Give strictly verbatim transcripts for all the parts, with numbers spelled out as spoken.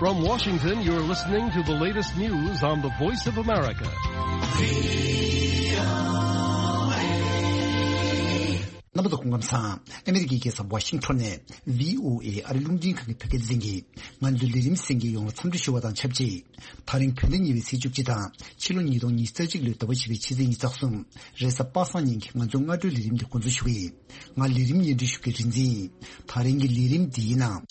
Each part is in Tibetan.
From Washington, you're listening to the latest news on the Voice of America. རྣམ་པ་ཚོ་སྐུ་ཁམས་བཟང་། ཨ་མི་རི་ཀའི་རྒྱལ་ས་ཝ་ཤིང་ཊོན་ནས་བྷི་ཨོ་ཨེ་ཨ་རི་རླུང་འཕྲིན་ཁང་གི་བོད་སྐད་སྡེ་ཚན་གྱིས་ང་ཚོའི་ལས་རིམ་གསན་མཁན་ཡོངས་ལ་འཚམས་འདྲི་ཞུ་བ་དང་ཆབས་ཅིག་ད་རིང་བོད་ཟླ་གཉིས་པའི་ཚེས་བཅུ་གཅིག་དང་ཕྱི་ལོ་ཉིས་སྟོང་ཉི་ཤུ་རྩ་གཅིག་ལོའི་ཟླ་བ་བཞི་པའི་ཕྱི་ཚེས་ཉི་ཤུ་རྩ་གསུམ། རེས་གཟའ་པ་སངས་ཉིན་གྱི་ང་ཚོའི་སྔ་དྲོའི་ལས་རིམ་འདི་འགོ་འཛུགས་ཞུ་གི་ཡིན། ང་ལས་རིམ་སྙན་སྒྲོན་ཞུ་མཁན་རིག་འཛིན་ཡིན། ད་རིང་གི་ལས་རིམ་འདིའི་ནང་།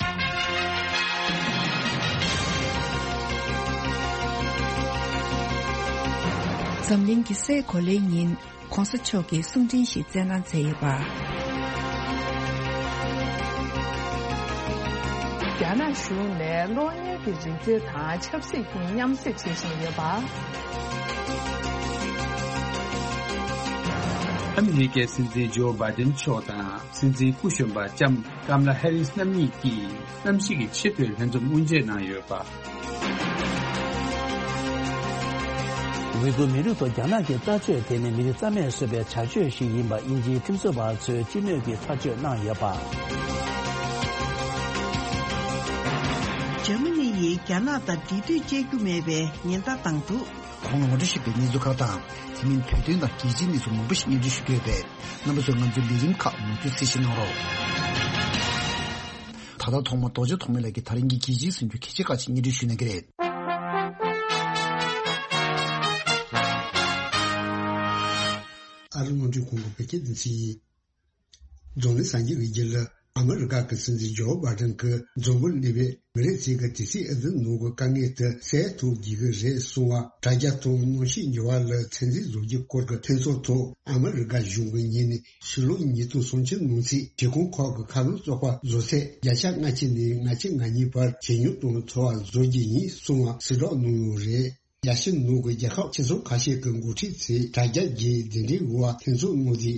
འཛམ་གླིང་གི་སའི་གོ་ལའི་ཉིན་༧གོང་ས་མཆོག་གིས་གསུང་འཕྲིན་ཞིག་སྩལ་གནང་མཛད་ཡོད་པ། རྒྱ་ནག་གཞུང་ནས་གློག་བརྙན་གྱི་རིག་རྩལ་དང་ཆབ་སྲིད་ཀྱི་མཉམ་བསྲེས་བྱེད་བཞིན་ཡོད་པ། ཨ་མི་རི་ཀའི་སྲིད་འཛིན་ཇོ་བྷའི་ཏིན་མཆོག་དང་སྲིད་འཛིན་སྐུ་གཞོན་པ་ལྕམ་ཀམ་ལ་ཧེ་རིས་རྣམ་གཉིས་ཀྱིས་གནམ་གཤིས་ཀྱི་ཆེས་མཐོའི་ལྷན་འཛོམས་དབུ་འབྱེད་གནང་ཡོད་པ། ཝི་གུར་མི་རིགས་ཐོག་རྒྱ་ནག་གི་ལྟ་སྤྱོད་དེ་ནི་མི་རིགས་རྩ་མེད་བཟོ་བའི་བྱ་སྤྱོད་ཞིག་ཡིན་པ་དབྱིན་ཇིའི་ཁྲིམས་བཟོ་བ་ཚོས་སྤྱི་མོས་ཀྱིས་ཐག་གཅོད་གནང་ཡོད་པ། འཇར་མ་ནི་ཡིས་རྒྱ་ནག་དང་འབྲེལ་མཐུད་བྱེད་རྒྱུ་མེད་པའི་ཉེན་བརྡ་བཏང་འདུག་གོང་ལ་ངོ་སྤྲོད་ཞུས་པའི་གནས་ཚུལ་ཁག་དང་། དེ་མིན་བོད་དོན་དང་རྒྱལ་སྤྱིའི་གནས་ཚུལ་མང་པོ་ཞིག་སྙན་སྒྲོན་ཞུ་གི་ཡོད་པས། རྣམ་པ་ཚོས་ང་ཚོའི་ལས་རིམ་ཁག་མུ་མཐུད་གསན་བཞེས་གནང་རོགས། ད་ལྟ་ཐོག་མར་རྡོ་རྗེ་ཐོགས་མེད་ལགས་ཀྱིས་ད་རིང་གི་རྒྱལ་སྤྱིའི་གསར་འགྱུར་གལ་ཆེ་ཁག་ཅིག་སྙན་སྒྲོན་ཞུ་གནང་གི་རེད། ཨ་རི་རླུང་འཕྲིན་ཁང་གི་བོད་སྐད་སྡེ་ཚན་ཡིན། འཛམ་གླིང་གསར་འགྱུར་གྱི་རྒྱུད་ལ། ཨ་མི་རི་ཀ་གི་སྲིད་འཛིན་ཇོ་བྷའི་ཏིན་གྱིས་འཛམ་བུ་གླིང་པའི་མི་རིགས་ཚོས་ཀྱི་དུས་ཚོད་ཨེ་ཙི་ནང་གི་དཀའ་ངལ་དེ་སེལ་ཐུབ་དགོས་ཀྱི་རེད་གསུངས་པ། དྲ་རྒྱ་དང་གནམ་གཤིས་འགྱུར་བ་ལ་ཚོད་འཛིན་བཟོ་རྒྱུའི་སྐོར་གྱི་ཐེ་ཚོམ་ཐོག་ཨ་མི་རི་ཀ་གཞུང་གིས་ཉིན་ནས་ཕྱི་ལོ་ཉིས་སྟོང་སུམ་ཅུ་ནང་ཚུད་གཞིས་ཁོངས་ཁག་གི་མཁའ་རླུང་བཙོག་པ་བཟོ་ཚད་བརྒྱ་ཆ་ལྔ་བཅུ་ནས་ལྔ་བཅུ་ང་གཉིས་བར་ཇེ་ཉུང་དང་མཐོ་བ་བཟོ་རྒྱུ་ཡིན་གསུངས་པ་གསལ་བསྒྲགས་གནང་ཡོད་རེད། རྒྱལ་སྤྱིའི་ནང་གི་རྒྱལ་ཁབ་ཆེ་ཆུང་ཁ་ཤས་ཀྱི་འགོ་ཁྲིད་ཚོས་དྲ་རྒྱ་བརྒྱུད་གདན་འདྲེན་འོག་ཐེ་ཚོམ་གནང་སྟེ།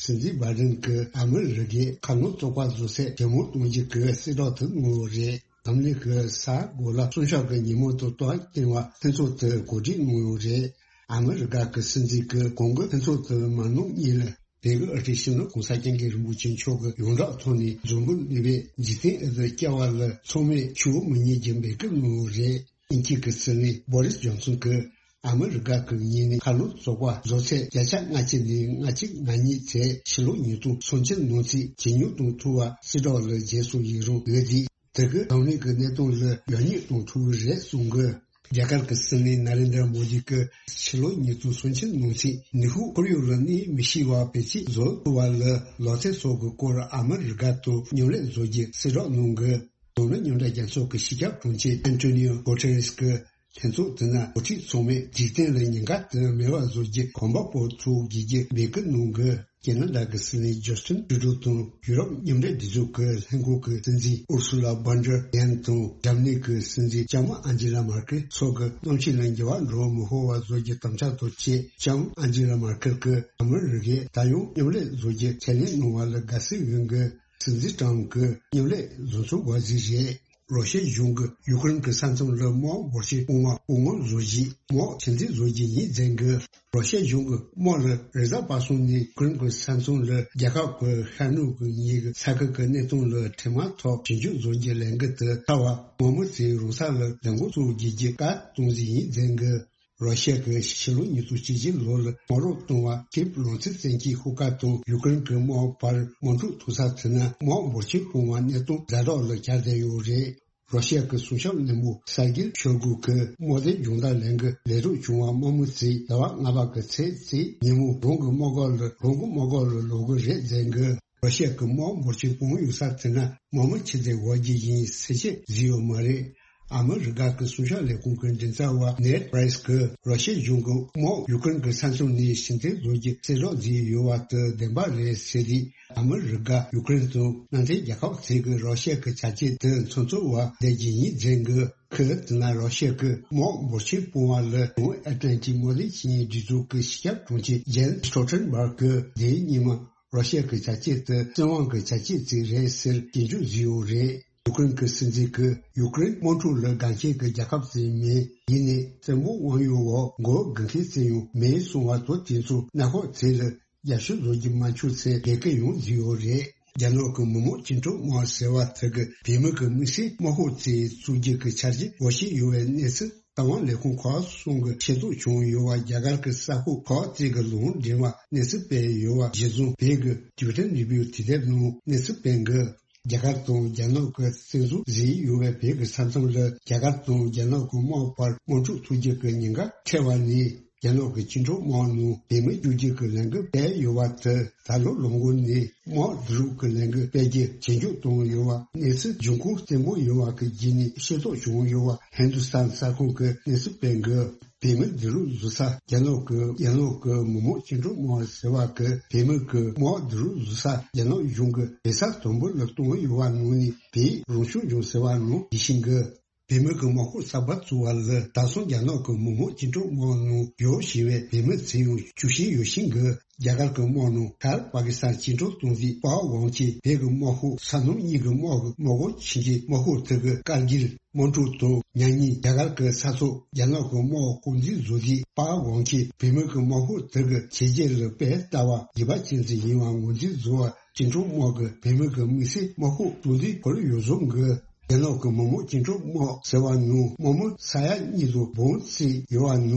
སྲིད་འཛིན་བྷའི་ཏིན་གྱིས་ཨ་མི་རི་ཀའི་མཁའ་རླུང་བཙོག་པ་བཟོ་ཚད་ཇེ་མང་གཏོང་རྒྱུ་གི་གསལ་བསྒྲགས་དེ་གནང་ཡོད་རེད། འཛམ་གླིང་གི་ས་གོ་ལ་སྲུང་སྐྱོབ་ཀྱི་ཉིན་མོ་དང་སྟབས་བསྟུན་པར་ལྷན་ཚོགས་དེ་གོ་སྒྲིག་གནང་ཡོད་རེད། ཨ་མི་རི་ཀ་གི་སྲིད་འཛིན་གྱིས་གོང་གི་ལྷན་ཚོགས་དེ་མ་གནང་སྔོན་ལ། བོད་ཀྱི་ཨ་རིའི་གཞོན་ནུ་གོང་ས་སྐྱབས་མགོན་རིན་པོ་ཆེ་མཆོག་གི་ཡོངས་གྲགས་ཐོག་ནས་འཛམ་བུ་གླིང་པའི་འཇིག་རྟེན་ཨེ་ཙི་བསྐྱར་བ་ལ་ཚང་མས་ཆུ་བོ་མི་གཉིས་ཀྱི་འབོད་སྐུལ་གནང་ཡོད་རེད། དབྱིན་ཇི་གི་སྲིད་བློན་བྷོ་རིས་ཇོན་སོན་གྱིས་ཨ་མི་རི་ཀ་གི་ཉིན་ནས་མཁའ་རླུང་བཙོག་པ་བཟོ་ཚད་བརྒྱ་ཆ་ལྔ་བཅུ་ནས་ལྔ་བཅུ་ང་གཉིས་ཚད་ཕྱི་ལོ་ཉིས་སྟོང་སུམ་ཅུ་ནང་ཚུད་ཇེ་ཉུང་གཏོང་ཐུབ་པ་གསལ་བསྒྲགས་ལ་བརྒྱབ་སོང་ཡིན་རུང་ཡོད་དེ། དེ་གིས་འཛམ་གླིང་གི་གནས་སྟངས་ལ་ཡག་ཉེས་གཏོང་ཐུབ་ཀྱི་རེད་གསུངས་ཀྱི། རྒྱ་གར་གྱི་སྲིད་བློན་ན་རེན་དྲ་མོ་དི་གིས་ཕྱི་ལོ་ཉིས་སྟོང་སུམ་ཅུ་ནང་ཚུད་ནུས་ཤུགས་ཁོར་ཡུག་ལ་གནོད་མི་ཤེས་པ་བེད་སྤྱོད་བཟོ་ཐུབ་པ་ལ་ལོ་ཚད་སོགས་ཀྱི་སྐོར་ཨ་མི་རི་ཀ་དང་མཉམ་ལས་བཟོ་རྒྱུ་གསལ་བསྒྲགས་གནང་གི། མདོར་ན་མཉམ་འབྲེལ་རྒྱལ་ཚོགས་ཀྱི་སྤྱི་ཁྱབ་དྲུང་ཆེ་ཨན་ཏོ་ནིའོ་གོ་ཏེ་རེས་ཀྱིས་ལྷན་ཚོགས་དེ་ནང་འགོ་ཁྲིད་ཚང་མས་འཇིག་རྟེན་ལ་ཉེན་ཁ་དེ་མེད་པར་བཟོ་རྒྱུའི་གོམ་པ་སྤོ་ཐུབ་དགོས་རྒྱུའི་འབོད་སྐུལ་གནང་གི། ཁེ་ན་ཌ་གི་སྲིད་བློན་ཇོ་སི་ཊིན་ཊུ་རུ་དང་ཡུ་རོབ་མཉམ་འབྲེལ་སྒྲིག་འཛུགས་ཀྱི་ལྷན་ཁང་གི་སྲིད་འཛིན་ཨུར་སུ་ལ་ཝོན་ཌར་ལེ་ཡན་དང་འཇར་མ་ནི་གི་སྲིད་འཛིན་ལྕམ་མོ་ཨན་ཇི་ལ་མར་ཀེལ་སོགས་ཀྱིས་གནམ་གཤིས་ལ་འགྱུར་བ་འགྲོ་མི་ཕོད་པ་བཟོ་རྒྱུའི་དམ་བཅའ་དང་བཅས། ལྕམ་མོ་ཨན་ཇི་ལ་མར་ཀེལ་གྱིས་ཨ་མི་རི་ཀས་ད་ཡང་མཉམ་ལས་བཟོ་རྒྱུའི་ཁས་ལེན་གནང་བ་ལ་དགའ་བསུ་ཡོད་འགི། སྲིད་འཛིན་ཊམ་གྱིས་མཉམ་ལས་བཟོ་ཚུལ་འགོག་རྩིས་རེད། རོ་ཤི་ཡ་གཞུང་གིས་ཡུ་ཀེ་རེན་གྱི་ས་མཚམས་ལ་དམག་འབོར་ཆེན་སྤུངས་པ་སྐུ་ངོ་བཟོ་རྒྱུའི་དམག་ཆུ་མཛོད་བཟོ་རྒྱུ་ཡིན་མཛད་འགི། རོ་ཤི་ཡ་གཞུང་གིས་དམག་ལ་རེས་གཟའ་པ་སངས་ནས་ཡུ་ཀེ་རེན་གྱི་ས་མཚམས་ལ་རྒྱལ་ཁབ་ཀྱི་ཤར་ནུབ་ཀྱི་ཉིན་གྱི་ས་ཁུལ་གྱི་གནས་སྟངས་ལ་འཕྲལ་མ་ཐོག་ཞིབ་འཇུག་བཟོ་རྒྱུའི་ལས་འགུལ་དེ་ཚར་བར་དམག་མི་ཚོས་རང་ས་ལ་ལས་འགུལ་བཙུགས་རྒྱུའི་བཀའ་གཏོང་རྩིས་ཡིན་མཛད་འགི། རོ་ཤི་ཡ་གིས་ཕྱི་ལོ་ཉིས་སྟོང་བཅུ་གཅིག་ལོ་ལ་དམག་རོགས་བཏང་བ་ཀིབ་ལང་ཚོའི་བཙན་གྱིས་ཤོག་ཁག་དང་ཡུ་ཀེ་རེན་གྱི་དམག་བར་དམག་འཁྲུག་ཐུག་ས་དེ་ན་དམག་འབོར་ཆེན་སྤུངས་པའི་གནད་དོན་ཛ་དྲག་ལ་གྱར་བསྡད་ཡོད་རེད། རོ་ཤི་ཡ་གི་སྲུང་སྐྱོབ་ལས་ཁུངས་གསར་འགྱུར་ཤོར་གུ་གི་དམག་སྡེའི་སྦྱོང་བརྡར་ལེན་གི་ལས་རོགས་བྱུང་བ་དམག་མི་ཚོས་ཟླ་བ་ལྔ་པ་གི་ཚེས་གཅིག་ཉིན་མོ་རང་གི་དམག་སྒར་ལ་རང་གི་དམག་སྒར་ལ་ལོག་གི་རེད་མཛད་གི། རོ་ཤི་ཡ་གི་དམག་འབོར་ཆེན་སྤུངས་ཡོད་ས་དེ་ན་དམག་མི་ཆི་ཟིག་འོང་རྒྱུ་ཡིན་གསལ་བཤད་བཟོས་ཡོད་མ་རེད། ཨ་མི་རི་ཀ་གི་སྲུང་སྐྱོབ་ལས་ཁུངས་ཀྱི་མགྲིན་ཚབ་པ་ནེཌ་པྲའི་སི་གིས་རོ་ཤི་ཡ་གཞུང་གི་དམག་ཡུ་ཀེ་རེན་གྱི་ས་མཚམས་ནས་ཕྱིར་འཐེན་བཟོ་རྒྱུ་གསལ་བསྒྲགས་བཟོས་ཡོད་པ་དེ་བདེན་པ་རེད་ཟེར་ཏེ། ཨ་མི་རི་ཀ་ཡུ་ཀེ་རེན་དང་མནའ་མཐུན་རྒྱལ་ཁབ་ཚོས་ཀྱིས་རོ་ཤི་ཡ་གི་བྱ་སྤྱོད་དེ་མཚམས་ཚོད་པ་བསྡད་རྒྱུ་ཡིན་མཛད་གི། ཁོས་དེ་ན་རོ་ཤི་ཡ་གི་དམག་འབོར་ཆེན་སྤུངས་པ་ལ་བྱང་ཨེཊ་ལན་ཊིག་དམག་དོན་ཆིངས་ཡིག་སྒྲིག་འཛུགས་ཀྱི་སྤྱི་ཁྱབ་དྲུང་ཆེ་ཇེན་སི་སྟོལ་ཊེན་བྷག་གིས་དེའི་སྔོན་མ། རོ་ཤི་ཡ་གི་བྱ་སྤྱོད་དེ་བཙན་དབང་གི་བྱ་སྤྱོད་ཅིག་རེད་ཟེར་སྐྱོན་བརྗོད་བཟོས་ཡོད་རེད། ཡུ་ཀེ་རེན་གྱི་སྲིད་འཛིན་གྱིས་ཡུ་ཀེ་རེན་དམག་འཁྲུག་ལ་དགའ་མཁན་གྱི་རྒྱལ་ཁབ་ཅིག་མིན། ཡིན་ནའི་བཙན་པོ་དབང་ཡོད་འོག་མགོ་སྒུར་མཁན་ཅིག་ཡང་མིན་གསུང་བ་དང་། དེ་ཚོ་གནམ་འོག་ཚོས་ལ་རྒྱབ་སྐྱོར་བཟོ་རྒྱུ་མ་བྱུང་ཚེ་དགའ་གི་ཡོང་བཟོས་ཡོད་རེད། རྒྱ་ནག་གི་མི་དམངས་བཅིངས་འགྲོལ་དམག་ཟེར་བ་དེ་གི་བོད་མི་གི་དམིགས་བསལ་དམག་ཤོག་ཅིག་བཙུགས་རྒྱུ་གི་འཆར་གཞི་འོས་ཤིང་ཡོད་པའི་གནས་ཚུལ་རྟ་དབང་ལས་ཁུངས་ཁག་གསུམ་གི་ཤེས་རྟོགས་བྱུང་ཡོད་པ། རྒྱ་གར་གི་གསར་ཤོག་ཁག་ཅིག་གི་ལུང་འདྲེན་པ་གནས་ཚུལ་སྤེལ་ཡོད་པ་གཞིར་བཟུང་བོད་ཀྱི་བརྒྱུད་འཕྲིན་ནུས་པའི་དུས་དེབ་ནང་གནས་ཚུལ་སྤེལ་འགི། རྒྱ་གར་དང་རྒྱ་ནག་གི་བཙན་འཛུལ་བཟོས་ཡོད་པའི་བོད་ཀྱི་ས་མཚམས་ལ་རྒྱ་གར་དང་རྒྱ་ནག་གི་དམག་བར་དམག་འཁྲུག་ཐུག་རྒྱུ་གི་ཉེན་ཁ་འཕྲད་པ་ནས། རྒྱ་ནག་གི་བཅིངས་འགྲོལ་དམག་ནང་བོད་མི་བཅུག་རྒྱུ་གི་ལས་འགུལ་སྤེལ་ཡོད་པ་དེ་ད་ལོ་ལོ་འགོ་ནས་དམག་བསྡུ་རུབ་ཀྱི་ལས་འགུལ་སྤེལ་རྒྱུ་ཇེ་མགྱོགས་བཏང་ཡོད་པ། གནས་ཚུལ་འབྱུང་ཁུངས་བརྟན་པོ་ཡོད་པ་གི་བརྒྱུད་ནས་ཤེས་རྟོགས་བྱུང་ཡོད་པ་ཧིན་དུ་སྟན་གསར་ཁང་གིས་གནས་ཚུལ་སྤེལ་འགི། བོད་མི་བསྡུ་རུབ་བཟོ་ས་རྒྱ་ནག་གི་རྒྱ་ནག་གི་མི་དམངས་བཅིངས་འགྲོལ་དམག་ཟེར་བ་གི་བོད་མི་གི་དམག་བསྡུ་རུབ་བཟོ་ས་རྒྱ་ནག་གཞུང་གི་བོད་ས་དང་པོ་ལ་གཏོང་ཡོད་པ་ནང་ནས་བོད་རང་སྐྱོང་ལྗོངས་ཟེར་བ་ནང་ཡིད་བཞིན་གི། བོད་མི་གི་དམག་ཤོག་གསར་པ་བཙུགས་པ་ལ་ད་སང་རྒྱ་ནག་གི་མི་དམངས་བཅིངས་འགྲོལ་དམག་ནང་ཡོད་ཞེས་པའི་བོད་མི་ཚུར་ཡང་བཅུག་བཞིན་ཡོད་བཞིན་གི། རྒྱ་གར་གི་དམག་ནང་ཤར་པ་ཀི་སི་ཐན་བཅིངས་འགྲོལ་གཏོང་མཁན་པ་ཝང་ཆི་བོད་ཀྱི་དམག་ཤོག་ས་མཚམས་གཉིས་ཀྱི་དམག་གི་དམག་སྒར་ཆེན་གྱི་དམག་ཤོག་དེ་གི་ཀར་གིལ་དམག་འཁྲུག་དང་མཉམ་ཉིན་རྒྱ་གར་གྱི་ས་ཐོག་རྒྱ་ནག་གི་དམག་དཀོན་འཛིན་བཟོ་རྒྱུ་པ་ཝང་ཆི་བོད་མི་གི་དམག་ཤོག་དེ་གི་བྱས་རྗེས་ལ་དཔེ་ལྟ་བ་ཡིད་ཕམ་ཅན་ཞིག་ཡིན་པ་ངོས་འཛིན་བཟོ་བར། བཅིངས་འགྲོལ་དམག་གི་བོད་མི་གི་དམིགས་བསལ་དམག་ཤོག་གཙོ་འཛིན་སྐོར་ཡོ་བཟོ་གི། རྒྱ་ནག་གི་མི་དམངས་བཅིངས་འགྲོལ་དམག་ཟེར་བ་ནང་དམག་མི་ས་ཡ་གཉིས་དང་འབུམ་གཅིག་ཡོད་པ་ནང་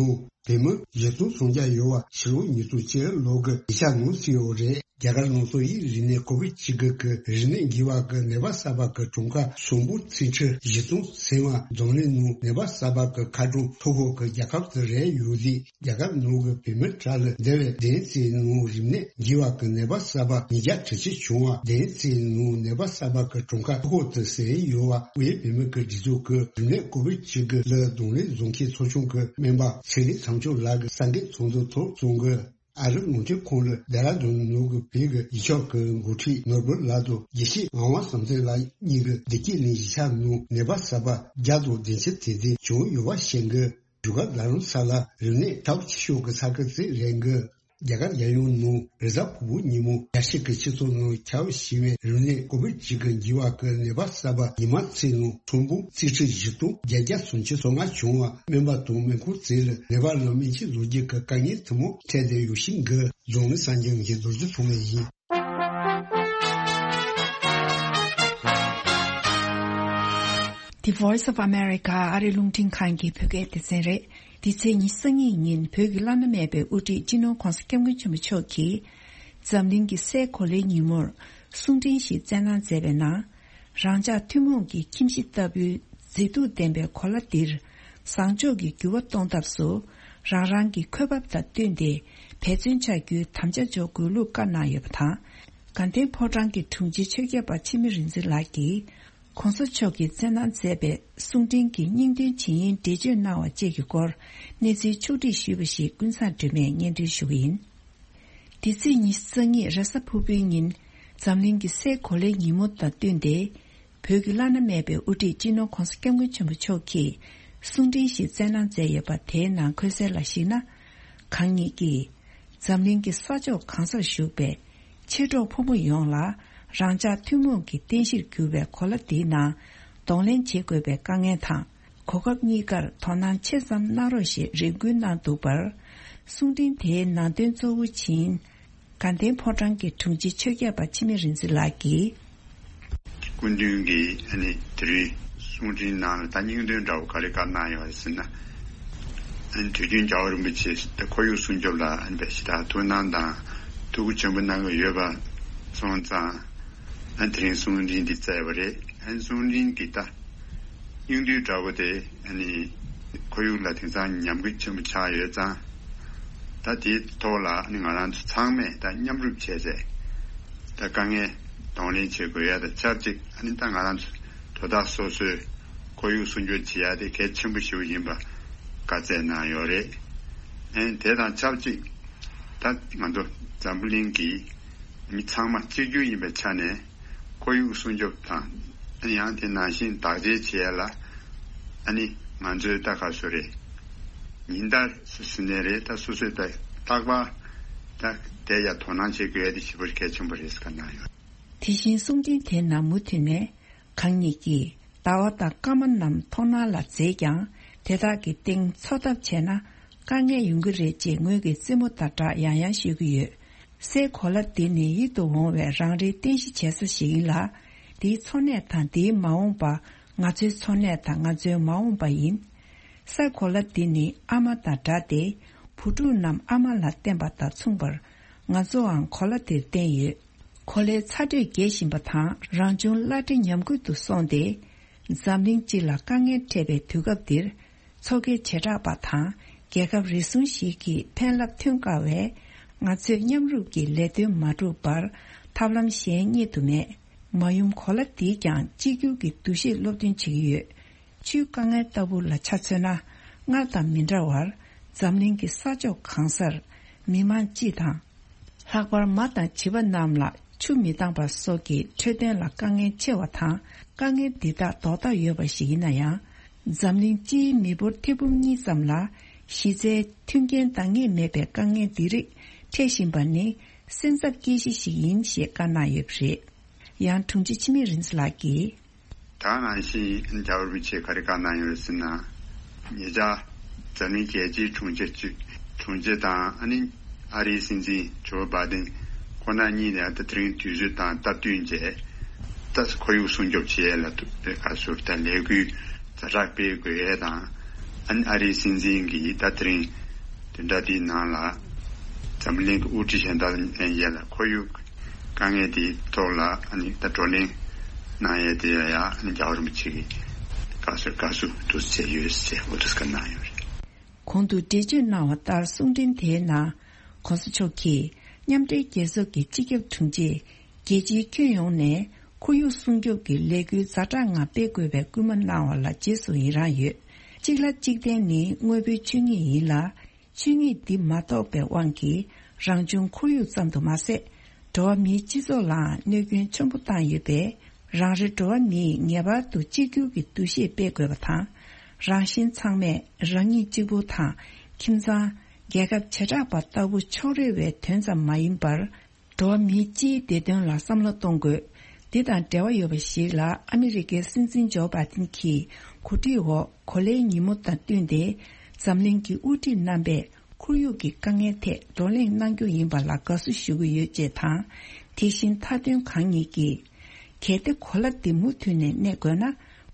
བོད་མི་བཞི་སྟོང་སུམ་བརྒྱ་ཡོད་པ་ཕྱི་ལོ་ཉིས་སྟོང་བཅུ་ལོ་གི་ཡིག་ཆ་ནང་གསལ་ཡོད་རེད། རྒྱ་གར་ནང་སོག་ཡིག་རིག་གནས་ཀོ་བིད་བཅུ་དགུ་གི་རིམས་ནད་འགོས་པ་གི་ནད་པ་གསར་པ་གི་གྲངས་ཀ་སུམ་སྟོང་ཚེག་ཁྲི་བཞི་སྟོང་ཟིན་པ། འཛམ་གླིང་ནང་ནད་པ་གསར་པ་གི་ཁ་གྲངས་མཐོ་ཤོས་གི་རྒྱལ་ཁབ་དེ་རེད་ཡོད་ལི། རྒྱ་གར་ནང་གི་བོད་མི་གྲས་ལ་འདས་པའི་བདུན་ཙམ་ནང་རིམས་ནད་འགོས་པ་གི་ནད་པ་གསར་པ་ཉིས་བརྒྱ་དྲུག་ཅུ་བྱུང་བ། བདུན་ཙམ་ནང་ནད་པ་གསར་པ་གི་གྲངས་ཀ་མཐོ་ཤོས་དེ་ཟིན་ཡོད་པ། དབུས་བོད་མི་གི་སྒྲིག་འཛུགས་ཀྱི་རིམས་ནད་ཀོ་བིད་བཅུ་དགུ་ལ་གདོང་ལེན་བཟོ་མཁན་ཚོགས་ཆུང་གི་སྨན་པ་ཚེ་རིང་དམ་ཆོས་ལགས་ཀྱིས་གསར་འགོད་ཚོགས་འདུ་ཐོག་གསུངས་གི། ཨ་རིའི་རླུང་འཕྲིན་ཁང་ལ་ལྡེ་ར་ལྡུན་ནང་གི་བོད་ཀྱི་ཡིག་ཆོག་གི་འགོ་ཁྲིད་ནོར་བུ་ལགས་དང་དགེ་བཤེས་ངག་དབང་བསམ་གཏན་ལགས་གཉིས་ཀྱིས་བདེ་སྐྱིད་གླིང་གཞིས་ཆགས་ནང་ནད་པ་གསར་པ་བརྒྱ་དང་བདུན་ཅུ་དེ་ཙམ་བྱུང་ཡོད་པ་བཤད་གི། བཞུགས་སྒར་རྡ་རམ་ས་ལར་རིམས་ནད་སྟབས་ཆེ་ཤོས་ཀྱི་ས་ཁུལ་ཅིག་རེད་གི། རྒྱ་གར་རྒྱལ་ཡོངས་ནང་རེས་གཟའ་ཕུར་བུ་ཉིན་མོ་རྒྱལ་སྤྱི་གི་སྤྱི་ཚོགས་ནང་ཁྱབ་ཞེས་པའི་རིམས་ནད་ཀོ་བིད་བཅུ་དགུ་འགོས་པ་གི་ནད་པ་གསར་པ་ཉི་མ་གཅིག་ནང་ཚོང་འབུམ་རྩིས་ཁྲི་བཞི་སྟོང་བརྒྱད་བརྒྱ་སུམ་ཅུ་སོ་ལྔ་བྱུང་བ། སྨན་པ་དང་སྨན་ཁང་ཚོ་ལ་ནད་པ་ལ་སྨན་བཅོས་བཟོ་རྒྱུ་གི་དཀའ་ངལ་དེ་མོ་འཕྲད་བསྡད་ཡོད་བཞིན་གི། རྫོང་ནས་གསར་འགྱུར་འགའ་རྡོ་རྗེ་ཐོགས་མེད་ཡིན། The Voice of America ཨ་རིའི་རླུང་འཕྲིན་ཁང་གི་བོད་སྐད་སྡེ་ཚན་རེད། འདི་ཚེས་ཉི་ཤུ་རྩ་གཉིས་ཉིན་བོད་ཀྱི་བླ་ན་མེད་པའི་དབུ་ཁྲིད་སྤྱི་ནོར་༧གོང་ས་༧སྐྱབས་མགོན་ཆེན་པོ་མཆོག་གིས་འཛམ་གླིང་གི་སའི་གོ་ལའི་ཉིན་མོར་གསུང་འཕྲིན་ཞིག་བསྩལ་གནང་མཛད་པའི་ནང་། རང་ཅག་ཐུན་མོང་གི་ཁྱིམ་གཞིས་ལྟ་བུའི་མཛེས་སྡུག་ལྡན་པའི་གོ་ལ་འདིར་བཟང་ཕྱོགས་ཀྱི་འགྱུར་བ་གཏོང་ཐབས་སུ་རང་རང་གི་འཁོས་བབ་དང་བསྟུན་ཏེ་འབད་བརྩོན་བྱ་རྒྱུའི་དམ་བཅའ་འཇོག་དགོས་ལུགས་བཀའ་གནང་ཡོད་པ་དང་། དགའ་ལྡན་ཕོ་བྲང་གི་དྲུང་ཆེ་ཆོས་ཁྱབ་པ་འཆི་མེད་རིག་འཛིན་ལགས་ཀྱིས། ༸གོང་ས་མཆོག་གིས་བསྩལ་གནང་མཛད་པའི་གསུང་འཕྲིན་གྱི་སྙིང་དོན་ཇི་ཡིན་འགྲེལ་བརྗོད་གནང་བ་བཅས་ཀྱི་སྐོར་གནས་ཚུལ་ཕྱོགས་སྒྲིག་ཞུས་པ་ཞིག་ཀུན་བཟང་སྒྲོལ་མས་སྙན་སྒྲོན་ཞུ་གི་ཡིན། འདི་ཚེས་ཉི་ཤུ་རྩ་གཉིས་རེས་གཟའ་ཕུར་བུའི་ཉིན་འཛམ་གླིང་གི་སའི་གོ་ལའི་ཉིན་མོ་དང་བསྟུན་ཏེ། བོད་ཀྱི་བླ་ན་མེད་པའི་དབུ་ཁྲིད་སྤྱི་ནོར་༸གོང་ས་༸སྐྱབས་མགོན་ཆེན་པོ་མཆོག་གིས་གསུང་འཕྲིན་ཞིག་བསྩལ་གནང་མཛད་ཡོད་པ། དེའི་ནང་འཁོད་གསལ་ལ་གཞིགས་ན། གང་ཉིད་ཀྱིས་འཛམ་གླིང་གི་ས་ཕྱོགས་གང་སར་བཞུགས་པའི་མཆེད་གྲོགས་ཕོ་མོ་ཡོངས་ལ་རང་ཅག་ཐུན་མོང་གི་རྟེན་གཞིར་གྱུར་པའི་གོ་ལ་འདིའི་ནང་གདོང་ལེན་བྱེད་དགོས་པའི་དཀའ་ངལ་དང་། གོ་སྐབས་གཉིས་ཀར་དོ་སྣང་ཆེ་ཙམ་གནང་རོགས་ཞེས་རེ་སྐུལ་གནང་འདུག་པར། གསུང་འཕྲིན་དེའི་ནང་དོན་གཙོ་བོ་ཇི་ཡིན། དགའ་ལྡན་ཕོ་བྲང་གི་དྲུང་ཆེ་ཆོས་ཁྱབ་པ་འཆི་མེད་རིག་འཛིན་ལགས་ཀྱིས། སྐུ་མདུན་གྱིས་ཨ་ནི་དེ་རིང་གསུང་འཕྲིན་ནང་ལ་ད་སྙིང་དོན་འདྲ་བོ་ག་རེ་བཀའ་གནང་ཡོད་ཟེར་ན། ཨ་ནི་དུས་རྒྱུན་རྒྱལ་བ་རིན་པོ་ཆེ་ད་ཁོར་ཡུག་སྲུང་སྐྱོབ་ལ་ཨ་ནི་དཔེ་ཞེ་དྲག་ཐུགས་སྣང་དང་ཐུགས་ཁུར་ཆེན་པོ་གནང་གི་ཡོད་པ་སོང་ཙང་། ཨ་ནི་དེ་རིང་གསུང་འཕྲིན་འདི་བསྩལ་བ་རེད། ཨ་ནི་གསུང་འཕྲིན་གྱི་ད་སྙིང་བསྡུས་འདྲ་བོ་དེ་ཨ་ནི་ཁོར་ཡུག་ལ་དེང་སང་ཉམས་རྒུད་ཆེན་པོ་ཆགས་ཡོད་ཙང་། ད་དེའི་ཐོག་ལ་ཨ་ནི་ང་རང་ཚོ་ཚང་མས་ད་མཉམ་རུབ་བྱས་ཏེ་ད་དཀའ་ངལ་གདོང་ལེན་བྱེད་དགོས་ཡ་དང་ཆབས་ཅིག་ཨ་ནི་ད་ང་རང་ཚོ་དོ་བདག་སོ་སོའི་ཁོར་ཡུག་སྲུང་སྐྱོབ་བྱེད་ཡ་དེ་གལ་ཆེན་པོ་ཞིག་ཡིན་པ་བཀའ་སྩལ་གནང་ཡོད་རེད། ཨ་ནི་དེ་དང་ཆབས་ཅིག་ད་ང་ཚོ་འཛམ་བུ་གླིང་གི་མི་ཚང་མ་གཅིག་གྱུར་ཡིན་པའི་ཆ་ནས་ཁོར་ཡུག་སྲུང་སྐྱོབ་དང་ཡང་དེ་ནང་བཞིན་བདག་གཅེས་བྱེད་ཡ་ལ་ཨ་ནི་ང་ཚོའི་ད་ག་སུ་རེད། ཉིན་ལྟར་སུ་སུ་ནས་རེད། ད་སོ་སོའི་ད་རྟག་པར་ད་དེ་ཡ་དོ་སྣང་བྱེད་དགོས་ཡ་དེ་ཞེ་པོ་གལ་ཆེན་པོ་རེད་ཟེར་ག་གནང་ཡོད། དེ་བཞིན་གསུང་འཕྲིན་དེའི་ནང་མུ་མཐུད་ནས་གང་ཉིད་ཀྱིས་ཟླ་བ་དང་སྐར་མ་རྣམས་མཐོང་སྣང་ལ་མཛེས་ཀྱང་དེ་དག་གི་སྟེང་འཚོ་ཐབས་བྱས་ན་དཀའ་ངལ་ཡོང་གི་རེད་ཅེས་ངོས་ཀྱིས་རྩེད་མོ་དང་སྦྲགས་ཡང་ཡང་ཤོད་ཀྱི་ཡོད། སའི་གོ་ལ་འདི་ནི་ཡིད་དུ་འོང་བའི་རང་རེའི་རྟེན་གཞི་བྱེད་ས་ཞིག་ཡིན་ལ། འདིའི་འཚོ་གནས་དང་འདིའི་མ་འོངས་པ་ང་ཚོའི་འཚོ་གནས་དང་ང་ཚོའི་མ་འོངས་པ་ཡིན། སའི་གོ་ལ་འདི་ནི་ཨ་མ་དང་འདྲ་སྟེ། བུ་ཕྲུག་རྣམས་ཨ་མ་ལ་བརྟེན་པ་དང་མཚུངས་པར་ང་ཚོའང་གོ་ལ་འདིར་བརྟེན་ཡོད། གོ་ལའི་ཚ་དྲོད་རྒྱས་བཞིན་པ་དང་རང་བྱུང་བླ་བྲེ་ཉམས་རྒུད་དུ་སོང་སྟེ། འཛམ་གླིང་སྤྱི་ལ་དཀའ་ངལ་འཕྲད་པའི་དུས་སྐབས་འདིར། མཚོ་ཁའི་བྱེ་བྲག་པ་དང་རྒྱལ་ཁབ་རེ་ཟུང་ཞིག་གིས་ཕན་རླབས་ཐོན་དཀའ་བས། ང་ཚོས་མཉམ་རུབ་ཀྱིས་ལས་དོན་མ་བསྒྲུབས་པར་ཐབས་ལམ་གཞན་རྙེད་དུ་མེད། མ་ཡུམ་གོ་ལ་འདིས་ཀྱང་གཅིག་གྱུར་གྱི་འདུ་ཤེས་སློབ་སྟོན་བྱེད་ཀྱི་ཡོད། ཆུའི་དཀའ་ངལ་ལྟ་བུ་ལ་ཆ་མཚོན་ན། སྔར་དང་མི་འདྲ་བར་འཛམ་གླིང་གི་ས་ཕྱོགས་གང་སར་མི་མང་སྤྱི་དང་། ལྷག་པར་མ་དང་བྱིས་པ་རྣམས་ལ་ཆུ་མི་འདང་བ་སོགས་ཀྱི་འཕྲོད་བསྟེན་ལ་དཀའ་ངལ་ཆེ་བ་དང་། དཀའ་ངལ་འདི་དག་ལྡོག་ཐབས་ཡོད་པ་ཞིག་ཡིན་ན་ཡང་། འཛམ་གླིང་སྤྱིའི་མི་འབོར་ཐེར་འབུམ་གཉིས་ཙམ་ལ་གཞི་རྩའི་མཐུན་རྐྱེན་འདང་ངེས་མེད་པའི་དཀའ་ངལ་འདི་རིགས་འཕྲད་བཞིན་པ་ནི་སེམས་འཚབ་སྐྱེ་གཞི་ཞིག་ཡིན་ཞེས་བཀའ་གནང་ཡོད་པ་རེད། ཡང་དྲུང་ཆེ་འཆི་མེད་རིག་འཛིན་ལགས་ཀྱིས། ད་ནང་བཞིན་རྒྱལ་བ་རིན་པོ་ཆེས་ག་རེ་བཀའ་གནང་ཡོད་ཟེར་ན། ཉེ་ཆར་འཛམ་གླིང་རྒྱལ་སྤྱིའི་དྲུང་ཆེ་གཅིག་དྲུང་ཆེ་དང་ཨ་ནི་ཨ་རིའི་སྲིད་འཛིན་ཇོ་བྷའི་ཏིན་ཁོ་ན་གཉིས་ནས་ད་དེ་རིང་དུས་ཚོད་དང་སྟབས་བསྟུན་བྱས། ད་ཁོར་ཡུག་སྲུང་སྐྱོབ་བྱེད་ཡས་ལ་ཐུགས་ཁ་ཟུར་ད་ལས་འགུལ་ཛ་དྲག་སྤེལ་དགོས་ཡས་དང་། ཨ་ནི་ཨ་རིའི་སྲིད་འཛིན་གྱིས་ད་དེ་རིང་བདུན་ཕྲག་འདིའི་ནང་ལ་འཛམ་གླིང་གི་དབུ་ཁྲིད་གཞན་དག་ལ་ཡ་ལ་ཁོར་ཡུག་དཀའ་ངལ་དེའི་ཐོག་ལ་ཨ་ནི་ད་བགྲོ་གླེང་གནང་ཡས་དེ་ཡ་ཡ་ཨ་ནི་རྒྱལ་བ་རིན་པོ་ཆེ་གིས་དགའ་བསུ་དགའ་བསུ་འདུག་བྱས་ཡོད་ཟེར་འོ་དེ་སྐད་གནང་ཡོད་རེད། གོང་དུ་འགྲེལ་བརྗོད་གནང་བ་ལྟར་གསུང་འཕྲིན་དེའི་ནང་གོང་ས་མཆོག་གིས་མཉམ་འབྲེལ་རྒྱལ་ཚོགས་ཀྱི་སྤྱི་ཁྱབ་དྲུང་ཆེ་རྒྱལ་སྤྱིའི་ཁྱོན་ཡོངས་ནས་ཁོར་ཡུག་སྲུང་སྐྱོབ་ཀྱི་ལས་འགུལ་ཛ་དྲག་ངང་སྤེལ་དགོས་པའི་སྐུལ་མ་གནང་བ་ལ་རྗེས་སུ་ཡི་རང་ཡོད། གཅིག་ལ་གཅིག་བརྟེན་ནི་དངོས་པོའི་ཆོས་ཉིད་ཡིན་ལ། ཆོས་ཉིད་འདི་མ་རྟོགས་པའི་དབང་གིས་རང་བྱུང་ཁོར་ཡུག་ཙམ་དུ་མ་ཟད། འགྲོ་བ་མིའི་སྤྱི་ཚོགས་ལའང་གནོད་སྐྱོན་ཆེན་པོ་བཏང་ཡོད་པས། རང་རེ་འགྲོ་བ་མིས་ངེས་པར་དུ་གཅིག་གྱུར་གྱི་འདུ་ཤེས་སྤེལ་དགོས་པ་དང་། རང་གཞན་ཚང་མས་རང་ཉིད་གཅིག་པུ་དང་། ཁྱིམ་ཚང་། རྒྱལ་ཁབ་བྱེ་བྲག་པ་ལྟ་བུ་ཕྱོགས་རིས་པའི་དོན་ཙམ་མ་ཡིན་པར། འགྲོ་བ་མིའི་སྤྱིའི་བདེ་དོན་ལ་བསམ་བློ་གཏོང་དགོས། འདི་དང་འབྲེལ་བ་ཡོད་པ་ཞིག་ལ་ཨ་མི་རི་ཀའི་སྲིད་འཛིན་ཇོ་བྷའི་ཏིན་གྱིས་གོ་སྒྲིག་འོག་གོ་ལའི་ཉིན་མོ་དང་བསྟུན་ཏེ། འཛམ་གླིང་གི་དབུ་ཁྲིད་རྣམ་པས་ཁོར་ཡུག་གི་དཀའ་ངལ་ཐད་བགྲོ་གླེང་གནང་རྒྱུ་ཡིན་པ་ལ་དགའ་བསུ་ཞུ་གི་ཡོད་ཅེས་དང་། དེ་བཞིན་མཐའ་དོན་གང་ཉིད་ཀྱིས། གལ་ཏེ་གོ་ལ་འདི་མུ་མཐུད་ནས་གནས་དགོས་ན།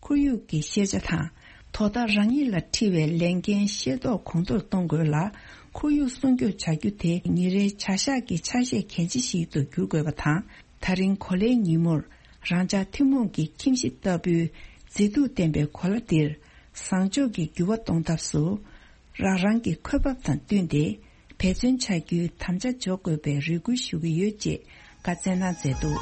ཁོར་ཡུག་གི་ཤེས་བྱ་དང་། དོ་བདག་རང་ཉིད་ལ་འཁྲི་བའི་ལས་འགན་ཤེས་རྟོགས་གོང་མཐོར་གཏོང་དགོས་ལ། ཁོར་ཡུག་སྲུང་སྐྱོབ་བྱ་རྒྱུ་དེ་ཉིན་རེའི་བྱ་གཞག་གི་ཆ་ཤས་གལ་ཆེ་ཞིག་ཏུ་འགྱུར་དགོས་པ་དང་། ད་རིང་གོ་ལའི་ཉིན་མོར་རང་ཅག་ཐུན་མོང་གི་ཁྱིམ་གཞིས་ལྟ་བུའི་མཛེས་སྡུག་ལྡན་པའི་གོ་ལ་འདིར་བཟང་ཕྱོགས་ཀྱི་འགྱུར་བ་གཏོང་ཐབས་སུ། རང་རང་གི་འཁོས་བབ་དང་བསྟུན་ཏེ་འབད་བརྩོན་བྱ་རྒྱུའི་དམ་བཅའ་འཇོག་དགོས་པའི་རེ་སྐུལ་ཞུ་གི་ཡོད་ཅེས་བཀའ་སྩལ་གནང་མཛད་འདུག།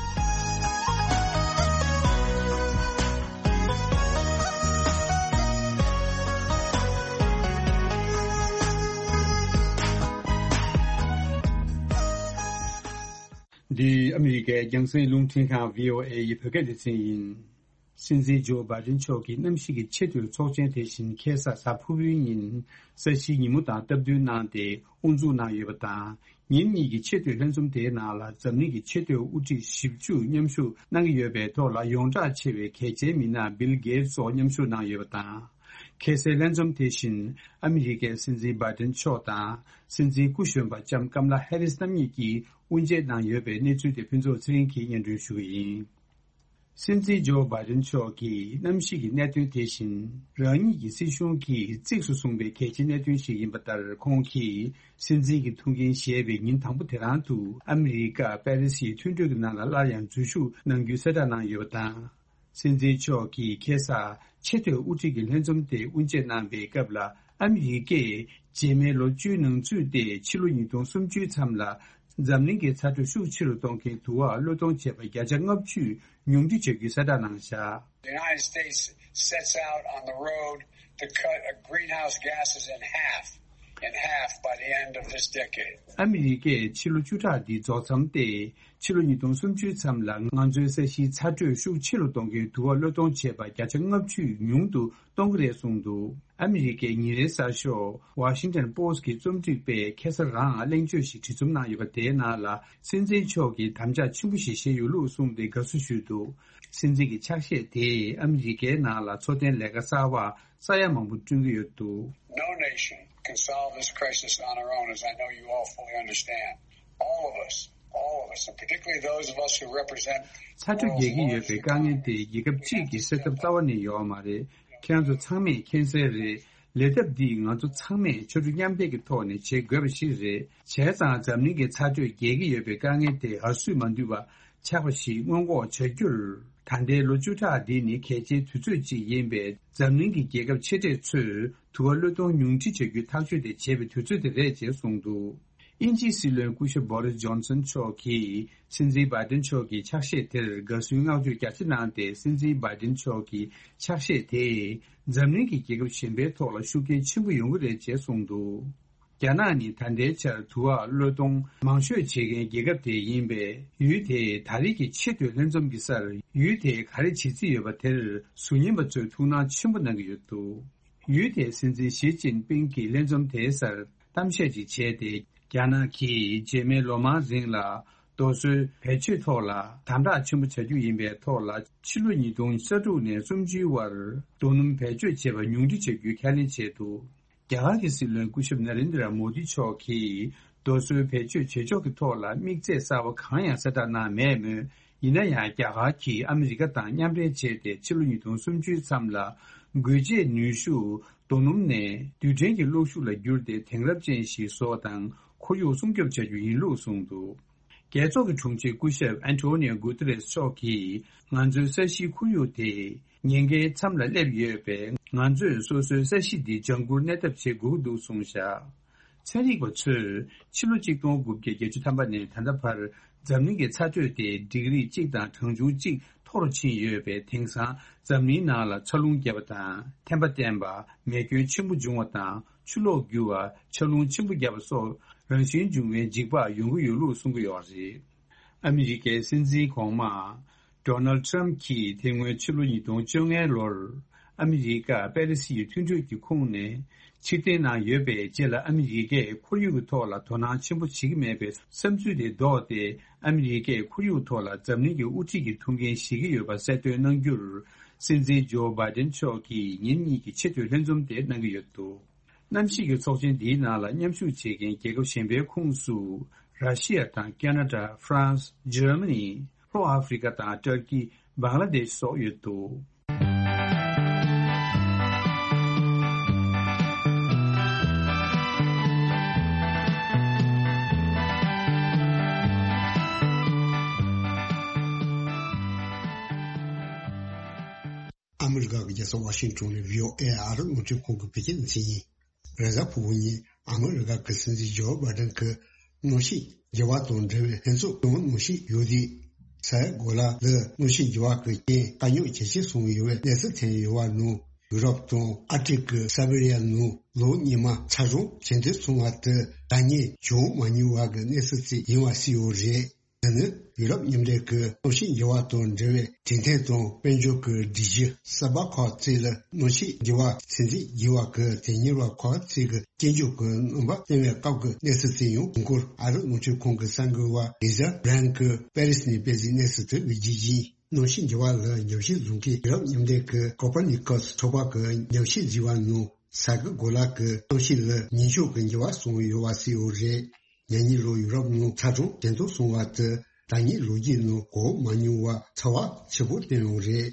འདི་ཨ་མི་རི་ཀའི་རྒྱང་སྲིང་རླུང་འཕྲིན་ཁང་བྷི་ཨོ་ཨེ་ཡི་བོད་སྐད་སྡེ་ཚན་ཡིན། སྲིད་འཛིན་ཇོ་བྷའི་ཏིན་མཆོག་གིས་གནམ་གཤིས་ཀྱི་ཆེས་མཐོའི་ཚོགས་ཆེན་དེ་བཞིན་ཁ་སང་གཟའ་ཕུར་བུའི་ཉིན་ས་གཞིའི་ཉིན་མོ་དང་སྟབས་བསྟུན་གནང་སྟེ་དབུ་འཛུགས་གནང་ཡོད་པ་དང་། ཉིན་གཉིས་ཀྱི་ཆེས་མཐོའི་ལྷན་འཛོམས་དེའི་ནང་ལ་འཛམ་གླིང་གི་ཆེས་མཐོའི་དབུ་ཁྲིད་བཞི་བཅུ་མཉམ་ཞུགས་གནང་གི་ཡོད་པའི་ཐོག་ལ་ཡོངས་གྲགས་ཆེ་བའི་གལ་ཆེའི་མི་སྣ་བིལ་གེ་ཏི་སོགས་མཉམ་ཞུགས་གནང་ཡོད་པ་དང་། ཁ་སང་ལྷན་འཛོམས་དེ་བཞིན་ཨ་མི་རི་ཀའི་སྲིད་འཛིན་བྷའི་ཏིན་མཆོག་དང་སྲིད་འཛིན་སྐུ་གཞོན་པ་ལྕམ་ཀམ་ལ་ཧེ་རིས་རྣམ་གཉིས་ཀྱིས་དབུ་འབྱེད་གནང་ཡོད་པའི་གནས་ཚུལ་དེ་ཕུན་ཚོགས་ཚེ་རིང་གིས་སྙན་སྒྲོན་ཞུ་གི་ཡིན། སྲིད་འཛིན་ཇོ་བྷའི་ཏིན་མཆོག་གིས་གནམ་གཤིས་ཀྱི་གནད་དོན་དེ་བཞིན་རང་ཉིད་ཀྱི་སྲིད་གཞུང་གིས་གཙིགས་སུ་བཟུང་བའི་གལ་ཆེའི་གནད་དོན་ཞིག་ཡིན་པ་ལྟར། ཁོང་གིས་སྲིད་འཛིན་གྱི་ཐུགས་འགན་བཞེས་པའི་ཉིན་དང་པོ་དེ་རང་དུ་ཨ་མི་རི་ཀ་པེ་རི་སིའི་མཐུན་གྲོས་ཀྱི་ནང་ལ་སླར་ཡང་འཛུལ་ཞུགས་གནང་རྒྱུའི་གསལ་བསྒྲགས་གནང་ཡོད་པ་དང་། སྲིད་འཛིན་མཆོག་གིས་ཁ་སང་ཆེས་མཐོའི་དབུ་ཁྲིད་ཀྱི་ལྷན་འཛོམས་དེ་དབུ་འབྱེད་གནང་བའི་སྐབས་ལ། ཨ་མི་རི་ཀས་རྗེས་མའི་ལོ་བཅུའི་ནང་ཚུད་དེ་ཕྱི་ལོ་ཉིས་སྟོང་སུམ་ཅུའི་མཚམས་ལ་འཛམ་གླིང་གི་ཚ་དྲོད་ཤུགས་ཆེ་རུ་གཏོང་མཁན་དུ་བ་གློད་གཏོང་བྱས་པ་བརྒྱ་ཆ་ལྔ་བཅུ་ཉུང་འཕྲི་བྱ་རྒྱུའི་གསལ་བསྒྲགས་གནང་བཞག། The United States sets out on the road to cut greenhouse gases in half, in half by the end of this decade. ཨ་མི་རི་ཀས་ཕྱི་ལོ་བཅུ་ཕྲག་འདི་རྫོགས་མཚམས་ཏེ། ཕྱི་ལོ་ཉིས་སྟོང་སུམ་ཅུའི་མཚམས་ལ་ང་ཚོའི་ས་གཞིའི་ཚ་དྲོད་ཤུགས་ཆེ་རུ་གཏོང་མཁན་དུ་བ་གློད་གཏོང་བྱས་པ་བརྒྱ་ཆ་ལྔ་བཅུ་ཉུང་དུ་གཏོང་གི་རེད་གསུངས་འདུག། ཨ་མི་རི་ཀའི་ཉིན་རེའི་གསར་ཤོག་Washington Post་གི་རྩོམ་སྒྲིག་པས་ཁ་སང་རང་གླེང་བརྗོད་ཞིག་བྲིས་རྩོམ་གནང་ཡོད་པ་དེའི་ནང་ལ། སྲིད་འཛིན་མཆོག་གིས་དམ་བཅའ་ཆེན་པོ་ཞིག་བཞེས་ཡོད་ལུགས་གསུངས་ཏེ་དགའ་བསུ་ཞུས་འདུག། སྲིད་འཛིན་གྱི་ཕྱག་བཞེས་དེས་ཨ་མི་རི་ཀའི་ནང་ལ་འཚོ་རྟེན་ལས་ཀ་གསར་བ་ས་ཡ་མང་པོ་བསྐྲུན་གྱི་ཡོད་འདུག། No nation can solve this crisis on our own, as I know you all fully understand. All of us all of us, and particularly those of us who represent ཚ་དྲོད་རྒྱས་ཀྱི་ཡོད་པའི་དཀའ་ངལ་དེ་རྒྱལ་ཁབ་གཅིག་གིས་སེལ་ཐབས་རྩ་བ་ནས་ཡོད་མ་རེད། ཁྱེད་རང་ཚོ་ཚང་མས་མཁྱེན་གསལ་རེད། ལས་ཐབས་འདིས་ང་ཚོ་ཚང་མས་ཕྱར་གྲུ་མཉམ་འདེགས་ཀྱི་ཐོག་ནས་བྱེད་དགོས་པ་ཞིག་རེད། བྱས་ཙང་འཛམ་གླིང་གི་ཚ་དྲོད་རྒྱས་ཀྱི་ཡོད་པའི་དཀའ་ངལ་དེ་ཨ་སུས་མ་འདུས་པ་ཆགས་པ་ཞིག་སྔོན་འགོག་བྱ་རྒྱུར། ད་ལྟའི་ལོ་བཅུ་ཕྲག་འདི་ནི་གལ་ཆེའི་དུས་ཚོད་ཅིག་ཡིན་པས། འཛམ་གླིང་གི་རྒྱལ་ཁབ་ཆེ་གྲས་ཚོས་དུ་བ་གློད་གཏོང་ཉུང་འཕྲི་བྱ་རྒྱུའི་ཐག་གཅོད་དེ་བྱེད་པའི་དུས་ཚོད་དེ་རེད་ཅེས་གསུངས་འདུག་དབྱིན་ཇིའི་སྲིད་བློན་སྐུ་ཞབས་བྷོ་རིས་ཇོན་སན་མཆོག་གིས་སྲིད་འཛིན་བྷའི་ཏིན་མཆོག་གི་ཕྱག་བཞེས་དེར་དགའ་བསུའི་བསྔགས་བརྗོད་རྒྱ་ཆེ་གནང་སྟེ། སྲིད་འཛིན་བྷའི་ཏིན་མཆོག་གི་ཕྱག་བཞེས་དེས་འཛམ་གླིང་གི་རྒྱལ་ཁབ་གཞན་པའི་ཐོག་ལ་ཤུགས་རྐྱེན་ཆེན་པོ་ཡོང་གི་རེད་ཅེས་གསུངས་འདུག་རྒྱ་ནག་ནི་ད་ལྟའི་ཆར་དུ་བ་གློད་གཏོང་མང་ཤོས་བྱེད་མཁན་རྒྱལ་ཁབ་དེ་ཡིན་པས། ཡུལ་དེས་ད་རེས་ཀྱི་ཆེས་མཐོའི་ལྷན་འཛོམས་ཀྱི་སར་ཡུལ་དེས་ག་རེ་བྱེད་རྩིས་ཡོད་པ་དེར་ཟུར་ཉན་པ་ཚོས་ཐུགས་སྣང་ཆེན་པོ་གནང་གི་ཡོད་འདུག་ཡུལ་དེའི་སྲིད་འཛིན་ཞི་ཅིན་ཕིང་གིས་ལྷན་འཛོམས་དེའི་སར་གཏམ་བཤད་ཅིག་བྱས་ཏེ། རྒྱ་ནག་གིས་རྗེས་མའི་ལོ་མང་རིང་ལ་རྡོ་སོལ་བེད་སྤྱོད་ཐོག་ལ་དམ་དྲག་ཆེན་པོ་བྱ་རྒྱུ་ཡིན་པའི་ཐོག་ལ། ཕྱི་ལོ་ཉིས་སྟོང་ཉེར་དྲུག་ནས་སུམ་ཅུའི་བར་རྡོ་སྣུམ་བེད་སྤྱོད་བྱེད་པ་ཉུང་འཕྲི་བྱ་རྒྱུའི་ཁས་ལེན་བྱས་འདུག་རྒྱ་གར་གྱི་སྲིད་བློན་སྐུ་ཞབས་ན་རེན་དྲ་མོ་དི་མཆོག་གིས་རྡོ་སོལ་བེད་སྤྱོད་བྱེད་ཕྱོགས་ཀྱི་ཐོག་ལ་དམིགས་ཚད་གསར་པ་གང་ཡང་གསལ་བསྒྲགས་གནང་མེད་མོད། ཡིན་ན་ཡང་རྒྱ་གར་གྱིས་ཨ་མི་རི་ཀ་དང་མཉམ་འབྲེལ་བྱས་ཏེ། ཕྱི་ལོ་ཉིས་སྟོང་སུམ་ཅུའི་མཚམས་ལ་འགུལ་སྐྱེད་ནུས་ཤུགས་རྡོ་སྣུམ་ནས་རྡུལ་ཕྲན་གྱི་གློག་ཤུགས་ལ་བསྒྱུར་ཏེ། དེང་རབས་ཅན་ཞིག་བཟོ་བ་དང་ཁོར་ཡུག་སྲུང་སྐྱོབ་བྱ་རྒྱུ་ཡིན་ལུགས་གསུངས་འདུག་རྒྱལ་ཚོགས་ཀྱི་དྲུང་ཆེ་སྐུ་ཞབས་ཨན་ཏོ་ནིའོ་གུ་ཏེ་རེས་མཆོག་གིས། ང་ཚོའི་ས་གཞིའི་ཁོར་ཡུག་དེ་ཉེན་ཁའི་མཚམས་ལ་སླེབས་ཡོད་པས། ང་ཚོས་སོ་སོའི་ས་གཞི་འདི་ལྗང་བཀུར་གནས་ཐབས་བྱེད་དགོས་ཀྱི་འདུག་གསུངས་བཞག་ཚན་རིག་པ་ཚོས་ཕྱི་ལོ་གཅིག་སྟོང་དགུ་བརྒྱ་བརྒྱད་ཅུ་ཐམ་པ་ནས་ད་ལྟ་བར་འཛམ་གླིང་གི་ཚ་དྲོད་དེ་ཌིག་རི་གཅིག་དང་གྲངས་ཆུང་གཅིག་མཐོ་རུ་ཕྱིན་ཡོད་པས། དེང་སང་འཛམ་གླིང་ནང་ལ་འཚར་ལོངས་རྒྱས་པ་དང་། ཐན་པ་བསྟན་པ། མེ་སྐྱོན་ཆེན་པོ་འབྱུང་བ་དང་། ཆུ་ལོག་རྒྱུ་བ། ཆར་རླུང་ཆེན་པོ་བརྒྱབ་པ་སོགས་རང་བཞིན་འབྱུང་བའི་འཇིགས་པ་ཡོང་གི་ཡོད་ལུགས་གསུང་གི་ཡོད་རེད། ཨ་མི་རི་ཀའི་སྲིད་འཛིན་གོང་མ་ཌོ་ནལ་ཊམ་གྱིས་དེ་སྔོན་ཕྱི་ལོ་ཉིས་སྟོང་བཅོ་ལྔའི་ལོར་ཨ་མི་རི་ཀ་པེ་རི་སིའི་མཐུན་གྲོས་ཀྱི་ཁོངས་ནས་ཕྱིར་འཐེན་གནང་ཡོད་པའི་རྗེས་ལ། ཨ་མི་རི་ཀས་ཁོར་ཡུག་གི་ཐོག་ལ་དོ་སྣང་ཆེན་པོ་བྱེད་ཀྱི་མེད་པའི་བསམ་ཚུལ་དེ་ལྡོག་སྟེ། ཨ་མི་རི་ཀས་ཁོར་ཡུག་ཐོག་ལ་འཛམ་གླིང་གི་དབུ་ཁྲིད་ཀྱི་ཐུགས་འགན་བཞེས་ཀྱི་ཡོད་པ་གསལ་སྟོན་གནང་རྒྱུར། སྲིད་འཛིན་ཇོ་བྷའི་ཏིན་མཆོག་གིས་ཉིན་གཉིས་ཀྱི་ཆེས་མཐོའི་ལྷན་འཛོམས་དེ་གནང་གི་ཡོད་འདུག་གནམ་གཤིས་ཀྱི་ཚོགས་ཆེན་འདིའི་ནང་ལ་མཉམ་ཞུགས་བྱེད་མཁན་རྒྱལ་ཁབ་གཞན་པའི་ཁོངས་སུ། ར་ཤི་ཡ་དང་ཁེ་ན་ཌ། ཧྥ་རན་སི། འཇར་མ་ནི། ལྷོ་ཨ་ཧྥི་རི་ཀ་དང་ཏུར་ཀི། བང་ལ་དེཤ་སོགས་ཡོད་འདུག་ཨ་མི་རི་ཀ་གི་རྒྱལ་ས་ཝ་ཤིང་ཊོན་ནས་བྷི་ཨོ་ཨེ་ཨ་རི་རླུང་འཕྲིན་ཁང་གི་བོད་སྐད་སྡེ་ཚན་ཡིན། རེས་གཟའ་ཕུར་བུ་ཉིན་ཨ་མི་རི་ཀ་གི་སྲིད་འཛིན་ཇོ་བྷའི་ཌེན་གྱིས་གནམ་གཤིས་འགྱུར་བ་དང་འབྲེལ་བའི་ལྷན་ཚོགས་དང་གནམ་གཤིས་འགྱུར་ལྡོག་ས་ཡ་གོ་ལ་ལ་གནམ་གཤིས་འགྱུར་བ་གི་རྐྱེན་དཀའ་རྙོག་ཇེ་ཆེར་སོང་ཡོད་པའི་གནས་ཚུལ་ཐོན་ཡོད་པ་ནང་། ཡུ་རོབ་དང་ཨར་ཀ་ཊིག་གི་སི་བེ་རི་ཡ་ནང་ལོ་སྔོན་མ་ཚ་གྲང་ཇེ་མཐོར་སོང་བ་དེ་ད་ལྟ་བྱུང་མ་མྱོང་བ་གི་གནས་ཚུལ་ཅིག་ཡིན་པ་གསལ་ཡོད་རེད། འདི་ནི་ཡུ་རོབ་མཉམ་འབྲེལ་གྱི་གནམ་གཤིས་འགྱུར་བ་དང་འབྲེལ་བའི་གྲོས་མཐུན་དང་དཔལ་འབྱོར་གྱི་སྒྲིག་གཞི་གསར་པ་ཁག་ཅིག་ལ་གནམ་གཤིས་འགྱུར་བ་ཚན་རིག་འགྱུར་བ་གྱི་དོན་གཉེར་བ་ཁག་ཅིག་གིས་སྐྱོན་བརྗོད་ཀྱི་རྣམ་པ་བཏོན་པའི་སྐབས་ཀྱི་གནས་ཚུལ་ཅིག་ཡང་། ཧུན་སྒོར་ཨ་རི་རླུང་འཕྲིན་ཁང་གི་གསར་འགོད་པ་ལི་ཛ་བྷི་རན་གྱིས་པེ་རི་སི་ནས་སྤེལ་གཟིགས་གནས་ཚུལ་དུ་འགྲེལ་བརྗོད་ཡིན། གནམ་གཤིས་འགྱུར་བ་ལ་ཉམས་ཞིབ་བཟོ་མཁན་ཡུ་རོབ་མཉམ་འབྲེལ་གྱི་ཀོ་པར་ནི་ཀོ་སི་ཚོགས་པ་གི་ཉམས་ཞིབ་ཟིན་པ་ནང་། ས་གི་གོ་ལ་གི་གནམ་གཤིས་ལ་ཉིན་ཞག་གི་འགྱུར་བ་སོང་ཡོད་པ་གསལ་ཡོད་རེད། ཉེ་ལམ་ལོ་ཡུ་རོབ་ནང་ཚ་གྲང་ཇེ་མཐོར་སོང་བ་དེ་ད་ལྟའི་ལོ་རྒྱུས་ནང་གོ་མ་མྱོང་བ་ཚ་བ་ཆེ་པོ་བཏོན་ཡོད་རེད།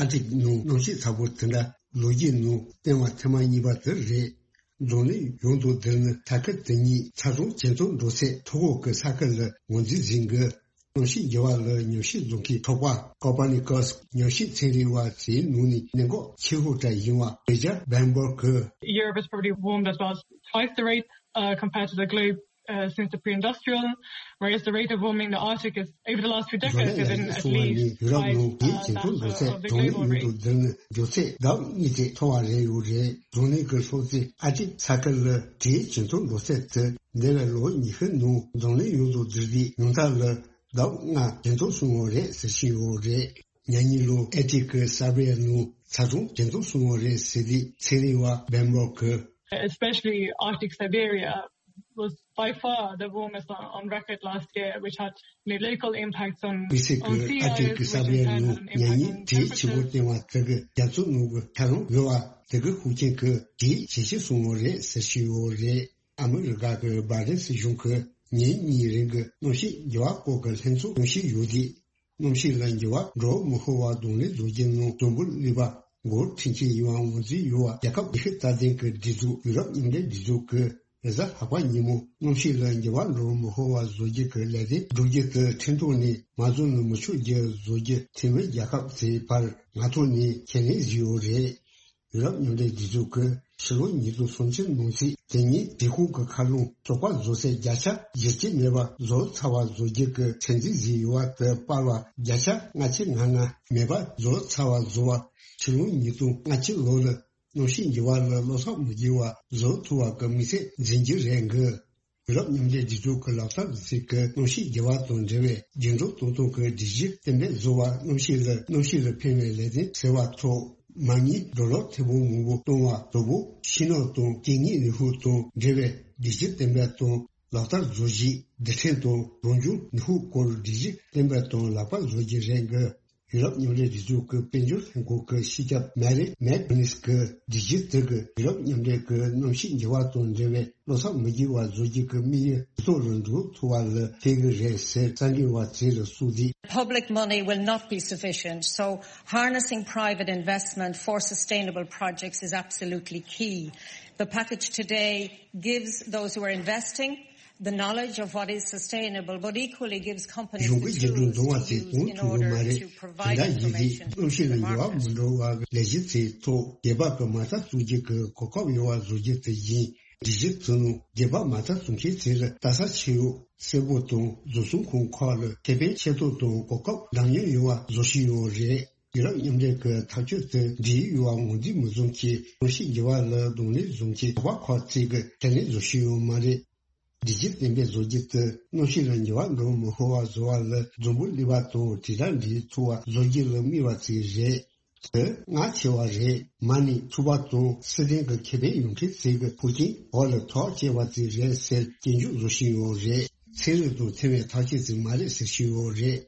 ཨར་ཀ་ཊིག་ནང་གནམ་གཤིས་ཚ་པོ་དེ་འདྲ་ལོ་རྒྱུས་ནང་བཏོན་པ་ཐེངས་མ་གཉིས་པ་དེ་རེད། འཛམ་གླིང་ཡོངས་དང་འདིར་ནི་ས་ཁུལ་དེ་གཉིས་ཚ་གྲང་ཇེ་མཐོར་འགྲོ་སའི་མཐོ་འབྲིང་གི་ས་ཁུལ་ལ་ངོས་འཛིན་བྱེད་ཀྱི། གནམ་གཤིས་འགྱུར་བ་ལ་ཉམས་ཞིབ་བཟོ་མཁན་ཚོགས་པ་ཀོ་པར་ནི་ཀོ་སི་ཉམས་ཞིབ་ཚན་རིག་པ་ཚོའི་ནང་ནས་གནད་འགག་ཆེ་ཤོས་ཅིག་ཡིན་པ་ལི་ཛ་བྷི་རན་གྱིས། Europe has probably warmed as well as twice the rate, uh, compared to the globe, uh, since the pre-industrial, whereas the rate of warming the Arctic is, over the last few decades, has been at least twice, uh, that of the global rate. འཛམ་གླིང་ཡོངས་དང་འདིར་ནི་འགྱུར་ཚད་ལྡབ་གཉིས་ཙམ་མཐོ་བ་རེད་ཡོད་རེད། འཛམ་གླིང་གི་ལྷོ་མཚམས་ཨར་ཀ་ཊིག་ས་ཁུལ་ལ་དེའི་ཇེ་མཐོར་འགྲོ་ཚད་དེ་འདས་པའི་ལོ་ཉི་ཤུ་ནང་འཛམ་གླིང་ཡོངས་དང་འདིར་དེའི་ཉུང་མཐའ་ལ་ལྡབ་ལྔ་ཇེ་མཐོར་སོང་བ་རེད་ཟེར་བཞིན་ཡོད་རེད། ཉེ་ལམ་ལོ་ཨར་ཀ་ཊིག་གི་སི་བེ་རི་ཡ་ནང་ཚ་གྲང་ཇེ་མཐོར་སོང་བ་རེད་ཟེར་དུས་ཚན་རིག་པ་བྷི་རན་གྱིས། Especially Arctic Siberia was by far the warmest on, on record last year, which had, you know, local impacts on, on sea ice, which in turn had an impact on temperatures. དཔེར་ན་ཨར་ཀ་ཊིག་གི་སི་བེ་རི་ཡ་ནང་ཉེ་ལམ་དེའི་ཆུ་བུར་བཏང་བ་དེ་གི་རྒྱ་མཚོ་ནང་གི་ཆར་རླུང་རྒྱུ་བ་དེ་གི་ཤུགས་རྐྱེན་གྱིས་དེའི་ཇེ་ཆེར་སོང་བ་རེད་ཟེར་བཞིན་ཡོད་རེད། ཨ་མི་རི་ཀ་གི་བྷའི་ཌེན་སྲིད་གཞུང་གིས་ ཉིན་གཉིས་རིང་གི་གནམ་གཤིས་འགྱུར་བ་སྐོར་གྱི་ལྷན་ཚོགས་གནང་བཞིན་ཡོད་དེ། གནམ་གཤིས་ལ་འགྱུར་བ་འགྲོ་མི་ཤོར་བར་གདོང་ལེན་བཟོ་རྒྱུ་ནང་འཛམ་བུ་གླིང་པ་འགོ་ཁྲིད་ཀྱི་ཡིད་དབང་འོང་རྩིས་ཡོད་པ། རྒྱལ་ཁབ་ཡེ་ཤུ་རྩ་དོན་གྱི་སྒྲིག་འཛུགས་ཡུ་རོབ་མཉམ་འབྲེལ་སྒྲིག་འཛུགས་ཀྱིས་རེས་གཟའ་ལྷག་པ་ཉིན་མོ་གནམ་གཤིས་ལ་འགྱུར་བ་འགྲོ་མི་ཤོར་བར་བཟོ་རྒྱུ་གི་ལས་དོན་བསྒྲུབ་རྒྱུ་དེ་ཁྲིམས་ཐོག་ནས་མ་བཟོ་ན་མི་ཆོག་རྒྱུ་བཟོ་རྒྱུ་འཐུས་མི་རྒྱལ་ཁབ་ཚོའི་བར་ང་ཐོག་ནས་ཁས་ལེན་བཟོས་ཡོད་རེད། ཡུ་རོབ་མཉམ་འབྲེལ་སྒྲིག་འཛུགས་ཀྱིས་ཕྱི་ལོ་ཉིས་སྟོང་སུམ་ཅུ་ནང་ཚུད་དེ་ཉིད་རི་ཁུང་གི་མཁའ་རླུང་གསོ་སྤར་བཟོ་སའི་བརྒྱ་ཆ་བཞི་བཅུ་མེད་པ་བཟོ་ཚར་བ་བཟོ་རྒྱུ་གི་ཚོད་འཛིན་བཟོས་ཡོད་པ་དེ་སྤར་བ་བརྒྱ་ཆ་ལྔ་བཅུ་ང་ལྔ་མེད་པ་བཟོ་ཚར་བ་བཟོ་བ། ཕྱི་ལོ་ཉིས་སྟོང་ལྔ་བཅུ་ལོ་ལ་གནམ་གཤིས་འགྱུར་བ་ལ་བློ་བཟང་མི་དགོས་པ་བཟོ་ཐུབ་པ་གི་དམིགས་ཚད་འཛིན་རྒྱུ་རེད་འགི། ཡུ་རོབ་མཉམ་འབྲེལ་སྒྲིག་འཛུགས་ཀྱི་ལག་བསྟར་ཟིན་བྲིས་ཀྱིས་གནམ་གཤིས་འགྱུར་བ་དང་འབྲེལ་བའི་རྒྱུན་འཁྱོངས་གཏོང་སྟངས་ཀྱི་སྒྲིག་གཞི་གཏན་འབེབས་བཟོ་བ། གནམ་གཤིས་ལ་གནམ་གཤིས་ལ་ཕན་པའི་ལས་དོན་ཟེར་བ་ཐོག་མ་དངུལ་ཌོ་ལར་ཐེར་འབུམ་མང་པོ་གཏོང་བ་དང་པོ། ཕྱི་ནང་དང་སྐྱེ་དངོས་ནུས་ཤུགས་དང་འབྲེལ་བའི་སྒྲིག་གཞི་གཏན་འབེབས་དང་ལག་བསྟར་བཟོ་གཞི། རྡུལ་ཕྲན་དང་རང་བྱུང་ནུས་ཤུགས་སྐོར་སྒྲིག་གཞི་གཏན་འབེབས་དང་ལག་བསྟར་བཟོ་རྒྱུ་རེད་འགི། ཡུ་རོབ་མཉམ་འབྲེལ་སྒྲིག་འཛུགས་ཀྱི་དཔལ་འབྱོར་ལྷན་ཁང་གི་སྤྱི་ཁྱབ་མ་རི་མེག་ནིས་ཀྱིས་སྒྲིག་གཞི་དེ་གིས་ཡུ་རོབ་མཉམ་འབྲེལ་གྱི་གནམ་གཤིས་འགྱུར་བ་དང་འབྲེལ་བའི་བློ་བཟང་མི་དགོས་པ་བཟོ་རྒྱུ་གི་དམིགས་ཡུལ་ཇེ་མཐོ་རུ་འགྲོ་ཐུབ་པ་ལ་ཕན་གྱི་རེད་ཟེར་གསར་འགོད་པ་ཚོ་ལ་གསུངས་དུས། Public money will not be sufficient, so harnessing private investment for sustainable projects is absolutely key. The package today gives those who are investing the knowledge of what is sustainable, but equally gives companies གཞུང་གི་འགྱུར་འགྲོས་འཛོམས་པ་ཚོས་གོང་ཐུབ་ཡོད་མ་རེད། དེ་འདྲ་ཡིན་དུས་གནམ་གཤིས་ལ་འགྱུར་བ་མི་འགྲོ་བར་ལས་གཞི་ཚོའི་ཐོག་སྒེར་པ་གི་མ་རྩ་བཙུགས་རྒྱུ་གི་གོ་སྐབས་ཡོད་པ་བཟོ་རྒྱུ་དེ་ཡིན། སྒྲིག་གཞི་ཚོའི་ནང་སྒེར་པ་མ་རྩ་བཙུགས་མཁན་ཚོ་ལ་ལྟ་ས་ཆེ་ཡོད་གསལ་པོ་དང་བཟོ་ཚོང་ཁང་ཁག་ལ་ཁེ་ཕན་ཆེ་ཏོག་དང་གོ་སྐབས་འདྲ་མཉམ་ཡོང་བ་བཟོ་བཞིན་ཡོད་རེད། ཡུ་རོབ་མཉམ་འབྲེལ་གྱི་ཐག་གཅོད་དེ་འབྲེལ་ཡོད་པ་ངོས་འཛིན་མི་བྱུང་གི་གནམ་གཤིས་འགྱུར་བ་ལ་གདོང་ལེན་བྱུང་གི་ཚོགས་པ་ཁག་ཅིག་གིས་ཁས་ལེན་བཟོ་བཞིན་ཡོད་མ་རེད། སྒྲིག་གཞི་གཏན་འབེབས་བཟོ་རྒྱུ་དེ་གནམ་གཤིས་ལ་འགྱུར་བ་འགྲོ་མི་ཤོར་བ་བཟོ་བ་ལ་འཛམ་བུ་གླིང་པ་དང་དྲིལ་བསྒྲགས་འབྲེལ་ཐུབ་པ་བཟོ་རྒྱུ་ལ་དམིགས་པ་ཅིག་རེད། དེ་ངར་ཆེ་བ་རེད། མ་ནི་ཚོགས་པ་དང་སྲིད་དོན་གྱི་ཁེ་ཕན་ཡོད་མཁན་ཚོ་གི་ཧུར་རྐྱེན་འོག་ལ་ཐག་བཅད་པ་ཅིག་རེད་ཟེར་སྐྱོན་བརྗོད་བཟོ་བཞིན་ཡོད་རེད། ཚན་རིག་དང་མཐུན་པའི་ཐག་གཅོད་ཅིག་མ་རེད་ཟེར་བཞིན་ཡོད་རེད།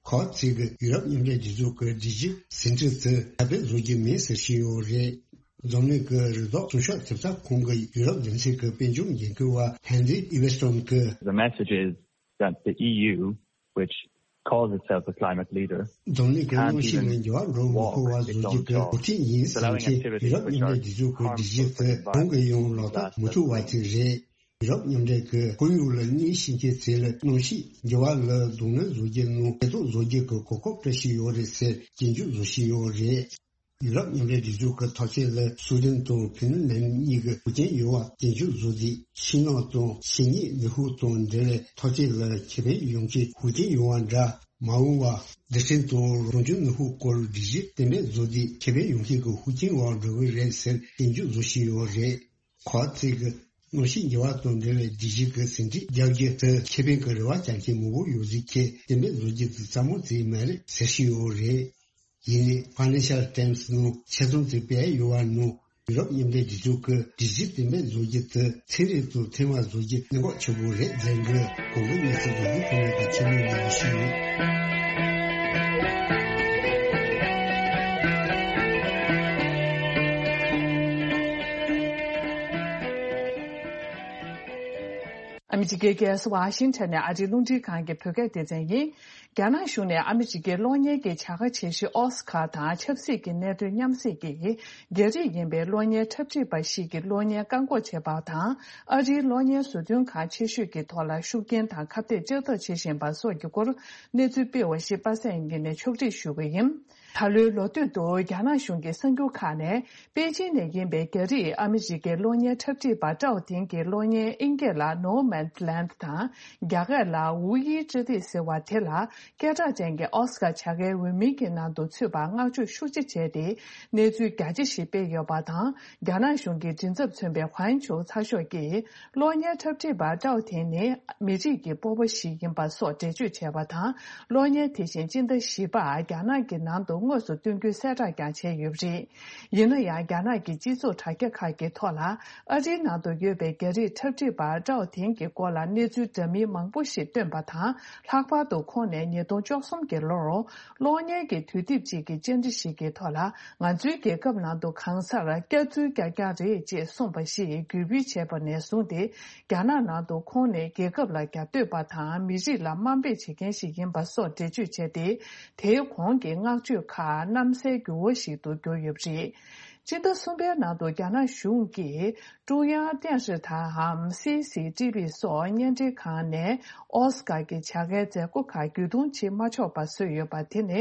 ཁག་ཅིག་གིས་ཡུ་རོབ་མཉམ་འབྲེལ་སྒྲིག་འཛུགས་ཀྱི་སྒྲིག་གཞི་ཟིན་བྲིས་དེ་ཁྱབ་སྤེལ་བཟོ་རྒྱུ་མིན་ཟེར་བཞིན་ཡོད་རེད། འཛམ་གླིང་གི་རི་དྭགས་སྲུང་སྐྱོབ་ཐེབས་རྩ་ཁང་གི་ཡུ་རོབ་སྡེ་ཚན་གྱི་དཔལ་འབྱོར་འགན་འཁུར་བ་ཧན་རི་ཨི་ཝེ་སྟོན་གྱིས། The message is that the E U, which calls itself a climate leader, འཛམ་གླིང་གི་གནམ་གཤིས་ལ་འགྱུར་བ་འགྲོ་མི་ཁོ་བ་བཟོ་རྒྱུ་གི་འགོ་ཁྲིད་ཡིན་ཟེར་མཁན་ཡུ་རོབ་མཉམ་འབྲེལ་སྒྲིག་འཛུགས་ཀྱི་སྒྲིག་གཞི་དེ་གང་གིས་ཡང་ལག་བསྟར་མི་ཐུབ་པ་དེ་རེད། ཡུ་རོབ་མཉམ་འབྲེལ་གྱིས་ཁོར་ཡུག་ལ་གནོད་སྐྱེལ་མཁན་ཚོ་ལ་གནམ་གཤིས་འགྱུར་བ་ལ་གདོང་ལེན་བཟོ་རྒྱུ་ནང་ཐེ་གཏོགས་བཟོ་རྒྱུ་གི་གོ་སྐབས་སྤྲད་བཞིན་ཡོད་རེད་ཟེར་སྐྱོན་བརྗོད་བཟོ་བཞིན་ཡོད་རེད། ཡུ་རོབ་མཉམ་འབྲེལ་སྒྲིག་འཛུགས་ཀྱི་ཐག་གཅོད་ལ་སུའེ་ཌེན་དང་ཕིན་ལན་གཉིས་ཀྱིས་ཧུར་རྐྱེན་ཡོད་པ་སྐྱོན་བརྗོད་བཟོས་ཏེ། ཕྱི་ནང་དང་གཞི་གཉིས་ནུས་ཤུགས་དང་འབྲེལ་བའི་ཐག་གཅོད་ལ་ཁེ་ཕན་ཡོང་མཁན་ཧུར་རྐྱེན་ཡོང་བ་འདྲ་མ་འོང་བར། རྡུལ་ཕྲན་དང་རང་བྱུང་ནུས་ཤུགས་སྐོར་སྒྲིག་གཞི་གཏན་འབེབས་བཟོས་ཏེ་ཁེ་ཕན་ཡོང་མཁན་གྱི་ཧུར་རྐྱེན་འོག་འགྲོ་གི་རེད་ཟེར་སྐྱོན་བརྗོད་བཟོ་བཞིན་ཡོད་རེད། ཁག་ཅིག་གིས་གནམ་གཤིས་འགྱུར་བ་དང་འབྲེལ་བའི་སྒྲིག་གཞི་གི་ཟིན་བྲིས་རྒྱག་རྒྱུ་དེ་ཁེ་ཕན་གྱི་རེ་བ་བཅངས་མཁན་མང་པོ་ཡོད་ཟེར་མཁན་གཏན་འབེབས་བཟོ་རྒྱུ་དེ་སླ་མོ་ཅིག་མ་རེད་ཟེར་བཞིན་ཡོད་རེད། ཡིན་ནའི་ཕ་ནེ་ཤལ་ཊེམ་སི་ནང་ཆེད་རྩོམ་དེ་སྤེལ་ཡོད་པ་ནང་ཡུ་རོབ་མཉམ་འབྲེལ་སྒྲིག་འཛུགས་ཀྱིས་སྒྲིག་གཞི་གཏན་འབེབས་བཟོ་རྒྱུ་དེ་ཚན་རིག་དང་མཐུན་པ་བཟོ་རྒྱུ་གནད་འགག་ཆེན་པོ་རེད་ཟེར་གི། གོང་གི་གནས་ཚུལ་འདི་ཚོ་ཁོང་རྣམ་པ་ཆེད་ལས་ལས་ཞུས་ཡོད། ཨ་མི་རི་ཀའི་རྒྱལ་ས་ཝ་ཤིང་ཊོན་ནས་ཨ་རིའི་རླུང་འཕྲིན་ཁང་གི་བོད་སྐད་སྡེ་ཚན་ཡིན། རྒྱ་ནག་གཞུང་ནས་ཨ་མི་རི་ཀའི་གློག་བརྙན་གྱི་བྱ་དགའ་ཆེ་ཤོས་ཨོ་སི་ཁར་དང་ཆབ་སྲིད་ཀྱི་གནད་དོན་མཉམ་བསྲེས་ཀྱིས། རྒྱ་རིགས་ཡིན་པའི་གློག་བརྙན་འཁྲབ་ཁྲིད་པ་ཞིག་གིས་གློག་བརྙན་བཀག་འགོག་བྱས་པ་དང་། ཨ་རིའི་གློག་བརྙན་བཟོ་སྐྲུན་ཁང་ཆེ་ཤོས་ཀྱི་ཐོག་ལ་ཤུགས་རྐྱེན་དང་ཁ་གཏད་གཅོག་ཐབས་བྱེད་བཞིན་པ་སོགས་ཀྱི་སྐོར་གནས་ཚུལ་སྤེལ་བ་ཞིག་པ་སངས་ཉིན་ནས་ཕྱོགས་སྒྲིག་ཞུ་གི་ཡིན། ད་ལོའི་ལོ་སྟོད་དུ་རྒྱ་ནག་གཞུང་གི་གསར་འགྱུར་ཁག་ནས། པེ་ཅིན་ནས་ཡིན་པའི་རྒྱ་རིགས་ཨ་མི་རི་ཀའི་གློག་བརྙན་འཁྲབ་ཁྲིད་པ་ཀྲའོ་ཐིང་གི་གློག་བརྙན་དབྱིན་སྐད་ལ་No Man's Land དང་རྒྱ་སྐད་ལ་ཝུའུ་ཡི་ཅི་ཏི་ཟེར་བ་དེ་ལ་སྐད་གྲགས་ཅན་གྱི་ཨོ་སི་ཀར་བྱ་དགའི་འོས་མིའི་གི་ནང་དུ་ཚུད་པར་བསྔགས་བརྗོད་ཤུགས་ཆེ་བྱས་ཏེ་གནས་ཚུལ་རྒྱ་ཆེ་ཞིག་སྤེལ་ཡོད་པ་དང་། རྒྱ་ནག་གཞུང་གི་མགྲིན་ཚབ་མཚོན་པའི་ཧུའན་ཆུའུ་ཚགས་ཤོག་གིས་གློག་བརྙན་འཁྲབ་ཁྲིད་པ་ཀྲའོ་ཐིང་ནི་མི་རིགས་ཀྱི་སྤོབས་པ་ཞིག་ཡིན་པ་སོགས་འགྲེལ་བརྗོད་བྱས་པ་དང་། གློག་བརྙན་དེ་བཞིན་སྤྱི་ཟླ་བཞི་པར་རྒྱ་ནག་གི་ནང་དུ་དངོས་སུ་སྟོན་རྒྱུའི་གསལ་བསྒྲགས་ཀྱང་བྱས་ཡོད་པ་རེད། ཡིན་ན་ཡང་རྒྱ་ནག་གི་སྤྱི་ཚོགས་དྲ་རྒྱ་ཁག་གི་ཐོག་ལ་ཨ་རིའི་ནང་དུ་ཡོད་པའི་རྒྱ་རིགས་འཁྲབ་ཁྲིད་པ་ཀྲའོ་ཐིང་གི་སྐོར། སྐོར་ལ་གནས་ཚུལ་འདྲ་མིན་མང་པོ་ཞིག་བཏོན་པ་དང་། ལྷག་པར་དུ་ཁོང་ནས་ཉིས་སྟོང་བཅུ་གསུམ་གྱི་ལོར་གློག་བརྙན་གྱི་དུས་དེབ་ཅིག་གི་བཅར་འདྲི་ཞིག་གི་ཐོག་ལ། ང་ཚོའི་རྒྱལ་ཁབ་ནང་དུ་གང་སར་སྐྱག་རྫུན་རྐྱང་རྐྱང་རེད་ཅེས་གསུངས་པ་ཞིག་བརྒྱུད་སྤེལ་བྱས་པ་ནས་བཟུང་སྟེ། རྒྱ་ནག་ནང་དུ་ཁོང་ནས་རྒྱལ་ཁབ་ལ་རྒྱབ་གཏོད་པ་དང་མི་རིགས་ལ་དམའ་འབེབས་བྱེད་མཁན་ཞིག་ཡིན་པ་སོགས་འགྲེལ་བརྗོད་བྱས་ཏེ། དེའི་གོང་གི་བསྔགས་བརྗོད་ཁག་གནམ་སའི་འགྱུར་བ་ཞིག་ཏུ་གྱུར་ཡོད་པ་རེད། སྤྱི་ཟླ་གསུམ་པའི་ནང་དུ་རྒྱ་ནག་གཞུང་གིས་ཀྲུང་དབྱང་电视台་འམ་སི་སི་ཊི་བི་སོགས་བརྙན་འཕྲིན་ཁང་ནས་ཨོ་སི་ཀར་གྱི་བྱ་དགའི་མཛད་སྒོ་ཁག་བརྒྱུད་གཏོང་བྱེད་མ་ཆོག་པ་བཟོས་ཡོད་པ་དེ་ནི་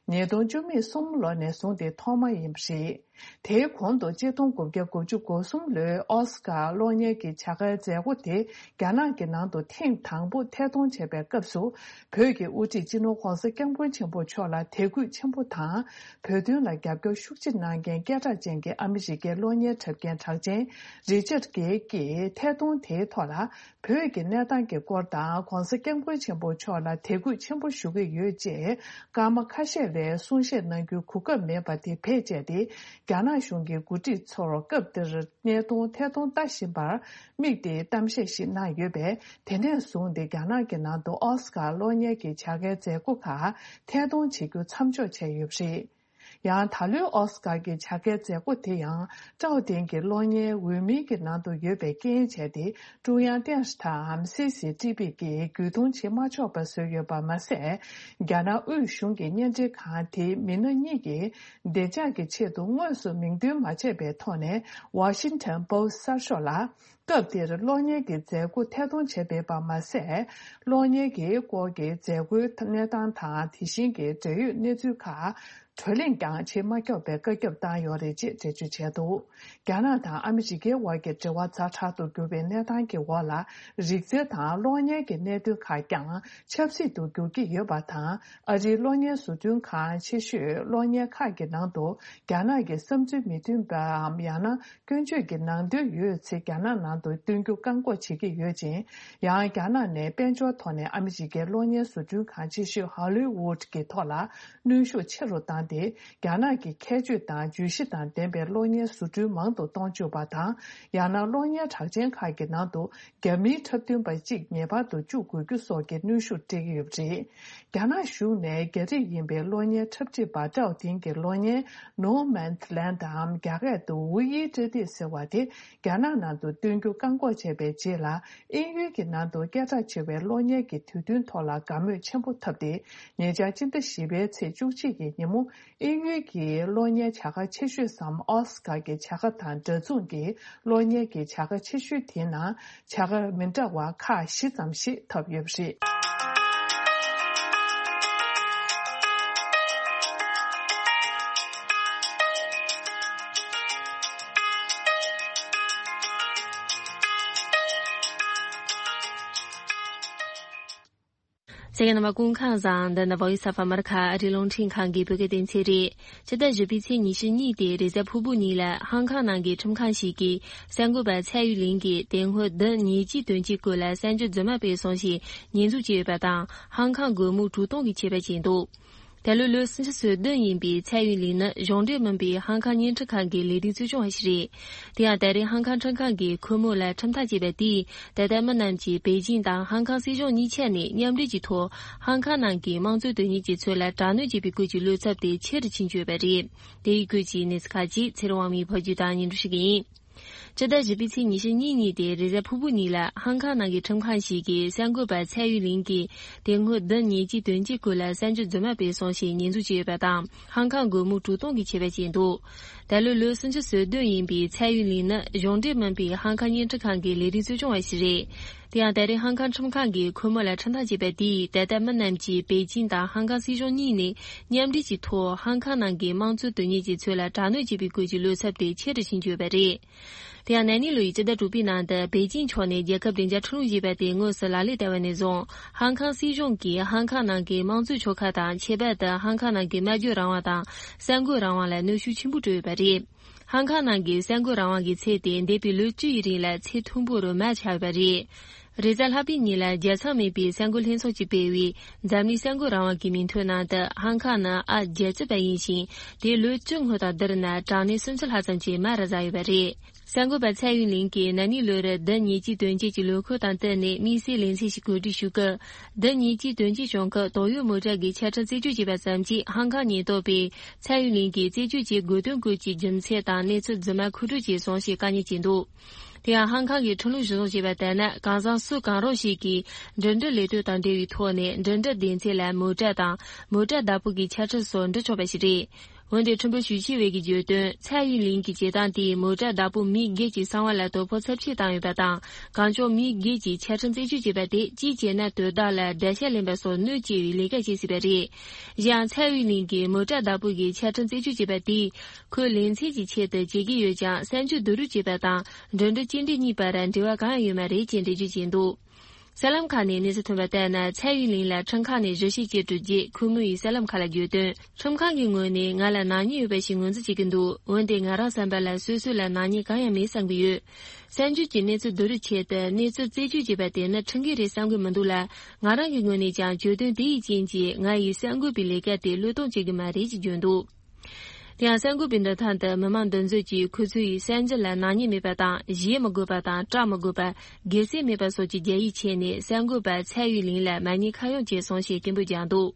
ཉིས་སྟོང་བཅུ་གསུམ་ལོ་ནས་བཟུང་སྟེ་ཐོག་མ་ཡིན་པ་རེད། དེའི་གོང་དུ་ཆིག་སྟོང་དགུ་བརྒྱ་དགུ་བཅུ་གོ་གསུམ་ལོའི་ཨོ་སི་ཀར་གློག་བརྙན་གྱི་བྱ་དགའི་མཛད་སྒོ་དེ་རྒྱ་ནག་གི་ནང་དུ་ཐེངས་དང་པོ་ཐད་གཏོང་བྱས་པའི་སྐབས་སུ། བོད་ཀྱི་དབུ་ཁྲིད་སྤྱི་ནོར་༧གོང་ས་༧སྐྱབས་མགོན་ཆེན་པོ་མཆོག་ལ་དད་གུས་ཆེན་པོ་དང་། བོད་དོན་ལ་རྒྱབ་སྐྱོར་ཤུགས་ཆེ་གནང་མཁན་སྐད་གྲགས་ཅན་གྱི་ཨ་མི་རི་ཀའི་གློག་བརྙན་འཁྲབ་མཁན་གྲགས་ཅན་རི་ཅར་གྷེལ་གྱིས་ཐད་གཏོང་དེའི་ཐོག་ལ། བོད་ཀྱི་གནས་སྟངས་ཀྱི་སྐོར་དང་༧གོང་ས་༧སྐྱབས་མགོན་ཆེན་པོ་མཆོག་ལ་དད་གུས་ཆེན་པོ་ཞུ་གི་ཡོད་ཅེས་སྐར་མ་ཁ་ཤས་རིང་གསུང་བཤད་གནང་རྒྱུའི་གོ་སྐབས་མེད་པ་དེ་བེད་སྤྱད་དེ། རྒྱ་ནག་གཞུང་གི་འགོ་ཁྲིད་ཚོར་སྐབས་དེར་བརྙན་ཐུང་ཐད་གཏོང་ལྟ་བཞིན་པར་དམིགས་ཏེ་གཏམ་བཤད་ཞིག་གནང་ཡོད་པས། དེ་ནས་བཟུང་སྟེ་རྒྱ་ནག་གི་ནང་དུ་ཨོ་སི་ཀར་གློག་བརྙན་གྱི་བྱ་དགའི་མཛད་སྒོ་ཁག་ཐད་གཏོང་བྱེད་རྒྱུ་མཚམས་འཇོག་བྱས་ཡོད་པ་རེད། ཡང་ད་ལོའི་ཨོ་སི་ཀར་གྱི་བྱ་དགའི་མཛད་སྒོ་དེ་ཡང་ཀྲའོ་ཏེང་གི་གློག་བརྙན་འོས་མིའི་གི་ནང་དུ་ཡོད་པའི་རྐྱེན་བྱས་ཏེ། ཀྲུང་དབྱང་电视台་འམ་སི་སི་ཊི་བི་གིས་བརྒྱུད་གཏོང་བྱེད་མ་ཆོག་པ་བཟོས་ཡོད་པ་མ་ཟད། རྒྱ་ནག་དབུས་གཞུང་གི་བརྙན་འཕྲིན་ཁང་དེའི་མི་སྣ་གཉིས་ཀྱིས་བདེ་འཇགས་ཀྱི་ཆེད་དུ་དངོས་སུ་མིང་འདོན་མ་བྱས་པའི་ཐོག་ནས་Washington Post་གསར་ཤོག་ལ། སྐབས་དེར་གློག་བརྙན་གྱི་མཛད་སྒོ་ཐད་གཏོང་བྱས་པ་མ་ཟད། གློག་བརྙན་གྱི་སྐོར་གྱི་མཛད་སྒོའི་གནས་སྟངས་དང་། དེ་བཞིན་གྱི་འབྲེལ་ཡོད་གནས་ཚུལ་ཁག་བགྲོ་གླེང་ཀྱང་བྱེད་མ་ཆོག་པའི་བཀའ་ཁྱབ་བཏང་ཡོད་རེད་ཅེས་འགྲེལ་བརྗོད་བྱས་འདུག་རྒྱ་ནག་དང་ཨ་མི་རི་ཀའི་དབར་གྱི་འབྲེལ་བ་ཛ་དྲག་ཏུ་གྱུར་པའི་གནས་སྟངས་ཀྱི་འོག་ལ། རིག་རྩལ་དང་གློག་བརྙན་གྱི་གནད་དོན་ཁག་ཀྱང་ཆབ་སྲིད་དུ་འགྱུར་གྱི་ཡོད་པ་དང་། ཨ་རིའི་གློག་བརྙན་བཟོ་སྐྲུན་ཁང་ཆེ་ཤོས་གློག་བརྙན་ཁག་གི་ནང་དུ་རྒྱ་ནག་གི་བསམ་ཚུལ་མི་མཐུན་པའམ་ཡང་ན་སྐྱོན་བརྗོད་ཀྱི་ནང་དོན་ཡོད་ཚེ་རྒྱ་ནག་ནང་དུ་སྟོན་རྒྱུ་བཀག་འགོག་བྱེད་ཀྱི་ཡོད་ཅིང་། ཡང་རྒྱ་ནག་ནས་དཔལ་འབྱོར་ཐོག་ནས་ཨ་མི་རི་ཀའི་གློག་བརྙན་བཟོ་སྐྲུན་ཁང་ཆེ་ཤོས་ཧོ་ལི་ཝུད་ཀྱི་ཐོག་ལ་གནོན་ཤུགས་ཆེ་རུ་བཏང་སྟེ། རྒྱ་ནག་གི་ཁྱད་ཆོས་དང་བརྗོད་གཞི་དང་ལྡན་པའི་གློག་བརྙན་བཟོ་སྐྲུན་མང་དུ་གཏོང་བཅུག་པ་དང་། ཡང་ན་གློག་བརྙན་གྲགས་ཅན་ཁག་གི་ནང་དུ་རྒྱ་མིའི་འཁྲབ་སྟོན་པ་གཅིག་ངེས་པར་དུ་བཅུག་དགོས་རྒྱུ་སོགས་ཀྱི་གནོན་ཤུགས་སྤྲད་ཀྱི་ཡོད་པ་རེད། རྒྱ་ནག་གཞུང་ནས་རྒྱ་རིགས་ཡིན་པའི་གློག་བརྙན་འཁྲབ་ཁྲིད་པ་ཀྲའོ་ཐིང་གི་གློག་བརྙན་No Man's Land་འམ་རྒྱ་སྐད་དུ་ཝུ་ཡི་ཏྲེ་ཏེ་ཟེར་བ་དེ་རྒྱ་ནག་ནང་དུ་སྟོན་རྒྱུ་བཀག་འགོག་བྱས་པའི་རྗེས་ལ། དབྱིན་ཡུལ་གྱི་ནང་དུ་སྐད་གྲགས་ཆེ་བའི་གློག་བརྙན་གྱི་དུས་སྟོན་ཐོག་ལ་དགའ་མོས་ཆེན་པོ་ཐོབ་སྟེ། ཉེ་ཆར་སྤྱི་ཟླ་བཞི་པའི་ཚེས་བཅུ་གཅིག་གི་ཉིན་མོ། དབྱིན་ཡུལ་གྱི་གློག་བརྙན་བྱ་དགའ་ཆེ་ཤོས་སམ་ཨོ་སི་ཀར་གྱི་བྱ་དགའ་དང་འདྲ་མཚུངས་ཀྱི་གློག་བརྙན་གྱི་བྱ་དགའ་ཆེ་ཤོས་དེའི་ནང་བྱ་དགའ་མི་འདྲ་བ་ཁག་བཞི་ཙམ་ཞིག་ཐོབ་ཡོད་པ་རེད། གསན་མཁན་རྣམ་པ་སྐུ་ཁམས་བཟང་། འདི་ནི་Voice of America་ཨ་རིའི་རླུང་འཕྲིན་ཁང་གི་བོད་སྐད་སྡེ་ཚན་རེད། སྤྱི་ཟླ་བཞི་པའི་ཚེས་ཉི་ཤུ་གཉིས་དེ་རེས་གཟའ་ཕུར་བུ་ཉིན་ལ་ཧང་ཀང་ནང་གི་ཁྲིམས་ཁང་ཞིག་གིས་གསར་འགོད་པ་ཚའེ་ཡུན་ལིན་གྱི་དེ་སྔོན་བདུན་ཉེས་ཀྱི་དོན་གྱི་སྐོར་ལ་གསར་འགྱུར་རྫུན་མ་སྤེལ་སོང་ཞེས་ཉེས་འཛུགས་བྱས་ཡོད་པ་དང་། ཧང་ཀང་སྒོར་མོ་དྲུག་སྟོང་གི་ཆད་པ་བཅད་འདུག་ད་ལོའི་ལོ་སུམ་ཅུ་སོ་བདུན་ཡིན་པའི་ཚའེ་ཡུན་ལིན་ནི་གཞུང་འབྲེལ་མིན་པའི་ཧང་ཀང་བརྙན་འཕྲིན་ཁང་གི་ལས་རིགས་གཙོ་སྐྱོང་བ་ཞིག་རེད། དེ་ཡང་ད་རེས་ཧང་ཀང་ཁྲིམས་ཁང་གིས་ཁོ་མོ་ལ་ཁྲིམས་ཐག་བཅད་པ་དེས། ད་ལྟ་མི་རྣམས་ཀྱིས་པེ་ཅིང་དང་ཧང་ཀང་སྲིད་གཞུང་གཉིས་ཆ་ནས་མཉམ་འབྲེལ་གྱི་ཐོག་ཧང་ཀང་ནང་གི་དམངས་གཙོའི་དོན་གཉེར་གྱི་ཚུལ་ལ་དྲག་གནོན་བྱེད་པའི་སྐོར་གྱི་བློ་འཚབ་དེ་ཆེ་རུ་ཕྱིན་ཡོད་པ་རེད། དེ་ཡི་སྐོར་གྱི་གནས་ཚུལ་ཁག་ཅིག་ཚེ་རིང་དབང་མོས་ཕབ་སྒྱུར་དང་སྙན་སྒྲོན་ཞུ་གི་ཡིན། སྤྱི་ཟླ་བཞི་པའི་ཚེས་ཉི་ཤུ་གཉིས་ཉིན་དེ་རེས་གཟའ་ཕུར་བུ་ཉིན་ལ་ཧང་ཀང་ནང་གི་ཁྲིམས་ཁང་ཞིག་གིས་གསར་འགོད་པ་ཚའེ་ཡུན་ལིན་གྱིས་དེ་སྔོན་བདུན་ཉེས་ཀྱི་དོན་གྱི་སྐོར་ལ་གསར་འགྱུར་རྫུན་མ་སྤེལ་སོང་ཞེས་ཉེས་འཛུགས་བྱས་ཡོད་པ་དང་། ཧང་ཀང་སྒོར་མོ་དྲུག་སྟོང་གི་ཆད་པ་བཅད་འདུག་ད་ལོའི་ལོ་སུམ་ཅུ་སོ་བདུན་ཡིན་པའི་ཚའེ་ཡུན་ལིན་ནི་གཞུང་འབྲེལ་མིན་པའི་ཧང་ཀང་བརྙན་འཕྲིན་ཁང་གི་ལས་རིགས་གཙོ་སྐྱོང་བ་ཞིག་རེད། དེ་ཡང་ད་རེས་ཧང་ཀང་ཁྲིམས་ཁང་གིས་ཁོ་མོ་ལ་ཁྲིམས་ཐག་བཅད་པ་དེས་ད་ལྟ་མི་རྣམས་ཀྱིས་པེ་ཅིང་དང་ཧང་ཀང་སྲིད་གཞུང་གཉིས་ནས་མཉམ་འབྲེལ་གྱི་ཐོག་ཧང་ཀང་ནང་གི་དམངས་གཙོའི་དོན་གཉེར་གྱི་ཚུལ་ལ་དྲག་གནོན་བྱེད་པའི་སྐོར་གྱི་བློ་འཚབ་དེ་ཆེ་རུ་ཕྱིན་ཡོད་པ་རེད། དེ་ཡང་ན་ནིང་ལོ་ཡི་སྤྱི་ཟླ་དྲུག་པའི་ནང་དུ་པེ་ཅིང་ཕྱོགས་ནས་རྒྱལ་ཁབ་བདེ་འཇགས་ཁྲིམས་ལུགས་ཞེས་པ་དེ་དངོས་སུ་ལག་ལེན་བསྟར་བ་ནས་བཟུང་། ཧང་ཀང་སྲིད་གཞུང་གིས་ཧང་ཀང་ནང་གི་དམངས་གཙོའི་ཕྱོགས་ཁག་དང་། ཁྱད་པར་དུ་ཧང་ཀང་ནང་གི་སྨྲ་བརྗོད་རང་དབང་དང་གསར་འགོད་རང་དབང་ལ་གནོན་ཤུགས་ཆེན་པོ་སྤྲོད་ཡོད་པ་རེད། ཧང་ཀང་ནང་གི་གསར་འགོད་རང་དབང་གི་ཚད་དེ་འདས་པའི་ལོ་བཅུ་ཡི་རིང་ལ་ཚད་མཐོན་པོ་རུ་མར་ཆག་ཡོད་པ་རེད། རེས་གཟའ་ལྷག་པའི་ཉིན་ལ་རྒྱལ་མཚམས་མེད་པའི་གསར་འགོད་ལྷན་ཚོགས་ཀྱིས་སྤེལ་བའི་འཛམ་གླིང་གསར་འགོད་རང་དབང་གི་མིང་ཐོའི་ནང་དུ། ཧང་ཀང་ནི་ཨ་རྒྱལ་གཅེས་པ་ཡིན་ཞིང་། དེ་ལོ་བཅུ་སྔོན་དང་བསྡུར་ན་གྲངས་གནས་སུམ་ཅུ་ལྷག་ཙམ་གྱིས་མར་ཟག་ཡོད་པ་རེད། གསར་འགོད་པ་ཚའེ་ཡུན་ལིན་གྱིས་ན་ནིང་ལོ་རེར་ཟླ་ཉེར་གཅིག་དོན་གཅིག་གི་ལོ་འཁོར་དང་བསྟུན་ནས་དམིགས་བསལ་ལེ་ཚན་ཞིག་གོ་སྒྲིག་ཞུ་སྐབས། ཟླ་ཉེར་གཅིག་དོན་གཅིག་བྱུང་སྐབས་དོགས་ཡོད་མོ་ཊ་གི་ཆ་འཕྲིན་རྩད་གཅོད་བྱས་པ་ཙམ་གྱིས་ཧང་ཀང་ཉེན་རྟོག་པས་ཚའེ་ཡུན་ལིན་གྱིས་རྩད་གཅོད་བྱེད་དགོས་དོན་སྐོར་གྱི་རྒྱུ་མཚན་དང་གནས་ཚུལ་རྫུན་མ་མཁོ་སྤྲོད་བྱས་སོང་ཞེས་བཀའ་ཉར་བྱས་འདུག་དེ་ཡང་ཧང་ཀང་གི་ཁྲིམས་ལུགས་གཞིར་བཟུང་བྱས་པ་ལྟར་ན། གང་ཟག་སུ་གང་རུང་ཞིག་གིས་འགྲིམ་འགྲུལ་ལས་དོན་དང་འབྲེལ་བའི་ཐོག་ནས་འགྲིམ་འགྲུལ་སྡེ་ཚན་ལ་མོ་ཊ་དང་མོ་ཊ་བདག་པོ་གི་ཆ་འཕྲིན་སོགས་འབྲི་ཆོག་པ་ཞིག་རེད། འོན་ཏེ་ཁྲིམས་དཔོན་ཞུས་ཆི་ཝེ་གིས་བརྗོད་དོན། ཚའེ་ཡུན་ལིན་གྱི་བྱེད་སྟངས་དེས་མོ་ཊ་བདག་པོ་མི་སྒེར་གྱི་གསང་བ་ལ་དོ་ཕོག་ཚབས་ཆེ་བཏང་ཡོད་པ་དང་། གང་བྱུང་མི་སྒེར་གྱི་ཆ་འཕྲིན་རྩད་གཅོད་བྱས་པ་དེ་གཅིག་བྱས་ན་དོ་བདག་ལ་དགྲ་ཤ་ལེན་པ་སོགས་གནོད་སྐྱེལ་བའི་ལས་ཀ་བྱེད་སྲིད་པ་རེད། གཞན་ཡང་ཚའེ་ཡུན་ལིན་གྱིས་མོ་ཊ་བདག་པོ་གི་ཆ་འཕྲིན་རྩད་གཅོད་བྱས་པ་དེས་ཁོའི་ལེ་ཚན་གྱི་ཆེད་དུ་བྱེད་ཀྱི་ཡོད་ཀྱང་། གསར་འགྱུར་བསྡུ་རུབ་བྱས་པ་དང་འགྲིམ་འགྲུལ་སྐྱེལ་འདྲེན་གཉིས་བར་འབྲེལ་བ་གང་ཡང་ཡོད་མ་རེད་ཅེས་འགྲེལ་བརྗོད་བྱས་འདུག་གསར་ལམ་ཁག་ནས་གནས་ཚུལ་ཐོན་པ་ལྟར་ན། ཚའེ་ཡུན་ལིན་ལ་ཁྲིམས་ཁང་ནས་གཞི་བྱེས་བཅད་གྲོལ་རྗེས། ཁོ་མོ་ཡིས་གསར་ལམ་ཁག་ལ་བརྗོད་དོན། ཁྲིམས་ཁང་གི་ངོས་ནས་ང་ལ་ནག་ཉེས་ཡོད་པ་ཞིག་ངོས་འཛིན་བྱེད་ཀྱི་འདུག་འོན་ཏེ་ང་རང་བསམ་པ་ལ་སོ་སོ་ལ་ནག་ཉེས་གང་ཡང་མེད་བསམ་གྱི་ཡོད། གསར་འགྱུར་གྱི་གནས་ཚུལ་བསྡུ་རུབ་ཆེད་དུ་གནས་ཚུལ་རྩད་གཅོད་བྱས་པ་དེ་ནི་ཁྲིམས་འགལ་རེད་བསམ་གྱི་མི་འདུག་ལ། ང་རང་གི་ངོས་ནས་ཀྱང་བརྗོད་དོན་དེ་ཡི་རྐྱེན་གྱིས་ང་ཡི་གསར་འགོད་པའི་ལས་ཀ་དེ་བློས་གཏོང་བྱེད་ཀྱི་མ་རེད་ཅེས་བརྗོད་འདུག་དེ་ཡང་གསར་འགོད་པའི་འདུན་ཐང་དུ་མི་མང་འདུ་འཛོམས་ཀྱིས་ཁོ་ཚོ་ཡིས་གསར་འགྱུར་ལ་ནག་ཉེས་མེད་པ་དང་། བཞེས་མི་དགོས་པ་དང་། བཀྲམ་མི་དགོས་པ། སྒེར་སེམས་མེད་པ་སོགས་ཀྱི་རྒྱ་ཡིག་ཕྱེས་ནས། གསར་འགོད་པ་ཚའེ་ཡུན་ལིན་ལ་མ་ཉེས་ཁ་གཡོགས་བྱས་སོང་ཞེས་སྐད་འབོད་བརྒྱབ་འདུག་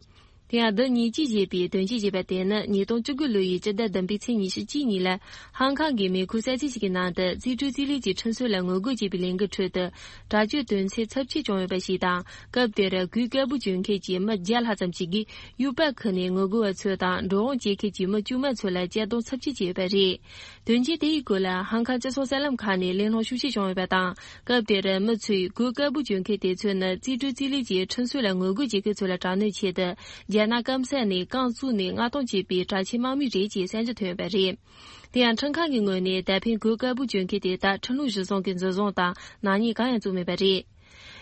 དེ་ཡང་ཟླ་ཉེར་གཅིག་ཞེས་པའི་དོན་རྐྱེན་བྱས་པ་དེ་ནི་ཉིས་སྟོང་བཅུ་དགུ་ལོ་ཡི་སྤྱི་ཟླ་བདུན་པའི་ཚེས་ཉི་ཤུ་གཅིག་ཉིན་ལ། ཧང་ཀང་གི་མེ་ཁུག་གསར་ཚེས་ཤིག་གི་ནང་དུ་རྩིས་སྤྲོད་རྩིས་ལེན་གྱི་ཁྲིམས་སྲོལ་ལ་ངོ་རྒོལ་བྱས་པའི་ལས་འགུལ་ཁྲོད་དུ། དྲག་སྤྱོད་དོན་ཚན་ཚབས་ཆེ་བྱུང་ཡོད་པ་ཞིག་དང་། སྐབས་དེར་གོས་དཀར་པོ་གྱོན་མཁན་གྱི་མི་བརྒྱ་ལྷག་ཙམ་ཞིག་གིས་དབྱུག་པ་ཁུར་ནས་ངོ་རྒོལ་བ་ཚོ་དང་། འགྲོ་འོང་བྱེད་མཁན་གྱི་མི་དཀྱུས་མ་ཚོ་ལ་གཅར་རྡུང་ཚབས་ཆེ་བྱས་ཡོད་པ་རེད། དོན་རྐྱེན་དེ་ཡི་སྐོར་ལ་ཧང་ཀང་སྤྱི་ཚོགས་གསར་ལམ་ཁག་ནས་གླེང་སློང་ཤུགས་ཆེ་བྱུང་ཡོད་པ་དང་། སྐབས་དེར་མི་ཚོས་གོས་དཀར་པོ་གྱོན་མཁན་དེ་ཚོ་ནི་རྩིས་སྤྲོད་རྩིས་ལེན་གྱི་ཁྲིམས་སྲོལ་ལ་ངོ་རྒོལ་བྱེད་མཁན་ཚོ་ལ་དྲག་གནོན་ཆེད་དུ། རྒྱ་ནག་སྐམ་ས་ནས་རྐང་བཙུགས་ནས་མངགས་གཏོང་བྱས་པའི་དྲག་ཆས་དམག་མི་རེད་ཅེས་གསར་འགྱུར་ཐོན་ཡོད་པ་རེད། དེ་ཡང་ཁྲིམས་ཁང་གི་ངོས་ནས་ད་ཕན་གོས་དཀར་པོ་གྱོན་མཁན་དེ་དག་ཁྲིམས་ལུགས་གཞིར་བཟུང་གི་འཛིན་བཟུང་དང་ནག་ཉེས་གང་ཡང་བཙུགས་མེད་པ་རེད།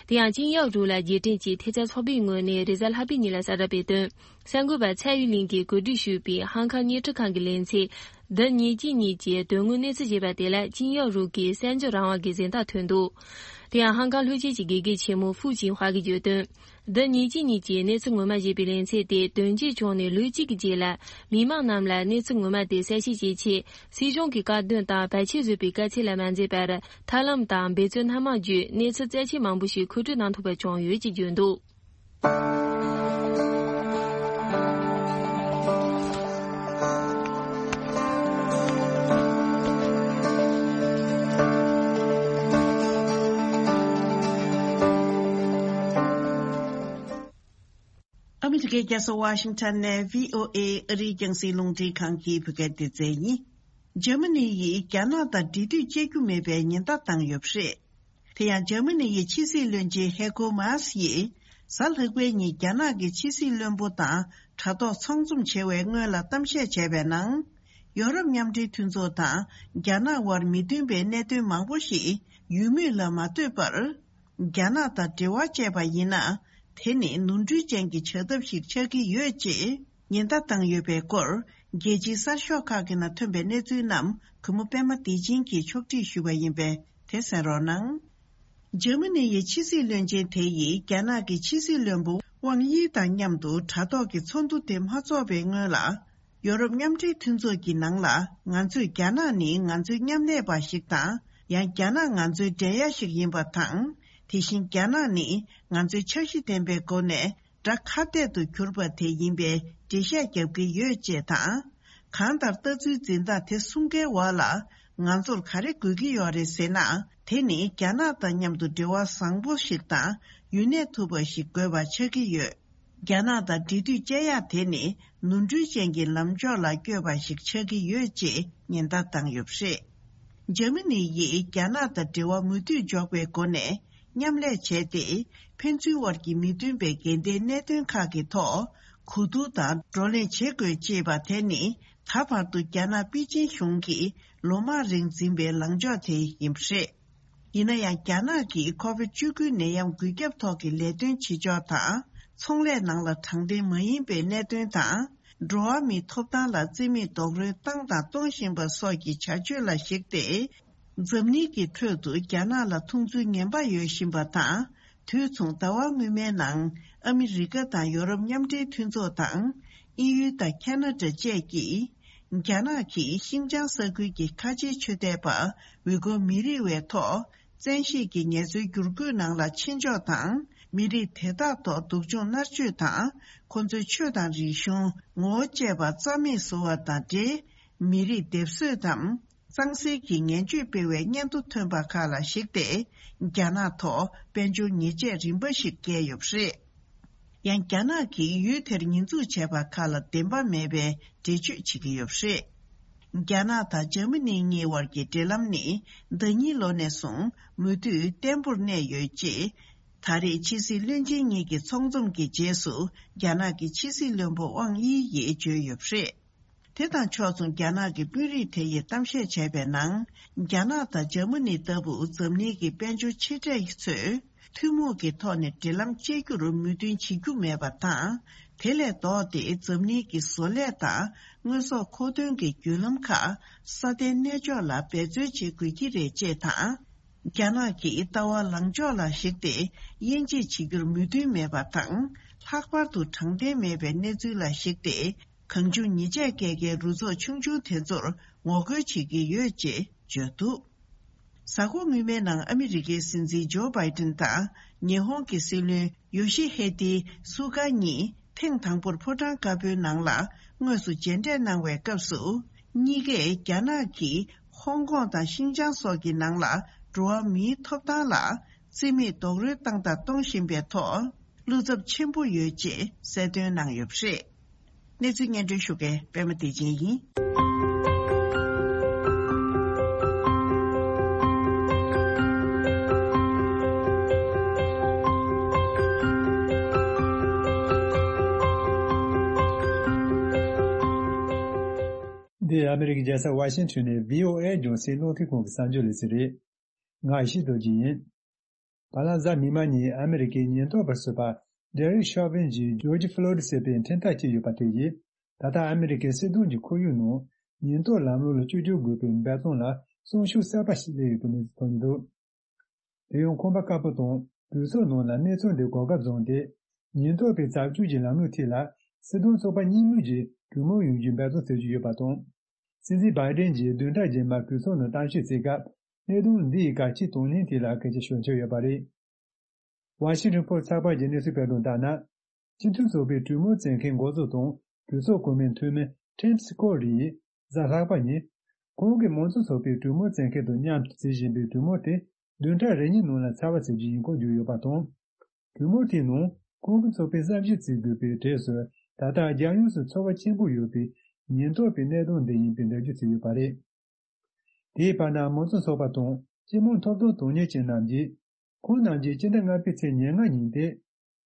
དེ་ཡང་ཅིན་ཡའོ་རུའུ་ལ་རྗེས་དྲན་གྱིས་ཐེབས་རྩ་ཚོགས་པའི་ངོས་ནས་རེས་གཟའ་ལྷག་པའི་ཉིན་ལ་གསལ་བསྒྲགས་སྤེལ་དོན། གསར་འགོད་པ་ཚའེ་ཡུན་ལིན་གྱིས་གོ་སྒྲིག་ཞུས་པའི་ཧང་ཀང་བརྙན་འཕྲིན་ཁང་གི་ལེ་ཚན། ཟླ་ཉེར་གཅིག་ཉིན་གྱི་དོན་དངོས་གནས་ཚུལ་ཞེས་པ་དེ་ལ་ཅིན་ཡའོ་རུའུ་གིས་གསར་འགྱུར་རང་དབང་གི་གཟེངས་རྟགས་ཐོན་འདུག་དེ་ཡང་ཧང་ཀང་ལྷོ་སྤྱི་གི་དགེ་རྒན་ཆེན་མོ་ཧྥུའུ་ཅིན་ཧྭ་གིས་བརྗོད་དོན། ཟླ་ཉེར་གཅིག་ཉིན་གྱི་གནས་ཚུལ་ངོ་མ་ཞེས་པའི་ལེ་ཚན་དེ་དོན་རྐྱེན་བྱུང་ནས་ལོ་གཅིག་གི་རྗེས་ལ། མི་མང་རྣམས་ལ་གནས་ཚུལ་ངོ་མ་དེ་གསལ་བཤད་བྱེད་ཆེད། སྲིད་གཞུང་གི་བཀའ་བསྡུར་དང་བར་ཆད་བཟོས་པའི་དཀའ་ཚེགས་ལ་མ་འཛེམས་པར། ཐབས་ལམ་དང་འབད་བརྩོན་སྣ་མང་བརྒྱུད། གནས་ཚུལ་རྩ་ཆེ་མང་པོ་ཞིག་མཁོ་སྤྲོད་གནང་ཐུབ་པ་བྱུང་ཡོད་ཅེས་བརྗོད་འདུག་ཨ་མི་རི་ཀའི་རྒྱལ་ས་ཝ་ཤིང་ཊོན་ནས་བྷི་ཨོ་ཨེ་ཨ་རིའི་རྒྱང་སྲིང་རླུང་འཕྲིན་ཁང་གི་བོད་སྐད་སྡེ་ཚན་ཡིན། འཇར་མ་ནི་ཡིས་རྒྱ་ནག་དང་འབྲེལ་མཐུད་བྱེད་རྒྱུ་མེད་པའི་ཉེན་བརྡ་བཏང་ཡོད་པ་རེད། དེ་ཡང་འཇར་མ་ནི་ཡི་ཕྱི་སྲིད་བློན་ཆེན་ཧེ་ཀོ་མཱས་ཡིས་གཟའ་ལྷག་པའི་ཉིན་རྒྱ་ནག་གི་ཕྱི་སྲིད་བློན་པོ་དང་དྲ་ཐོག་ཚོགས་འཛོམས་བྱེད་པའི་སྔོན་ལ་གཏམ་བཤད་བྱས་པའི་ནང་། ཡོ་རོབ་མཉམ་འབྲེལ་མཐུན་ཚོགས་དང་རྒྱ་ནག་དབར་མི་མཐུན་པའི་གནད་དོན་མང་པོ་ཞིག་ཡུལ་མུས་ལ་མ་ལྟོས་པར། རྒྱ་ནག་དང་འབྲེལ་བ་བཅད་པ་ཡིན་ན། དེ་ནི་ནོར་འཁྲུལ་ཅན་གྱི་བྱ་ཐབས་ཤིག་ཆགས་ཀྱི་ཡོད་ཅེས་ཉེན་བརྡ་བཏང་ཡོད་པའི་སྐོར། རྒྱལ་སྤྱིའི་གསར་ཤོག་ཁག་གི་ནང་ཐོན་པའི་གནས་ཚུལ་རྣམས་གུས་མོ་པད་མ་བདེ་ཆེན་གྱིས་ཕྱོགས་སྒྲིག་ཞུས་པ་ཡིན་པས་དེ་གསན་རོགས་གནང་། འཇར་མ་ནི་ཡི་ཕྱི་སྲིད་བློན་ཆེན་དེ་ཡིས་རྒྱ་ནག་གི་ཕྱི་སྲིད་བློན་པོ་ཝང་དབྱི་དང་མཉམ་དུ་དྲ་ཐོག་གི་ཚོགས་འདུ་དེ་མ་འཚོགས་པའི་སྔོན་ལ། ཡོ་རོབ་མཉམ་འབྲེལ་མཐུན་ཚོགས་ཀྱི་ནང་ལ་ང་ཚོས་རྒྱ་ནག་ནི་ང་ཚོའི་མཉམ་ལས་པ་ཞིག་དང་། ཡང་རྒྱ་ནག་ང་ཚོའི་འགྲན་ཡ་ཞིག་ཡིན་པ་དང་། དེ་བཞིན་རྒྱ་ནག་ནི་ང་ཚོའི་འཆར་གཞི་ལྡན་པའི་སྒོ་ནས་དགྲ་ཁ་གཏད་དུ་གྱུར་པ་དེ་ཡིན་པའི་འགྲེལ་བཤད་རྒྱབ་ཀྱི་ཡོད་ཅེས་དང་། གང་ལྟར་ལྟ་ཚུལ་འཛིན་སྟངས་དེ་གསུམ་ཀའི་འོག་ལ་ང་ཚོར་ག་རེ་དགོས་ཀྱི་ཡོད་རེད་ཟེར་ན། དེ་ནི་རྒྱ་ནག་དང་མཉམ་དུ་འབྲེལ་བ་བཟང་པོ་ཞིག་དང་ཡུན་གནས་ཐུབ་པ་ཞིག་དགོས་པ་ཆགས་ཀྱི་ཡོད། རྒྱ་ནག་དང་འབྲེལ་མཐུད་བཅད་ཡག་དེ་ནི་ནོར་འཁྲུལ་ཅན་གྱི་ལམ་ཕྱོགས་ལ་བསྐྱོད་པ་ཞིག་ཆགས་ཀྱི་ཡོད་ཅེས་ཉེན་བརྡ་བཏང་ཡོད་པ་རེད། འཇར་མ་ནི་ཡིས་རྒྱ་ནག་དང་འབྲེལ་བ་མུ་མཐུད་འཇོག་པའི་སྒོ་ནས་མཉམ་ལས་བྱས་ཏེ། ཕན་ཚུན་དབར་གྱི་མི་མཐུན་པའི་འགལ་ཟླའི་གནད་དོན་ཁག་གི་ཐོག་གོ་བསྡུར་དང་བགྲོ་གླེང་བྱེད་དགོས་ཅེས་པ་དེ་ནི་ད་བར་དུ་རྒྱ་ནག་པེ་ཅིན་གཞུང་གིས་ལོ་མང་རིང་འཛིན་པའི་ལངས་ཕྱོགས་དེ་ཡིན་པ་རེད། ཡིན་ན་ཡང་རྒྱ་ནག་གིས་ཁོ་བིད་བཅུ་དགུ་ནད་ཡམས་འགོས་ཁྱབ་ཐོག་གི་ལས་དོན་བྱེད་ཕྱོགས་དང་། ཚོང་ལས་ནང་ལ་དྲང་བདེན་མ་ཡིན་པའི་གནད་དོན་དང་། འགྲོ་བ་མིའི་ཐོབ་ཐང་ལ་བརྩི་མེད་རྡོག་རོལ་བཏང་དང་གཏོང་བཞིན་པ་སོགས་ཀྱི་བྱ་སྤྱོད་ལ་གཞིགས་ཏེ། འཛམ་གླིང་གི་ཁྲོད་དུ་རྒྱ་ནག་ལ་མཐོང་ཚུལ་ངན་པ་ཡོད་བཞིན་པ་དང་། དུས་མཚུངས་ཟླ་བ་སྔོན་མའི་ནང་ཨ་མི་རི་ཀ་དང་ཡོ་རོབ་མཉམ་འབྲེལ་མཐུན་ཚོགས་དང་། དབྱིན་ཡུལ་དང་ཁ་ན་ཌ་བཅས་ཀྱིས། རྒྱ་ནག་གིས་ཤིན་ཅང་ས་ཁུལ་གྱི་ཁ་ཆེའི་ཆོས་དད་པ་ཝི་གོ་མི་རིགས་བའི་ཐོག་བཙན་ཤེད་ཀྱིས་ངལ་རྩོལ་བསྒྱུར་བཀོད་ནང་ལ་ཕྱིན་ཕྱོགས་དང་། མི་རིགས་དེ་དག་ཐོག་སྡུག་སྦྱོང་མནར་གཅོད་དང་། ཁོ་ཚོའི་ཆོས་དང་རིག་གཞུང་། ངོ་བོ་བཅས་པ་རྩ་མེད་བཟོ་བ་དང་འབྲེལ། མི་རིགས་སྡེབ་གསོད་དམ། གཙང་སེལ་གྱི་ངན་ཇུས་སྤེལ་བའི་སྙན་ཐོ་ཐོན་པ་ཁག་ལ་གཞིགས་ཏེ། རྒྱ་ནག་ཐོག་དཔལ་འབྱོར་ཉེས་ཆད་རིམ་པ་ཞིག་བཀལ་ཡོད་པ་རེད། ཡང་། རྒྱ་ནག་གིས་ཡུལ་དེར་ཉེས་འཛུགས་བྱས་པ་ཁག་ལ་བདེན་པ་མེད་པའི་འགྲེལ་བརྗོད་བྱེད་ཀྱི་ཡོད་པ་རེད། རྒྱ་ནག་དང་འཇར་མ་ནི་གཉིས་དབར་གྱི་འབྲེལ་ལམ་ནི་ཟླ་ཉིན་ལོ་ནས་བཟུང་མུ་མཐུད་བརྟན་པོར་གནས་ཡོད་ཅེས། ད་རེས་ཕྱི་སྲིད་བློན་ཆེན་གཉིས་ཀྱི་ཚོགས་འཛོམས་ཀྱི་རྗེས་སུ། རྒྱ་ནག་གི་ཕྱི་སྲིད་བློན་པོ་ཝང་དབྱི་ཡིས་བརྗོད་ཡོད་པ་རེད། དེ་དང་ཕྱོགས་མཚུངས། རྒྱ་ནག་གི་དཔོན་རིགས་དེ་ཡིས་གཏམ་བཤད་བྱས་པའི་ནང་། རྒྱ་ནག་དང་འཇར་མ་ནི་ལྟ་བུ་འཛམ་གླིང་གི་དཔལ་འབྱོར་ཆེ་གྲས་ཚོས་ཐུན་མོང་གི་ཐོག་ནས་འབྲེལ་ལམ་བཅད་རྒྱུར་མོས་མཐུན་བྱེད་རྒྱུ་མེད་པ་དང་། དེ་ལས་ལྡོག་སྟེ་འཛམ་གླིང་གི་བཟོ་ལས་དང་དངོས་ཟོག་མཁོ་འདོན་གྱི་བརྒྱུད་ལམ་ཁག་ས་མཐའི་གནས་ཕྱོགས་ལ་འབད་རྩོལ་བྱེད་དགོས་ཀྱི་རེད་ཅེས་དང་། རྒྱ་ནག་གིས་ལྟ་བ་ལངས་ཕྱོགས་ལ་གཞིགས་ཏེ་དབྱེ་འབྱེད་བྱེད་རྒྱུར་མོས་མཐུན་མེད་པ་དང་། ལྷག་པར་དུ་དྲང་བདེན་མེད་པའི་གནས་ཚུལ་ལ་གཞིགས་ཏེ། གང་བྱུང་ཉེས་ཆད་བཀལ་མཁན་རུ་ཚོགས་ཆུང་ཆུང་དེ་ཚོར་ངོ་རྒོལ་བྱེད་ཀྱི་ཡོད་ཅེས་བརྗོད་འདུག། གཟའ་འཁོར་སྔོན་མའི་ནང་ཨ་མི་རི་ཀའི་སྲིད་འཛིན་ཇོ་བྷའི་ཏིན་དང་ཉི་ཧོང་གི་སྲིད་བློན་ཡོ་ཤི་ཧེ་ཏི་སུ་ག་གཉིས་ཐེངས་དང་པོར་ཕོ་བྲང་དཀར་པོའི་ནང་ལ་དངོས་སུ་མཇལ་འཕྲད་གནང་བའི་སྐབས་སུ། གཉིས་ཀས་རྒྱ་ནག་གིས་ཧོང་ཀོང་དང་ཤིན་ཅང་སོགས་ཀྱི་ནང་ལ་འགྲོ་བ་མིའི་ཐོབ་ཐང་ལ་རྩིས་མེད་རྡོག་རོལ་བཏང་དང་གཏོང་བཞིན་པའི་ཐོག་བློ་འཚབ་ཆེན་པོ་ཡོད་ཅེས་གསལ་སྟོན་གནང་ཡོད་པ་རེད། གནས་ཚུལ་སྙན་སྒྲོན་ཞུ་མཁན་པད་མ་བདེ་ཆེན་ཡིན། འདི་ཨ་མི་རི་ཀའི་རྒྱལ་ས་ཝ་ཤིང་ཊོན་ནས་བྷི་ཨོ་ཨེ་རྒྱང་སྲིང་རླུང་འཕྲིན་ཁང་གི་གསར་འགྱུར་ལས་ཚན་རེད། ང་ཡེ་ཤེས་རྡོ་རྗེ་ཡིན། བར་ལམ་གཟའ་མིག་དམར་ཉིན་ཨ་མི་རི་ཀའི་ཉེན་རྟོག་པར་གསོས་པ་ཌེ་རིག་ཤོ་ཝིན་གྱིས་ཇོརྗ་ཕློ་རིད་ཟེར་བའི་འཕྲིན་ཐག་བཅད་ཡོད་པ་དེ་ཡིས། ད་ལྟ་ཨ་མི་རི་ཀའི་སྲིད་དོན་གྱི་ཁོར་ཡུག་ནང་ཉེན་རྟོག་ལམ་ལུགས་ལ་བཅོས་བསྒྱུར་དགོས་པའི་འབད་བརྩོན་ལ་སྲུང་ཤུགས་གསར་པ་ཞིག་སླེབས་ཡོད་པའི་གནས་ཚུལ་ཐོན་འདུག། དེ་ཡང་ཁང་པ་དཀར་པོ་དང་གྲོས་ཚོགས་ནང་ལ་གནས་ཚུལ་འདི་གོ་སྐབས་བཟུང་སྟེ། ཉེན་རྟོག་པའི་རྩབ་སྤྱོད་ཀྱི་ལམ་ལུགས་ཐད་ལ་སྲིད་དོན་ཚོགས་པ་གཉིས་མོས་ཀྱིས་གྲོས་མོལ་ཡོང་རྒྱུའི་འབད་བརྩོན་བྱེད་ཀྱི་ཡོད་པ་དང་། སྲིད་འཛིན་བྷའི་ཏིན་གྱིས་བདུན་ཕྲག་རྗེས་མར་གྲོས་ཚོགས་ནང་གཏམ་བཤད་བྱེད་སྐབས། གནད་དོན་འདི་ཡི་གལ་ཆེའི་དོན་སྙིང་ཐད་ལ་སྐད་ཆ་ཤོད་འཆར་ཡོད་པ་རེད། ཝ་ཤིང་ཊོན་པོ་སི་ཚགས་པར་གྱི་གནས་ཚུལ་སྤེལ་དོན་ལྟར་ན། སྤྱི་མཐུན་ཚོགས་པའི་གྲོས་མོལ་བྱེད་མཁན་འགོ་གཙོ་དང་གྲོས་ཚོགས་གོང་མའི་འཐུས་མི་ཁྲིམ་སི་ཀོ་རི་ཡིས་གཟའ་ལྷག་པ་ཉིན། ཁོང་གིས་མང་གཙོ་ཚོགས་པའི་གྲོས་མོལ་བྱེད་མཁན་དང་མཉམ་དུ་བྱེད་བཞིན་པའི་གྲོས་མོལ་དེ་བདུན་ཕྲག་རེ་གཉིས་ནང་ལ་ཚར་བ་བྱེད་རྒྱུ་ཡིན་སྐོར་བརྗོད་ཡོད་པ་དང་། གྲོས་མོལ་དེའི་ནང་ཁོང་གི་ཚོགས་པས་བསམ་ཞིབ་བྱེད་དགོས་པའི་གྲས་སུ། ད་ལྟ་རྒྱལ་ཡོངས་སུ་ཚོར་བ་ཆེན་པོ་ཡོད་པའི་ཉེན་རྟོག་པའི་གནད་དོན་འདི་ཡིན་པའི་འགྲེལ་བརྗོད་བྱས་ཡོད་པ་རེད། དེའི་བར་ན་མང་གཙོ་ཚོགས་པ་དང་སྤྱི་དམངས་ཐོབ་ཐང་དོན་གཉེར་ཅན་རྣམས་ཀྱིས། ཁོང་རྣམས་ཀྱིས་སྤྱི་ཟླ་ལྔ་པའི་ཚེས་ཉེར་ལྔ་ཉིན་ཏེ།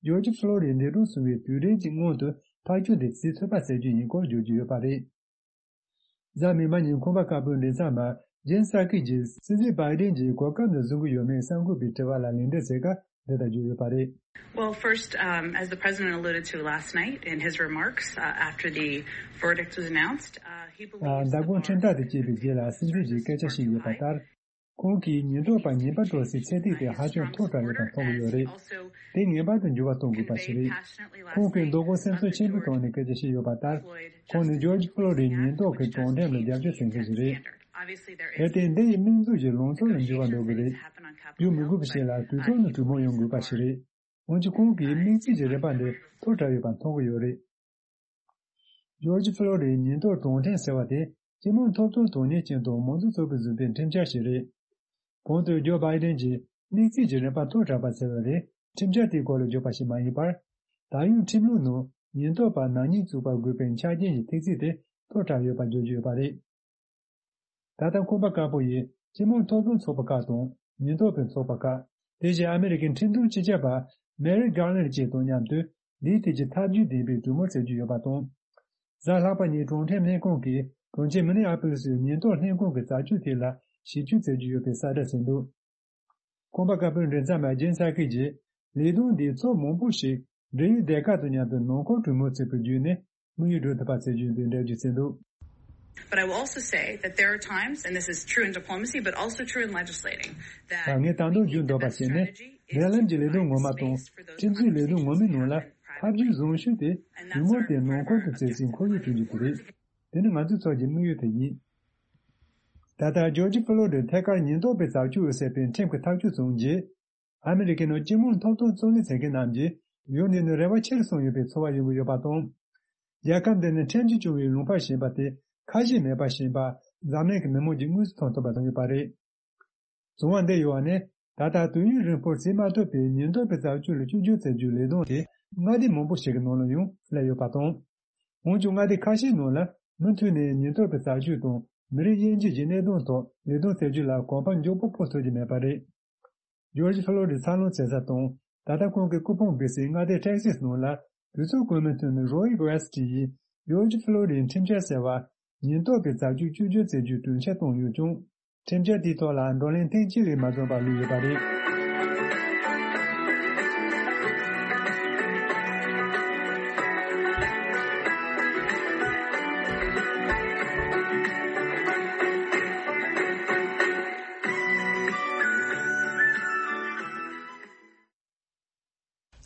ཇོརྗ་ཕློ་རིད་འདས་གྲོངས་སོང་བའི་དུས་དྲན་གྱི་སྔོན་དུ་ཐག་གཅོད་དེ་བྱེད་ཐུབ་པ་བྱ་རྒྱུ་ཡིན་སྐོར་བརྗོད་ཀྱི་ཡོད་པ་རེད། གཟའ་མིག་དམར་ཉིན་ཁང་པ་དཀར་པོའི་མགྲིན་ཚབ་པ་ཇེན་སཱ་ཀི་ཡིས་སྲིད་འཛིན་བྷའི་ཏིན་གྱིས་གོ་སྐབས་འདི་བཟུང་གི་ཡོད་མེད་གསར་འགོད་པའི་དྲི་བ་ལ་ལན་འདེབས་བྱེད་སྐབས། འདི་ལྟར་བརྗོད་ཡོད་པ་རེད། Well, first, um, as the president alluded to last night in his remarks, uh, after the verdict was announced, uh, he believes མདང་དགོང་ཁྲིམས་ཐག་དེ་བཅད་པའི་རྗེས་ལ་སྲིད་འཛིན་གྱིས་སྐད་ཆ་བཤད་ཡོད་པ་ལྟར། ཁོང་གིས་ཉེན་རྟོག་པ་ཉེས་པ་སྤྲོད་སའི་ཚད་ཐིག་དེ་ཧ་ཅང་མཐོ་དྲགས་ཡོད་པ་མཐོང་གི་ཡོད་རེད། དེ་ངེས་པར་དུ་འགྱུར་བ་གཏོང་དགོས་པ་ཞིག་རེད། ཁོང་གིས་མདང་དགོང་སེམས་ཚོར་ཆེན་པོའི་ཐོག་ནས་སྐད་ཆ་བཤད་ཡོད་པ་ལྟར། ཁོང་ནི་ཇོརྗ་ཕློ་རིད་ཉེན་རྟོག་གི་དྲང་ཁྲིམས་ལ་རྒྱབ་སྐྱོར་བྱེད་མཁན་ཞིག་རེད། གལ་ཏེ་འདི་ཡི་དམིགས་འཛུགས་ཀྱི་ལངས་ཕྱོགས་ལ་འགྱུར་བ་འགྲོ་གི་རེད། འགྱུར་མི་དགོས་པ་ཞིག་ལ་གྲོས་ཚོགས་ནས་གྲོས་མོལ་ཡོང་དགོས་པ་ཞིག་རེད། འོན་ཀྱང་ཁོང་གིས་དམིགས་བརྩེ་གྱི་རིམ་པ་འདི་མཐོ་དྲགས་ཡོད་པ་མཐོང་གི་ཡོད་རེད། ཇོརྗ་ཕློ་རིད་ཉེན་རྟོག་དྲང་ཁྲིམས་ཟེར་བ་དེ་སྤྱི་དམངས་ཐོབ་ཐང་དོན་གཉེར་ཅན་དང་མང་གཙོ་ཚོགས་པས་བཟོས་པའི་ཁྲིམས་འཆར་ཞིག་རེད། གོང་དུ་ཇོ་བྷའི་ཏིན་གྱིས་དམིགས་བརྩེ་གྱི་རིམ་པ་མཐོ་དྲགས་པ་ཟེར་བ་རེད། ཁྲིམས་འཆར་དེའི་སྐོར་ལ་བརྗོད་པ་ཞིག་མ་ཡིན་པར། ད་ཡོད་ཁྲིམས་ལུགས་ནང་ཉེན་རྟོག་པ་ནག་ཉེས་བཙུགས་པར་དགོས་པའི་ཆ་རྐྱེན་གྱི་ཐིག་ཚད་དེ་མཐོ་དྲགས་ཡོད་པ་བརྗོད་ཀྱི་ཡོད་པ་རེད། ད་ལྟ་ཁང་པ་དཀར་པོ་ཡིས་སྤྱི་དམངས་ཐོབ་ཐང་ཚོགས་པ་ཁག་དང་ཉེན་རྟོག་པའི་ཚོགས་པ་ཁག་དེ་བཞིན་ཨ་མི་རི་ཀའི་ཁྲིམས་དོན་སྤྱི་ཁྱབ་པ་མེ་རིག་གྷར་ལེན་ཌི་བཅས་དང་མཉམ་དུ་འདིའི་ཐད་ཀྱི་ཐབས་ཇུས་ལྡན་པའི་གྲོས་མོལ་བྱེད་ཀྱི་ཡོད་པ་དང་། གཟའ་ལྷག་པ་ཉིན་དྲང་ཁྲིམས་ལྷན་ཁང་གིས་གྲོང་ཁྱེར་མི་ནི་ཨ་པོ་ལི་སི་ཉེན་རྟོག་ལྷན་ཁང་གི་རྩ་ཆོས་ཐད་ལ་ཞིབ་དཔྱོད་བྱེད་ཀྱི་ཡོད་པའི་གསལ་བསྒྲགས་བྱས་འདུག། ཁང་པ་དཀར་པོའི་མགྲིན་ཚབ་པ་ཇེན་སཱ་ཀི་ཡིས་ལས་དོན་འདིས་ཕྱོགས་མང་པོ་ཞིག་འབྲེལ་ཡོད་སྡེ་ཁག་དང་མཉམ་དུ་ནང་ཁུལ་གྲོས་མོལ་བྱེད་པ་བརྒྱུད་ནས་དམིགས་ཡུལ་འགྲུབ་ཐུབ་པ་བྱེད་རྒྱུ་ཡིན་པའི་འགྲེལ་བརྗོད་བྱས་འདུག། But I will also say that there are times, and this is true in diplomacy, but also true in legislating, that ངས་ད་དུང་བརྗོད་འདོད་པ་ཞིག་ནི། འབྲེལ་ལམ་གྱི་ལས་དོན་ངོ་མ་དང་ཁྲིམས་སྲོལ་ལས་དོན་ངོ་མའི་ནང་ལ་ཐབས་ཇུས་བཟང་ཤོས་དེ་གྲོས་མོལ་དེ་ནང་ཁུལ་དུ་བྱེད་སའི་ཁོར་ཡུག་བསྐྲུན་རྒྱུ་དེ་རེད། དེ་ནི་ང་ཚོའི་ཚོགས་ཀྱི་དམིགས་ཡུལ་དེ་ཡིན། ད་ལྟ་ཇོར་ཇི་ཕུ་ལོ་རིར་ཐད་ཀར་ཉེན་རྟོག་པས་བཙག་འཇུག་ཟེར་བའི་ཁྲིམས་ཀྱི་ཐག་གཅོད་བྱུང་རྗེས། ཨ་མི་རི་ཀའི་ནང་སྤྱི་དམངས་ཐོབ་ཐང་རྩོད་ལེན་བྱེད་མཁན་རྣམས་ཀྱིས་ཡུལ་འདི་ནས་རེ་བ་ཆེར་སོང་ཡོད་པའི་ཚོར་བ་ཡོང་གི་ཡོད་པ་དང་། རྒྱལ་ཁབ་འདི་ནས་ཁྲིམས་ཀྱིས་སྐྱོང་བའི་ལུང་པ་ཞེས་པ་དེ་ཁ་ཞེ་མེད་པ་ཞིག་ཡིན་པ་འཛམ་གླིང་གི་མི་མང་གིས་མངོན་གསལ་མཐོང་ཐུབ་པ་བྱུང་ཡོད་པ་རེད། བྱུང་བ་འདི་ཡོད་པ་ནི་ད་ལྟ་དུས་ཡུན་རིང་པོར་བྱེད་མ་ཐུབ་པའི་ཉེན་རྟོག་པའི་བཙག་འཇུག་ལ་བཅོས་བསྒྱུར་བྱ་རྒྱུའི་ལས་དོན་དེ་མངའ་སྡེ་མང་པོ་ཞིག་གི་ནང་ལ་ཡང་སླེབས་ཡོད་པ་དང་། འོན་ཀྱང་མངའ་སྡེ་ཁ་ཤས་ནང་ལ་མུ་མཐུད་ནས་ཉེན་རྟོག་པའི་བཙག་འཇུག་དང་མི་རིགས་དབྱེ་འབྱེད་ཀྱི་གནད་དོན་ཐོག་ལས་དོན་བྱ་རྒྱུ་ལ་གོམ་པ་མགྱོགས་པོ་སྤོ་ཐུབ་ཀྱི་མེད་པ་རེད། ཇོར་ཇི་ཕུ་ལོ་རིར་འཚར་ལོངས་བྱེད་ས་དང་ད་ལྟ་ཁོང་གི་སྐུ་ཕུང་སྦས་སའི་མངའ་སྡེ་ཊེག་སིས་ནང་ལ་དུས་ཚོད་སྐུན་མིན་ཐོན་མི་རོའི་ཝེ་སི་ཊི་ཡིས་ཇོར་ཇི་ཕུ་ལོ་རིའི་ཁྲིམས་འཆར་ཟེར་བ་ཉེན་རྟོག་པའི་བཙག་འཇུག་བཅོས་བསྒྱུར་བྱེད་རྒྱུའི་གྲོས་འཆར་བཏོན་ཡོད་ཀྱང་། ཁྲིམས་འཆར་དེའི་ཐོག་ལ་བགྲོ་གླེང་ཐེངས་གཅིག་ལས་མ་འཛོམས་པར་ལུས་ཡོད་པ་རེད།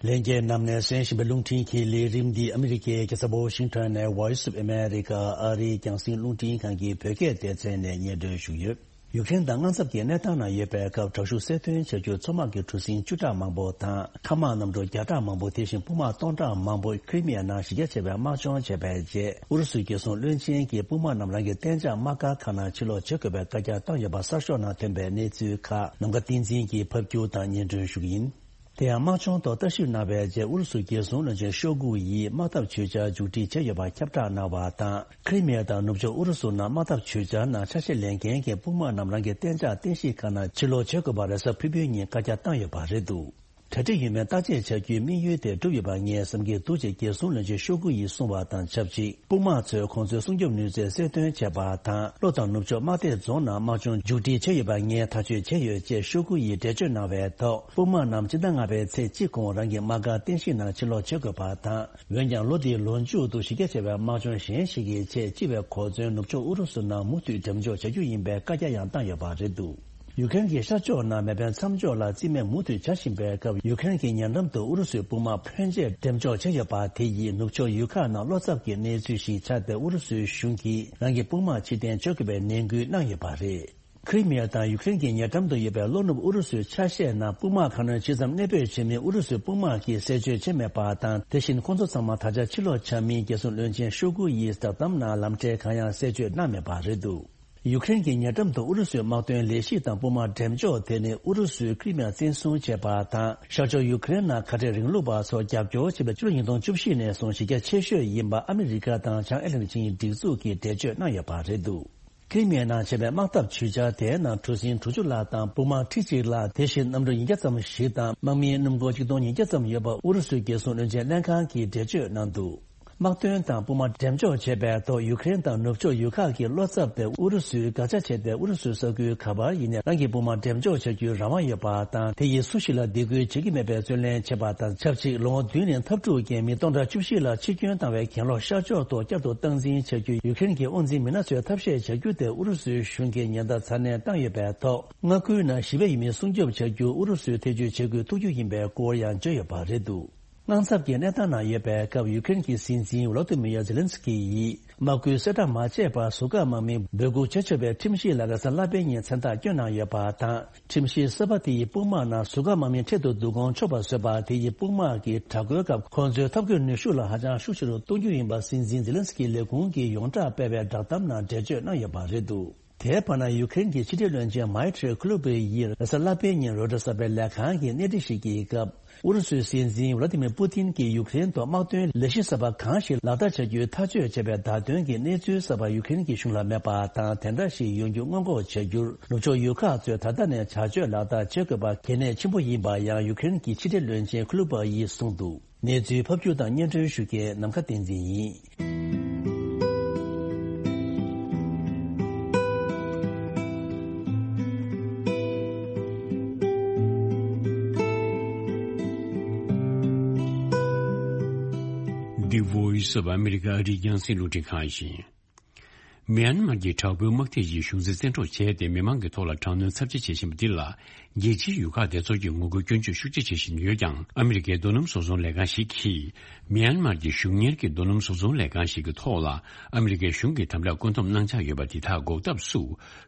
ལྷན་རྒྱས་རྣམས་ནས་གསན་བཞིན་པའི་རླུང་འཕྲིན་གྱི་ལས་རིམ་འདི་ཨ་མི་རི་ཀའི་རྒྱལ་ས་ཝོ་ཤིང་ཊོན་ནས་Voice of America ཨ་རིའི་རྒྱང་སྲིང་རླུང་འཕྲིན་ཁང་གི་བོད་སྐད་སྡེ་ཚན་ནས་སྙན་སྒྲོན་ཞུས་ཡོད། ཡུཀ་རེན་དང་དངངས་འཚབ་ཀྱི་གནས་སྟངས་ནང་ཡོད་པའི་སྐབས་དྲག་ཤུགས་གསལ་སྟོན་བྱ་རྒྱུར་མཚོ་དམག་གི་གྲུ་གཟིངས་བཅུ་ཕྲག་མང་པོ་དང་མཁའ་དམག་གནམ་གྲུ་བརྒྱ་ཕྲག་མང་པོ་དེ་བཞིན་དཔུང་དམག་སྟོང་ཕྲག་མང་པོ་ཁི་རི་མི་ཡ་ནང་གཞི་རྒྱ་ཆེ་བའི་དམག་སྦྱོང་བྱས་པའི་རྗེས་ཨུ་རུ་སུའི་རྒྱལ་སྲུང་བློན་ཆེན་གྱིས་དཔུང་དམག་རྣམས་རང་གི་གཏན་འཇགས་དམག་སྒར་ཁག་ནང་ཕྱིར་ལོག་བྱེད་དགོས་པའི་བཀའ་རྒྱ་བཏང་ཡོད་པ་གསར་ཤོག་ནང་ཐོན་པའི་གནས་ཚུལ་ཁག་ནམ་མཁའ་བསྟན་འཛིན་གྱིས་ཕབ་སྒྱུར་དང་སྙན་སྒྲོན་ཞུ་གི་ཡིན། དེ་ཡང་དམག་སྦྱོང་ཐོག་ལྟ་ཞིབ་གནང་བའི་རྗེས་ཨུ་རུ་སུའི་རྒྱལ་སྲུང་བློན་ཆེན་ཤོ་གུ་ཡིས་དམག་འཐབ་བྱེད་འཆར་མཇུག་སྒྲིལ་བྱས་ཡོད་པ་ཁྱབ་བསྒྲགས་གནང་བ་དང་། ཁི་རི་མི་ཡ་དང་ནུབ་ཕྱོགས་ཨུ་རུ་སུ་ནང་དམག་འཐབ་བྱེད་འཆར་ནང་ཆ་ཤས་ལེན་མཁན་གྱི་དཔུང་དམག་རྣམས་རང་གི་གཏན་འཇགས་རྟེན་གཞི་ཁག་ནང་ཕྱིར་ལོག་བྱེད་དགོས་པ་རེས་གཟའ་ཕུར་བུའི་ཉིན་བཀའ་རྒྱ་བཏང་ཡོད་པ་རེད་འདུག་གྲ་སྒྲིག་ཡོད་མེད་བརྟག་དཔྱད་བྱ་རྒྱུའི་དམིགས་ཡུལ་དེ་གྲུབ་ཡོད་པ་ངས་བསམ་གྱི་འདུག་ཅེས་རྒྱལ་སྲུང་བློན་ཆེན་ཤོ་གུ་ཡིས་གསུངས་པ་དང་ཆབས་ཅིག་དཔུང་དམག་ཚོས་ཁོང་ཚོའི་སྲུང་སྐྱོབ་ནུས་རྩལ་གསལ་སྟོན་བྱས་པ་དང་། ལྷོ་དང་ནུབ་ཕྱོགས་དམག་སྡེ་རྫོང་ནང་དམག་སྦྱོང་མཇུག་སྒྲིལ་བྱས་ཡོད་པ་ངས་ཐག་གཅོད་བྱས་ཡོད་ཅེས་ཤོ་གུ་ཡིས་འགྲེལ་བརྗོད་གནང་བའི་ཐོག་དཔུང་དམག་རྣམས་སྤྱི་ཟླ་ལྔ་པའི་ཚེས་གཅིག་གོང་རང་གི་དམག་སྒར་རྟེན་གཞི་ནང་ཕྱིར་ལོག་བྱེད་དགོས་པ་དང་། འོན་ཀྱང་ལོ་འདིའི་ལོ་མཇུག་ཏུ་གཞི་རྒྱ་ཆེ་བའི་དམག་སྦྱོང་གཞན་ཞིག་གི་ཆེད་སྤྱི་པའི་གོ་མཚོན་ནུབ་ཕྱོགས་ཨུ་རུ་སུ་ནང་མུ་མཐུད་འགྲེམས་འཇོག་བྱ་རྒྱུ་ཡིན་པའི་བཀའ་རྒྱ་ཡང་བཏང་ཡོད་པ་རེད་འདུག་ཡུ་ཀེ་རེན་གྱི་ཤར་ཕྱོགས་ནང་མེ་འཕེན་མཚམས་འཇོག་ལ་རྩིས་མེད་མུ་མཐུད་བྱ་བཞིན་པའི་སྐབས། ཡུ་ཀེ་རེན་གྱི་ཉེ་འགྲམ་དུ་ཨུ་རུ་སུའི་དཔུང་དམག་ཕོན་ཆེ་འགྲེམས་འཇོག་བྱས་ཡོད་པ་དེ་ཡིས་ནུབ་ཕྱོགས་ཡུལ་ཁག་ནང་བློ་འཚབ་ཀྱི་གནས་ཚུལ་ཞིག་ཆགས་ཏེ། ཨུ་རུ་སུའི་གཞུང་གིས་རང་གི་དཔུང་དམག་ཕྱིར་འཐེན་བྱ་དགོས་པའི་ནན་སྐུལ་གནང་ཡོད་པ་རེད། ཁི་རི་མི་ཡ་དང་ཡུ་ཀེ་རེན་གྱི་ཉེ་འགྲམ་དུ་ཡོད་པའི་ལྷོ་ནུབ་ཨུ་རུ་སུའི་ཆ་ཤས་ནང་དཔུང་དམག་ཁང་ནང་ཇི་ཙམ་གནས་སྤོས་བྱེད་མིན་ཨུ་རུ་སུའི་དཔུང་དམག་གིས་གསལ་བརྗོད་བྱས་མེད་པ་དང་། དེ་བཞིན་ཁོང་ཚོ་ཚང་མ་ད་ཆ་ཕྱིར་ལོག་བྱ་མིན་རྒྱལ་སྲུང་བློན་ཆེན་ཤོ་གུ་ཡིས་བསྒྲགས་གཏམ་ནང་ལམ་ཁྲལ་གང་ཡང་གསལ་བརྗོད་གནང་མེད་པ་རེད་འདུག་ཡུ་ཀེ་རེན་གྱི་ཉེ་འགྲམ་དུ་ཨུ་རུ་སུའི་དམག་དོན་ལས་གཞི་དང་དཔུང་དམག་འགྲེམས་འཇོག་དེ་ནི་ཨུ་རུ་སུས་ཁི་རི་མི་ཡ་བཙན་བཟུང་བྱས་པ་དང་། ཤར་ཕྱོགས་ཡུ་ཀེ་རེན་ནང་ཁ་བྲལ་རིང་ལུགས་པ་ཚོར་རྒྱབ་སྐྱོར་བྱེད་པའི་ཕྱི་ལོ་ཉིས་སྟོང་བཅུ་བཞི་ནས་བཟུང་གཞི་རྒྱ་ཆེ་ཤོས་ཡིན་པ་ཨ་མི་རི་ཀ་དང་བྱང་ཨེ་ལན་ཅིན་སྒྲིག་འཛུགས་ཀྱིས་འགྲེལ་བརྗོད་གནང་ཡོད་པ་རེད་འདུག་ཁི་རི་མི་ཡའི་ནང་བྱས་པའི་དམག་འཐབ་བྱེད་འཆར་དེའི་ནང་གྲུ་གཟིངས་དྲུག་ཅུ་ལྷག་དང་དཔུང་དམག་ཁྲི་གཅིག་ལྷག་དེ་བཞིན་གནམ་གྲུ་ཉིས་བརྒྱ་ཙམ་ཞིག་དང་དམག་མིའི་སྣུམ་འཁོར་ཆིག་སྟོང་ཉིས་བརྒྱ་ཙམ་ཡོད་པ་ཨུ་རུ་སུའི་རྒྱལ་སྲུང་བློན་ཆེན་ལྷན་ཁང་གིས་འགྲེལ་བརྗོད་གནང་འདུག་དམག་དོན་དང་དཔུང་དམག་འགྲེམས་འཇོག་བྱས་པའི་ཐོག་ཡུ་ཀེ་རེན་དང་ནུབ་ཕྱོགས་ཡུལ་ཁག་གི་བློ་འཚབ་དེ་ཨུ་རུ་སུའི་དགག་བྱ་བྱས་ཏེ། ཨུ་རུ་སུའི་ས་ཁུལ་ག་པར་ཡིན་ནའི་རང་གི་དཔུང་དམག་འགྲེམས་འཇོག་བྱ་རྒྱུའི་རང་དབང་ཡོད་པ་དང་། དེ་ཡིས་སུ་ཞིག་ལ་སྡིགས་སྐུལ་བྱེད་ཀྱི་མེད་པའི་རྩོད་ལེན་བྱས་པ་དང་ཆབས་ཅིག་ལོ་ངོ་བདུན་ནས་འཐབ་འཁྲུག་རྐྱེན་མི་སྟོང་ཕྲག་བཅུ་བཞི་ལ་འཆི་སྐྱོན་བཏང་བའི་གྱེན་ལོག་ཤར་ཕྱོགས་ཐོག་བསྐྱར་དུ་སྟངས་འཛིན་བྱ་རྒྱུ་ཡུ་ཀེ་རེན་གྱི་དབང་འཛིན་མི་སྣ་ཚོས་ཐབས་ཤེས་བྱ་རྒྱུ་དེ་ཨུ་རུ་སུའི་གཞུང་གིས་ཉེན་བརྡ་ཚ་ནན་བཏང་ཡོད་པའི་ཐོག་མངའ་ཁུལ་ནང་ཞི་བའི་ཡུལ་མིའི་སྲུང་སྐྱོབ་བྱ་རྒྱུར་ཨུ་རུ་སུས་ཐེ་བྱུས་བྱེད་དགོས་ཐུག་རྒྱུ་ཡིན་པའི་སྐོར་ཡང་བརྗོད་ཡོད་པ་རེད་འདུག་དངངས་འཚབ་ཀྱི་གནས་སྟངས་ནང་ཡོད་པའི་སྐབས། ཡུ་ཀེ་རེན་གྱི་སྲིད་འཛིན་ཝ་ལོ་ཏི་མིར་ཛེ་ལན་སི་ཀི་ཡིས་དམག་སྐུལ་གསལ་བསྒྲགས་མ་བྱས་པར་ཟུར་བཀག་དམག་མིས་འབོད་འགུག་བྱེད་ཆོག་པའི་ཁྲིམས་གཞི་ལ་རེས་གཟའ་ལྷག་པའི་ཉིན་མཚན་རྟགས་བསྐྱོན་གནང་ཡོད་པ་དང་། ཁྲིམས་གཞི་གསར་པ་དེ་ཡིས་དཔུང་དམག་ནང་ཟུར་བཀག་དམག་མིའི་འཕྲལ་དུ་བསྡུ་སྐོང་ཆོག་པ་བཟོས་པ་དེ་ཡིས་དཔུང་དམག་གིས་དྲག་རྒོལ་སྐབས་ཁོང་ཚོའི་འཐབ་རྒོལ་ནུས་ཤུགས་ལ་ཧ་ཅང་ཤུགས་ཆེ་རུ་གཏོང་རྒྱུ་ཡིན་པ་སྲིད་འཛིན་ཛེ་ལན་སི་ཀིའི་ལས་ཁུངས་ཀྱིས་ཡོངས་གྲགས་སྤེལ་བའི་བསྒྲགས་གཏམ་ནང་འགྲེལ་བརྗོད་གནང་ཡོད་པ་རེད་འདུག་དེའི་བར་ན། ཡུ་ཀེ་རེན་གྱི་ཕྱི་འབྲེལ་བློན་ཆེན་མའི་ཏྲི་ཁུ་ལུ་པེ་ཡིས་རེས་གཟའ་ལྷག་པའི་ཉིན་རོའི་ཊར་གསར་པའི་ལས་ཁང་གི་གནས་འདྲི་ཞིག་གི་སྐབས། ཨུ་རུ་སུའི་སྲིད་འཛིན་ཝ་ལ་ཏི་མིར་པུ་ཏིན་གྱིས་ཡུ་ཀེ་རེན་དུ་དམག་དོན་ལས་གཞི་གསར་པ་གང་ཞིག་ལག་བསྟར་བྱ་རྒྱུའི་ཐག་གཅོད་བྱས་པའི་བརྡ་སྟོན་གྱི་གནས་ཚུལ་གསར་པ་ཡུ་ཀེ་རེན་གྱི་གཞུང་ལ་མེད་པ་དང་། དེ་འདྲ་ཞིག་ཡོང་རྒྱུ་སྔོན་འགོག་བྱ་རྒྱུར། ནུབ་ཕྱོགས་ཡུལ་ཁག་ཚོས་ད་ལྟ་ནས་བྱ་སྤྱོད་ལག་བསྟར་བྱེད་དགོས་པ་གལ་གནད་ཆེན་པོ་ཡིན་པ་ཡང་ཡུ་ཀེ་རེན་གྱི་ཕྱི་འབྲེལ་བློན་ཆེན་ཁུ་ལུ་པ་ཡིས་གསུངས་འདུག་གནས་ཚུལ་ཕབ་སྒྱུར་དང་སྙན་སྒྲོན་ཞུ་མཁན་ནམ་མཁའ་བསྟན་འཛིན་ཡིན། The Voice of America ཨ་རིའི་རྒྱང་སྲིང་རླུང་འཕྲིན་ཁང་ཡིན། མི་ཡན་མར་གྱི་དྲག་པོའི་དམག་སྡེ་ཡིས་གཞུང་འཛིན་བཙན་འཕྲོག་བྱས་ཏེ། མི་མང་གི་ཐོག་ལ་དྲག་གནོན་ཚབས་ཆེ་བྱེད་བཞིན་པ་འདི་ལ། རྒྱལ་སྤྱིའི་ཡུལ་ཁག་དེ་ཚོར་གྱི་ངོ་རྒོལ་སྐྱོན་བརྗོད་ཤུགས་ཆེ་བྱེད་བཞིན་ཡོད་ཀྱང་། ཨ་མི་རི་ཀའི་རྡོ་སྣུམ་བཟོ་ཚོང་ལས་ཁང་ཞིག་གིས། མི་ཡན་མར་གྱི་གཞུང་གཉེར་གྱི་རྡོ་སྣུམ་བཟོ་ཚོང་ལས་ཁང་ཞིག་གི་ཐོག་ལ། ཨ་མི་རི་ཀའི་གཞུང་གིས་དམ་དྲག་བཀོད་འདོམས་གནང་འཆར་ཡོད་པ་དེ་དག་འགོག་ཐབས་སུ།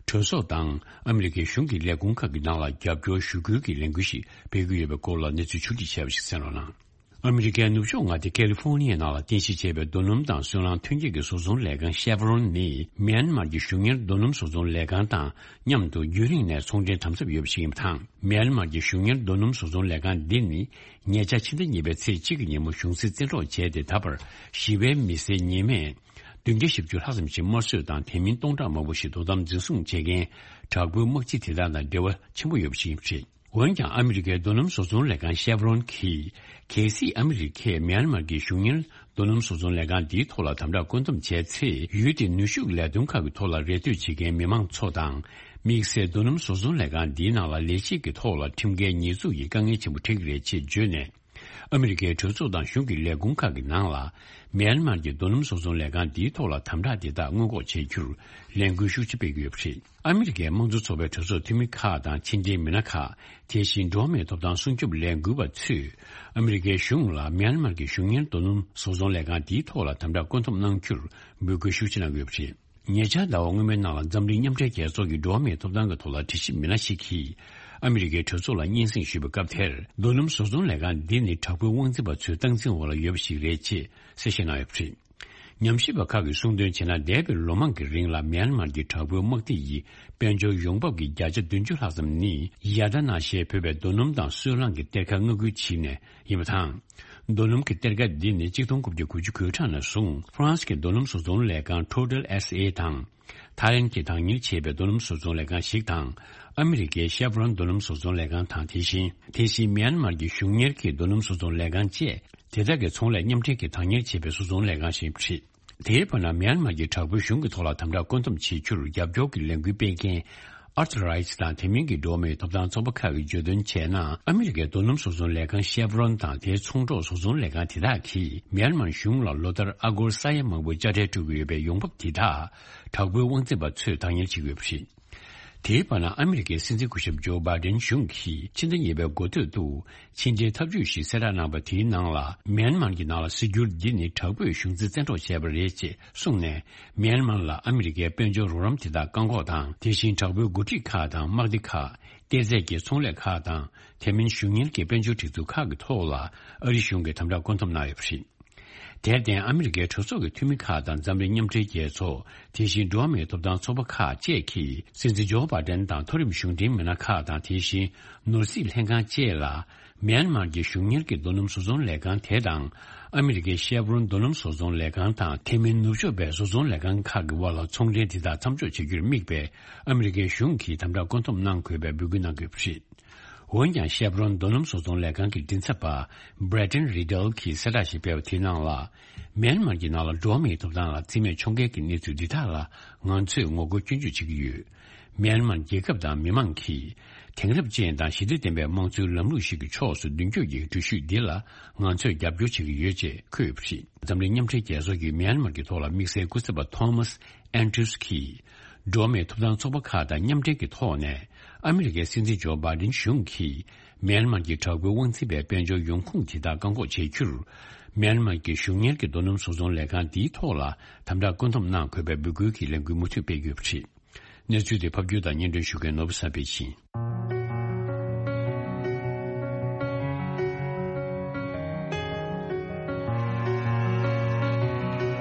གྲོས་ཚོགས་དང་ཨ་མི་རི་ཀའི་གཞུང་གི་ལས་ཁུངས་ཁག་གི་ནང་ལ་རྒྱབ་སྐྱོར་ཞུ་སྐུལ་གྱི་ལས་འགུལ་ཞིག་སྤེལ་གྱི་ཡོད་པའི་སྐོར་ལ་གནས་ཚུལ་ཕྱོགས་སྒྲིག་བྱས་པ་ཞིག་གསན་རོགས་གནང་། ཨ་མི་རི་ཀའི་ནུབ་ཕྱོགས་མངའ་སྡེ་ཀེ་ལི་ཧྥོ་ནི་ཡའི་ནང་ལ་རྟེན་གཞི་བྱས་པའི་རྡོ་སྣུམ་དང་སོལ་རླངས་ཐོན་སྐྱེད་ཀྱི་བཟོ་ཚོང་ལས་ཁང་ཤེ་ཝ་རོན་ནི། མི་ཡན་མར་གྱི་གཞུང་གཉེར་རྡོ་སྣུམ་བཟོ་ཚོང་ལས་ཁང་དང་མཉམ་དུ་རྒྱུན་རིང་ནས་ཚོང་འབྲེལ་དམ་ཟབ་ཡོད་པ་ཞིག་ཡིན་པ་དང་། མི་ཡན་མར་གྱི་གཞུང་གཉེར་རྡོ་སྣུམ་བཟོ་ཚོང་ལས་ཁང་འདི་ནི། ཉེ་ཆར་ཕྱི་ཟླ་གཉིས་པའི་ཚེས་གཅིག་གི་ཉིན་མོ་གཞུང་འཛིན་བཙན་འཕྲོག་བྱས་ཏེ། ད་བར་ཞི་བའི་མི་སེར་ཉི་མས་བདུན་བརྒྱ་བཞི་བཅུ་ལྷག་ཙམ་ཞིག་དམར་གསོད་དང་། དེ་མིན་སྟོང་ཕྲག་མང་པོ་ཞིག་དོ་དམ་འཛིན་བཟུང་བྱེད་མཁན་དྲག་པོའི་དམག་སྤྱི་དེ་དག་དང་འབྲེལ་བ་ཆེན་པོ་ཡོད་པ་ཞིག་ཡིན་པ་རེད། འོན་ཀྱང་། ཨ་མི་རི་ཀའི་རྡོ་སྣུམ་བཟོ་ཚོང་ལས་ཁང་ཤེ་ཝ་རོན་གྱིས། གལ་སྲིད་ཨ་མི་རི་ཀས་མི་ཡན་མར་གྱི་གཞུང་གཉེར་རྡོ་སྣུམ་བཟོ་ཚོང་ལས་ཁང་འདིའི་ཐོག་ལ་དམ་དྲག་བཀོད་འདོམས་བྱས་ཚེ། ཡུལ་དེའི་ནུས་ཤུགས་ལས་དོན་ཁག་གི་ཐོག་ལ་རེ་ལྟོས་བྱེད་མཁན་མི་མང་ཚོ་དང་། དམིགས་བསལ་རྡོ་སྣུམ་བཟོ་ཚོང་ལས་ཁང་འདིའི་ནང་ལ་ལས་བྱེད་ཀྱི་ཐོག་ལ་ཁྲིམས་འགལ་ཉེས་འཛུགས་ཀྱི་དཀའ་ངལ་ཆེན་པོ་འཕྲད་ཀྱི་རེད་ཅེས་བརྗོད་ནས། ཨ་མི་རི་ཀའི་གྲོས་ཚོགས་དང་གཞུང་གི་ལས་ཁུངས་ཁག་གི་ནང་ལ། མི་ཡན་མར་གྱི་རྡོ་སྣུམ་བཟོ་ཚོང་ལས་ཁང་འདིའི་ཐོག་ལ་དམ་དྲག་དེ་དག་སྔོན་འགོག་བྱེད་རྒྱུར་ལས་འགུལ་ཤུགས་ཆེ་སྤེལ་གྱི་ཡོད་པ་རེད། ཨ་མི་རི་ཀའི་དམངས་གཙོ་ཚོགས་པའི་གྲོས་ཚོགས་འཐུས་མི་ཁག་དང་། ཕྱི་འབྲེལ་མི་སྣ་ཁག་དེ་བཞིན་འགྲོ་བ་མིའི་ཐོབ་ཐང་སྲུང་སྐྱོབ་ལས་འགུལ་བ་ཚོས། ཨ་མི་རི་ཀའི་གཞུང་ལ་མི་ཡན་མར་གྱི་གཞུང་གཉེར་རྡོ་སྣུམ་བཟོ་ཚོང་ལས་ཁང་འདིའི་ཐོག་ལ་དམ་དྲག་བཀོད་འདོམས་གནང་རྒྱུར་འབོད་སྐུལ་ཤུགས་ཆེ་གནང་གི་ཡོད་པ་རེད། ཉེ་ཆར་ཟླ་བ་སྔོན་མའི་ནང་ལ། འཛམ་གླིང་མཉམ་འབྲེལ་རྒྱལ་ཚོགས་ཀྱི་འགྲོ་བ་མིའི་ཐོབ་ཐང་གི་ཐོག་ལ་དྲི་ཞིབ་མི་སྣ་ཞིག་གིས། ཨ་མི་རི་ཀའི་གྲོས་ཚོགས་ལ་སྙན་སེང་ཞུས་པའི་སྐབས་དེར། རྡོ་སྣུམ་བཟོ་ཚོང་ལས་ཁང་འདི་ནི་དྲག་པོའི་དབང་འཛིན་པ་ཚོའི་སྟངས་འཛིན་འོག་ལ་ཡོད་པ་ཞིག་རེད་ཅེས་གསལ་བཤད་གནང་ཡོད་པ་རེད། ཉམས་ཞིབ་པ་ཁག་གིས་གསུངས་དོན་བྱས་ན། འདས་པའི་ལོ་མང་གི་རིང་ལ། མི་ཡན་མར་གྱི་དྲག་པོའི་དམག་སྡེ་ཡིས་དཔལ་འབྱོར་ཡོང་འབབ་ཀྱི་བརྒྱ་ཆ་བདུན་ཅུ་ལྷག་ཙམ་ནི། ཡ་ད་ན་ཞེས་འབོད་པའི་རྡོ་སྣུམ་དང་སོལ་རླངས་ཀྱི་གཏེར་ཁ་མངགས་ཁུལ་བྱས་ནས་ཡིན་པ་དང་། རྡོ་སྣུམ་གྱི་གཏེར་ཁ་འདི་ནི་གཅིག་སྟོང་དགུ་བརྒྱ་དགུ་བཅུ་གོ་གྲངས་ནས་བཟུང་། ཧྥ་རན་སི་གི་རྡོ་སྣུམ་བཟོ་ཚོང་ལས་ཁང་Total S A དང་། ཐའི་ལེན་གྱིས་བདག་གཉེར་བྱས་པའི་རྡོ་སྣུམ་བཟོ་ཚོང་ལས་ཁང་ཞིག་དང་། ཨ་མི་རི་ཀའི་ཤེ་ཝ་རོན་རྡོ་སྣུམ་བཟོ་ཚོང་ལས་ཁང་དང་། དེ་བཞིན། དེ་བཞིན་མི་ཡན་མར་གྱི་གཞུང་གཉེར་གྱི་རྡོ་སྣུམ་བཟོ་ཚོང་ལས་ཁང་བཅས། དེ་དག་གི་ཚོང་ལས་མཉམ་འབྲེལ་གྱིས་བདག་གཉེར་བྱས་པའི་བཟོ་ཚོང་ལས་ཁང་ཞིག་ཡིན་པ་རེད། དེའི་བར་ན། མི་ཡན་མར་གྱི་དྲག་པོའི་གཞུང་གི་ཐོག་ལ་དམ་དྲག་བཀོད་འདོམས་བྱེད་རྒྱུར་རྒྱབ་སྐྱོར་གྱི་ལས་འགུལ་སྤེལ་མཁན། Earth Rights དང་དེ་མིན་གྱི་འགྲོ་བ་མིའི་ཐོབ་ཐང་ཚོགས་པ་ཁག་གིས་བརྗོད་དོན་བྱས་ན། ཨ་མི་རི་ཀའི་རྡོ་སྣུམ་བཟོ་ཚོང་ལས་ཁང་ཤེ་ཝ་རོན་དང་། དེའི་ཚོང་གྲོགས་བཟོ་ཚོང་ལས་ཁང་དེ་དག་གིས། མི་ཡན་མར་གཞུང་ལ་ལོ་ལྟར་ཨ་སྒོར་ས་ཡ་མང་པོའི་དཔྱ་ཁྲལ་སྤྲོད་ཀྱི་ཡོད་པའི་ཡོང་འབབ་དེ་དག་དྲག་པོའི་དབང་འཛིན་པ་ཚོས་བདག་གཉེར་བྱེད་ཀྱི་ཡོད་པ་རེད། དེའི་བར་ན། ཨ་མི་རི་ཀའི་སྲིད་འཛིན་སྐུ་ཞབས་ཇོ་བྷའི་ཌེན་གཞུང་གིས་ཕྱི་ཟླ་གཉིས་པའི་འགོ་སྟོད་དུ་ཕྱི་འབྲེལ་ཐབས་ཇུས་ཤིག་གསལ་བསྒྲགས་གནང་བ། དེའི་ནང་ལ། མི་ཡན་མར་གྱི་ནང་ལ་གཟིགས་རྒྱུ་འདི་ནི་དྲག་པོས་གཞུང་འཛིན་བཙན་འཕྲོག་བྱས་པ་རེད་ཅེས་གསུངས་ནས། མི་ཡན་མར་ལ་ཨ་མི་རི་ཀའི་དཔལ་འབྱོར་རོགས་རམ་དེ་དག་བཀག་འགོག་དང་། དེ་བཞིན་དྲག་པོའི་འགོ་ཁྲིད་ཁག་དང་དམག་སྡེ་ཁག་གཏེར་རྫས་ཀྱི་ཚོང་ལས་ཁག་དང་། དེ་མིན་གཞུང་གཉེར་གྱི་དཔལ་འབྱོར་སྒྲིག་འཛུགས་ཁག་གི་ཐོག་ལ་ཨ་རིའི་གཞུང་གིས་དམ་དྲག་བཀོད་འདོམས་གནང་ཡོད་པ་རེད། དེར་བརྟེན། ཨ་མི་རི་ཀའི་གྲོས་ཚོགས་ཀྱི་འཐུས་མི་ཁག་དང་། འཛམ་གླིང་མཉམ་འབྲེལ་རྒྱལ་ཚོགས། དེ་བཞིན་འགྲོ་བ་མིའི་ཐོབ་ཐང་ཚོགས་པ་ཁག་བཅས་ཀྱིས། སྲིད་འཛིན་ཇོ་བྷའི་ཌེན་དང་མཐོ་རིམ་གཞུང་འབྲེལ་མི་སྣ་ཁག་དང་། དེ་བཞིན་ནོར་སྲིད་ལྷན་ཁང་བཅས་ལ། མི་ཡན་མར་གྱི་གཞུང་གཉེར་གྱི་རྡོ་སྣུམ་བཟོ་ཚོང་ལས་ཁང་དེ་དང་། ཨ་མི་རི་ཀའི་ཤེ་ཝ་རོན་རྡོ་སྣུམ་བཟོ་ཚོང་ལས་ཁང་དང་། དེ་མིན་ནུབ་ཕྱོགས་པའི་བཟོ་ཚོང་ལས་ཁང་ཁག་གི་དབར་ལ་ཚོང་འབྲེལ་དེ་དག་མཚམས་འཇོག་བྱེད་རྒྱུར་དམིགས་པའི་ཨ་མི་རི་ཀའི་གཞུང་གིས་དམ་དྲག་བཀོད་འདོམས་གནང་དགོས་པའི་འབོད་སྐུལ་གནང་དགོས་པ་རེད། འོན་ཀྱང་། ཤེ་ཝ་རོན་རྡོ་སྣུམ་བཟོ་ཚོང་ལས་ཁང་གི་མགྲིན་ཚབ་པ་Brendan Riddell གྱིས་གསལ་བསྒྲགས་ཤིག་སྤེལ་བ་དེའི་ནང་ལ། མི་ཡན་མར་གྱི་ནང་ལ་འགྲོ་བ་མིའི་ཐོབ་ཐང་ལ་རྩིས་མེད་མཆོང་མཁན་གྱི་གནས་ཚུལ་འདི་དག་ལ་ང་ཚོས་ངོ་རྒོལ་སྐྱོན་བརྗོད་བྱེད་ཀྱི་ཡོད། མི་ཡན་མར་རྒྱལ་ཁབ་དང་མི་མང་གིས་དེང་རབས་ཅན་དང་ཞི་བདེ་ལྡན་པའི་དམངས་གཙོའི་ལམ་ལུགས་ཤིག་གི་ཕྱོགས་སུ་མདུན་སྐྱོད་ཀྱི་འགྲུལ་བཞུད་འདི་ལ་ང་ཚོས་རྒྱབ་སྐྱོར་བྱེད་ཀྱི་ཡོད་ཅེས་འཁོད་ཡོད་པ་རེད། འཛམ་གླིང་མཉམ་འབྲེལ་རྒྱལ་ཚོགས་ཀྱི་མི་ཡན་མར་གྱི་ཐོག་ལ་དམིགས་བསལ་སྐུ་ཚབ་པ་Thomas Andrews གྱིས། འགྲོ་བ་མིའི་ཐོབ་ཐང་ཚོགས་པ་ཁག་དང་མཉམ་འབྲེལ་གྱི་ཐོག་ནས། ཨ་མི་རི་ཀའི་སྲིད་འཛིན་ཇོ་བྷའི་ཌེན་གཞུང་གིས། མི་ཡན་མར་གྱི་དྲག་པོའི་དབང་འཛིན་པའི་དཔལ་འབྱོར་ཡོང་ཁུངས་དེ་དག་བཀག་འགོག་བྱེད་རྒྱུར། མི་ཡན་མར་གྱི་གཞུང་གཉེར་གྱི་རྡོ་སྣུམ་བཟོ་ཚོང་ལས་ཁང་འདིའི་ཐོག་ལ་དམ་དྲག་བཀོད་འདོམས་གནང་དགོས་པའི་འབོད་སྐུལ་གྱི་ལས་འགུལ་མུ་མཐུད་སྤེལ་གྱི་ཡོད་པ་རེད། གནས་ཚུལ་དེ་ཕབ་སྒྱུར་དང་སྙན་སྒྲོན་ཞུ་མཁན་ནོར་བུ་བསམ་འཕེལ་ཡིན།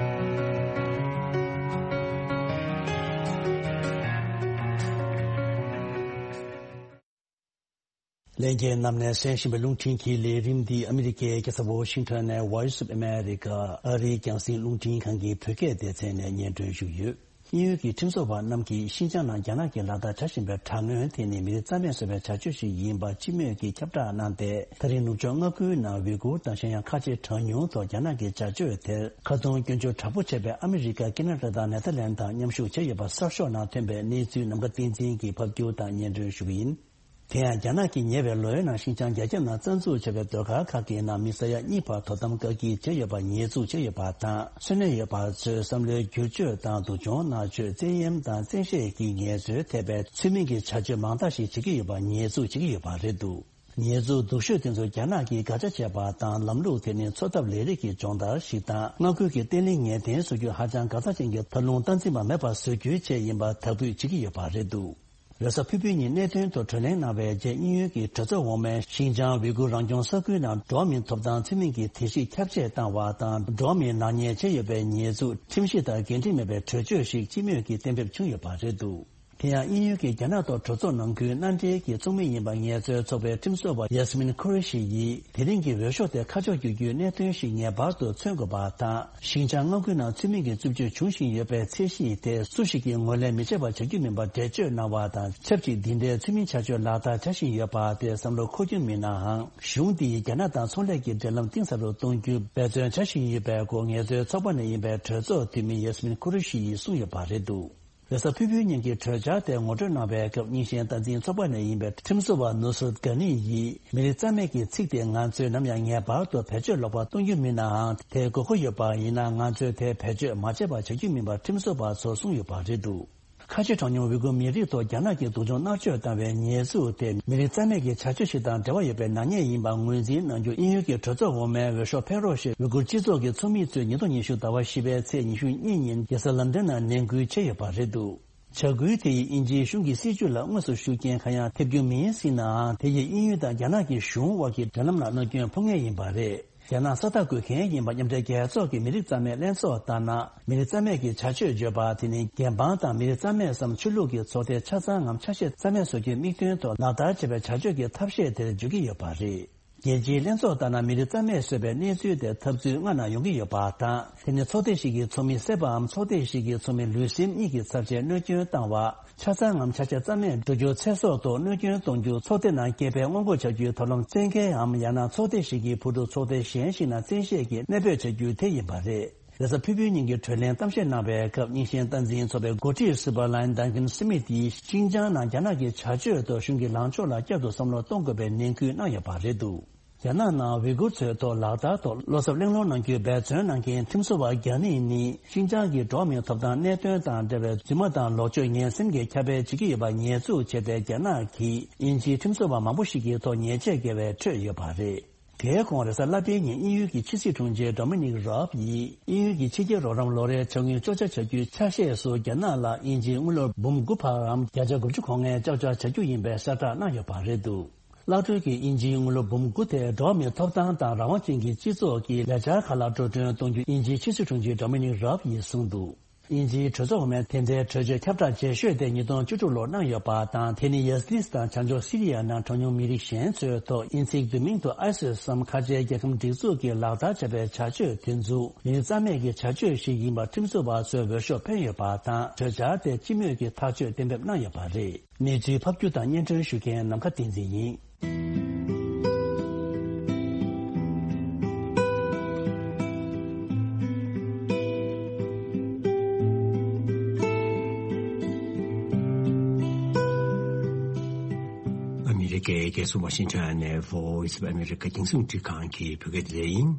ལྷན་རྒྱས་རྣམས་ནས་གསན་བཞིན་པའི་རླུང་འཕྲིན་གྱི་ལས་རིམ་འདི་ཨ་མི་རི་ཀའི་རྒྱལ་ས་ཝ་ཤིང་ཊོན་ནས་Voice of America ཨ་རིའི་རྒྱང་སྲིང་རླུང་འཕྲིན་ཁང་གི་བོད་སྐད་སྡེ་ཚན་ནས་སྙན་སྒྲོན་ཞུ་གི་ཡོད། དབྱིན་ཡུལ་གྱི་ཁྲིམས་བཟོ་བ་རྣམས་ཀྱིས་ཤིན་ཅང་ནང་རྒྱ་ནག་གིས་ལག་བསྟར་བྱ་བཞིན་པའི་དྲག་གནོན་དེ་ནི་མི་རིགས་རྩ་མེད་བཟོ་བའི་བྱ་སྤྱོད་ཞིག་ཡིན་པ་སྤྱི་མོས་ཀྱིས་ཁྱབ་བསྒྲགས་གནང་སྟེ། ད་རིང་ནུབ་ཕྱོགས་མངའ་ཁུལ་ནང་ཝི་གུར་དང་གཞན་ཡང་ཁ་ཆེ་གྲངས་ཉུང་ཐོག་རྒྱ་ནག་གི་བྱ་སྤྱོད་དེར་ཁ་རྡུང་སྐྱོན་བརྗོད་དྲག་པོ་བྱས་པའི་ཨ་མི་རི་ཀ། ཁེ་ན་ཌ་དང་ནེ་ཐར་ལན་དང་མཉམ་ཞུགས་བྱས་ཡོད་པ་གསར་ཤོག་ནང་ཐོན་པའི་གནས་ཚུལ་ནམ་མཁའ་བསྟན་འཛིན་གྱིས་ཕབ་སྒྱུར་དང་སྙན་སྒྲོན་ཞུ་གི་ཡིན། དེ་ཡང་རྒྱ་ནག་གིས་ཉེ་བའི་ལོའི་ནང་ཤིན་ཅང་རྒྱ་ཁྱབ་ནང་བཙན་འཛུལ་བྱས་པའི་ཟློས་གར་ཁག་གི་ནང་མི་ས་ཡ་གཉིས་བར་དོ་དམ་བཀག་སྐྱིལ་བྱས་ཡོད་པ་ཉེས་འཛུགས་བྱས་ཡོད་པ་དང་། འཚོ་གནས་ཡོད་པ་ཚོའི་བསམ་བློའི་བསྒྱུར་བཅོས་དང་སྡུག་སྦྱོང་མནར་གཅོད། བཙན་གཡེམ་དང་བཙན་ཤེད་ཀྱི་ངལ་རྩོལ་ཐེབས་པའི་ཚུལ་མིན་གྱི་བྱ་སྤྱོད་མང་དག་ཞིག་བྱེད་ཀྱི་ཡོད་པ་ཉེས་འཛུགས་བྱེད་ཀྱི་ཡོད་པ་རེད་འདུག་ཉེས་འཛུགས་སྡུག་ཤོས་དེ་ཚོ་རྒྱ་ནག་གིས་དགག་བྱ་བྱས་པ་དང་། ལམ་ལུགས་དེ་ནི་འཚོ་ཐབས་ལས་རིགས་ཀྱི་སྦྱོང་བརྡར་ཞིག་དང་། མངའ་ཁུལ་གྱི་བརྟན་ལྷིང་ངེས་གཏན་བཟོ་རྒྱུ་ཧ་ཅང་འགག་རྩ་ཅན་གྱི་ཐབས་ལུང་སྟངས་འཛིན་པ་མེད་པར་བཟོ་རྒྱུའི་ཆེད་ཡིན་པར་དག་འབུད་བྱེད་ཀྱི་ཡོད་པ་རེད་འདུག་རེས་གཟའ་ཕུར་བུའི་ཉིན་གནད་དོན་ཐོག་གྲོས་གླེང་གནང་བའི་རྗེས། དབྱིན་ཡུལ་གྱི་གྲོས་ཚོགས་འོག་མས་ཤིན་ཅང་ཝི་གུར་རང་སྐྱོང་ས་ཁུལ་ནང་འགྲོ་བ་མིའི་ཐོབ་ཐང་ཚུལ་མིན་གྱི་དེ་ཞིག་ཁྱབ་ཆེ་བཏང་བ་དང་། འགྲོ་བ་མིའི་ནག་ཉེས་བྱས་ཡོད་པའི་ཉེས་འཛུགས་ཁྲིམས་གཞི་དང་འགལ་འབྲེལ་མེད་པའི་གྲོས་ཆོད་ཞིག་སྤྱི་མོས་ཀྱིས་གཏན་འབེབས་བྱུང་ཡོད་པ་རེད་འདུག་དེ་ཡང་དབྱིན་ཡུལ་གྱི་རྒྱ་ནག་ཐོག་གྲོས་ཚོགས་ནང་ཁུལ་མནའ་འབྲེལ་གྱི་ཚོགས་མི་ཡིན་པ་ངལ་རྩོལ་ཚོགས་པའི་ཁྲིམས་བཟོ་བ་ཡ་སི་མིན་ཁུ་རེ་ཤི་ཡིས། དེ་རིང་གི་འོས་ཤོག་དེ་ཁ་ཕྱོགས་བསྒྱུར་རྒྱུའི་གནད་དོན་ཞིག་ངེས་པར་དུ་མཚོན་དགོས་པ་དང་། ཤིན་ཅང་མངའ་ཁུལ་ནང་ཚུལ་མིན་གྱི་རྩུབ་སྤྱོད་འབྱུང་བཞིན་ཡོད་པའི་ཚད་གཞི་དེ་སུ་ཞིག་གིས་ངོས་ལེན་མི་བྱེད་པ་བྱ་རྒྱུ་མིན་པར་འགྲེལ་བརྗོད་གནང་བ་དང་། ཆབས་ཅིག་འདི་འདྲའི་ཚུལ་མིན་བྱ་སྤྱོད་ལག་བསྟར་བྱ་བཞིན་ཡོད་པ་དེ་བསམ་བློ་འཁོར་རྒྱུ་མིན་ནའང་། གཞུང་འདིས་རྒྱ་ནག་དང་ཚོང་ལས་ཀྱི་འབྲེལ་ལམ་གཏིང་ཟབ་ཏུ་གཏོང་རྒྱུ་འབད་བརྩོན་བྱ་བཞིན་ཡོད་པའི་སྐོར་ངལ་རྩོལ་ཚོགས་པ་ནས་ཡིན་པའི་གྲོས་ཚོགས་འཐུས་མི་ཡ་སི་མིན་ཁུ་རེ་ཤི་ཡིས་གསུངས་ཡོད་པ་རེད་འདུག་རེས་གཟའ་ཕུར་བུའི་ཉིན་གྱི་གྲོས་འཆར་དེ་ངོ་སྤྲོད་གནང་བའི་སྐབས། རྙིང་ཞེན་སྟངས་འཛིན་ཚོགས་པ་ནས་ཡིན་པའི་ཁྲིམས་བཟོ་བ་ནུ་སུར་གྷ་ནི་ཡིས། མི་རིགས་རྩ་མེད་ཀྱི་ཚིག་དེ་ང་ཚོས་ནམ་ཡང་ངེས་པར་དུ་བེད་སྤྱོད་ལོག་པ་གཏོང་རྒྱུ་མིན་ནའང་། དེའི་དགོས་མཁོ་ཡོད་པ་ཡིན་ན། ང་ཚོས་དེ་བེད་སྤྱོད་མ་བྱས་པ་བྱ་རྒྱུ་མིན་པ་ཁྲིམས་བཟོ་བ་ཚོར་གསུངས་ཡོད་པ་རེད་འདུག་ཁ་ཆེ་གྲངས་ཉུང་ཝི་གུར་མི་རིགས་ཐོག་རྒྱ་ནག་གིས་སྡུག་སྦྱོང་མནར་གཅོད་བཏང་བའི་ཉེས་འཛུགས་དེ། མི་རིགས་རྩ་མེད་ཀྱི་བྱ་སྤྱོད་ཞིག་དང་འབྲེལ་བ་ཡོད་པའི་ནག་ཉེས་ཡིན་པ་ངོས་འཛིན་གནང་རྒྱུ། དབྱིན་ཡུལ་གྱི་གྲོས་ཚོགས་འོག་མས་འོས་ཤོག་འཕེན་རོགས་ཞེས་ཝི་གུར་སྤྱི་ཚོགས་ཀྱི་ཚོགས་མི་ཚོས་ཉིས་སྟོང་ཉི་ཤུ་ཟླ་བ་བཞི་པའི་ཚེས་ཉི་ཤུ་གཉིས་ཉིན་རྒྱལ་ས་ལན་ཏན་ནང་ནན་སྐུལ་བྱས་ཡོད་པ་རེད་འདུག་བྱ་འགུལ་དེ་ཡིས་དབྱིན་ཇིའི་གཞུང་གི་སྲིད་བྱུས་ལ་དངོས་སུ་ཤུགས་རྐྱེན་གང་ཡང་ཐེབས་རྒྱུ་མིན་སྲིད་ནའང་། དེ་ཡིས་དབྱིན་ཡུལ་དང་རྒྱ་ནག་གི་གཞུང་དབར་གྱི་འབྲེལ་ལམ་ལ་གནོད་སྐྱོན་ཕོག་ངེས་ཡིན་པ་རེད། རྒྱ་ནག་ས་རྟགས་འགོད་མཁན་ཡིན་པ་མཉམ་འབྲེལ་རྒྱལ་ཚོགས་ཀྱི་མི་རིགས་རྩ་མེད་ལྷན་ཚོགས་ལྟར་ན། མི་རིགས་རྩ་མེད་ཀྱི་བྱ་སྤྱོད་བརྗོད་པ་དེ་ནི། རྒྱལ་འབངས་དང་མི་རིགས་རྩ་མེད་སམ་ཆོས་ལུགས་ཀྱི་ཚོགས་སྡེ་ཆ་ཚང་ངམ་ཆ་ཤས་རྩ་མེད་བཟོ་རྒྱུའི་དམིགས་དོན་ཐོག་ལག་བསྟར་བྱས་པའི་བྱ་སྤྱོད་ཀྱི་ཐབས་ཤེས་དེར་འཇོག་གི་ཡོད་པ་རེད། རྒྱལ་སྤྱིའི་ལྷན་ཚོགས་ལྟར་ན། མི་རིགས་རྩ་མེད་བཟོས་པའི་གནས་ཚུལ་དེ་ཐབས་ཚུལ་ལྔ་ནང་ཡོང་གི་ཡོད་པ་དང་། དེ་ནི་ཚོགས་སྡེ་ཞིག་གི་ཚོགས་མི་བསད་པའམ། ཚོགས་སྡེ་ཞིག་གི་ཚོགས་མི་ལུས་སེམས་གཉིས་ཀྱི་ཚབས་ཆེན་གནོད་སྐྱོན་བཏང་བ། ཆ་ཚང་ངམ་ཆ་ཤས་རྩ་མེད་འགྲོ་རྒྱུ། ཚེ་སྲོག་ཐོག་གནོད་སྐྱོན་གཏོང་རྒྱུ། ཚོགས་སྡེ་ནང་སྐྱེས་པའི་སྔོན་འགོག་བྱ་རྒྱུའི་ཐབས་ལམ་བཙན་འགེལ་འམ། ཡང་ན་ཚོགས་སྡེ་ཞིག་གི་བུ་ཕྲུག་ཚོགས་སྡེ་གཞན་ཞིག་ནང་བཙན་ཤེད་ཀྱིས་གནས་སྤོས་བྱ་རྒྱུ་དེ་ཡིན་པ་རེད། རེས་གཟའ་ཕུར་བུའི་ཉིན་གྱི་གྲོས་གླེང་གཏམ་བཤད་གནང་བའི་སྐབས། རྙིང་ཞེན་སྟངས་འཛིན་ཚོགས་པའི་འགོ་ཁྲིད་ཟུར་པ་ལན་ཌན་ཁན་སི་མིད་ཡིས། ཤིན་ཅང་ནང་རྒྱ་ནག་གི་བྱ་སྤྱོད་ཐོག་གཞུང་གི་ལངས་ཕྱོགས་ལ་བསྐྱར་དུ་བསམ་བློ་གཏོང་དགོས་པའི་ནན་སྐུལ་གནང་ཡོད་པ་རེད་འདུག་རྒྱ་ནག་ནང་ཝི་གུར་ཚོའི་ཐོག་ལག་བསྟར་ཐོག་བློ་འཚབ་གླེང་སློང་གནང་རྒྱུའི་འབད་བརྩོན་གནང་མཁན་ཁྲིམས་བཟོ་བ་གྷ་ནི་ནི། ཤིན་ཅང་གི་འགྲོ་བ་མིའི་ཐོབ་ཐང་གནད་དོན་དང་འབྲེལ་བའི་རྫུན་མ་དང་ལོག་སྤྱོད་ངན་སེམས་ཀྱི་ཁྱབ་སྤེལ་བྱེད་ཀྱི་ཡོད་པ་ཉེས་འཛུགས་བྱས་ཏེ། རྒྱ་ནག་གིས་དབྱིན་ཇིའི་ཁྲིམས་བཟོ་བ་མང་པོ་ཞིག་གི་ཐོག་ཉེས་ཆད་བཀལ་བའི་ཁྲོད་ཡོད་པ་རེད། དེའི་གོང་རེས་གཟའ་ལྷག་པའི་ཉིན་དབྱིན་ཡུལ་གྱི་ཕྱི་སྲིད་དྲུང་ཆེ་ཌོ་མི་ནིག་རོབ་ཡིས། དབྱིན་ཡུལ་གྱི་ཕྱི་རྒྱལ་རོགས་རམ་ལོ་རེའི་འཆར་དངུལ་གཅོག་ཆ་བྱ་རྒྱུའི་ཆ་ཤས་སུ། རྒྱ་ནག་ལ་དབྱིན་ཇིའི་དངུལ་ལོར་འབུམ་དགུ་འཕར་རམ། བརྒྱ་ཆ་དགུ་བཅུ་གོ་ལྔའི་གཅོག་ཆ་བྱ་རྒྱུ་ཡིན་པའི་གསལ་བསྒྲགས་གནང་ཡོད་པ་རེད་འདུག་བླ་སྤྲུལ་གྱི་དབྱིན་ཇིའི་དངུལ་ལོར་འབུམ་དགུ་དེ། འགྲོ་བ་མིའི་ཐོབ་ཐང་དང་རང་དབང་ཅན་གྱི་སྤྱི་ཚོགས་ཀྱི་ལས་འཆར་ཁག་ལ་འགྲོ་གྲོན་གཏོང་རྒྱུ་དབྱིན་ཇིའི་ཕྱི་སྲིད་དྲུང་ཆེ་ཌོ་མི་ནིག་རོབ་ཡིས་གསུངས་འདུག་དབྱིན་ཇིའི་གྲོས་ཚོགས་འོག་མས་དེ་འབྲེལ་གྲོས་ཆོད་ཁྱབ་བསྒྲགས་རྗེས་ཤོས་དེ་ཉིས་སྟོང་བཅུ་དྲུག་ལོར་གནང་ཡོད་པ་དང་། དེ་ནི་ཡ་སི་ལིས་དང་བྱང་ཕྱོགས་སི་རི་ཡ་ནང་གྲངས་ཉུང་མི་རིགས་གཞན་ཚོའི་ཐོག་དབྱིན་ཚིག་བསྡུས་མིང་དུ་ཨའི་སིས་སམ་ཁ་ཆེའི་རྒྱལ་ཁམས་སྒྲིག་འཛུགས་ཀྱིས་ལག་བསྟར་བྱས་པའི་བྱ་སྤྱོད་དེ་ཚོ་མི་རིགས་རྩ་མེད་ཀྱི་བྱ་སྤྱོད་ཞིག་ཡིན་པར་ཁྲིམས་བཟོ་བ་ཚོས་འོས་ཤོག་འཕེན་ཡོད་པ་དང་། གྲོས་འཆར་དེ་སྤྱི་མོས་ཀྱིས་ཐག་གཅོད་གཏན་འབེབས་གནང་ཡོད་པ་རེད། གནས་ཚུལ་ཕབ་སྒྱུར་དང་སྙན་སྒྲོན་ཞུ་མཁན་ནམ་མཁའ་བསྟན་འཛིན་ཡིན། ཨ་མི་རི་ཀའི་རྒྱལ་ས་ཝ་ཤིང་ཊོན་ནས་Voice of America རྒྱང་སྲིང་འཕྲིན་ཁང་གི་བོད་སྐད་སྡེ་ཚན་ཡིན།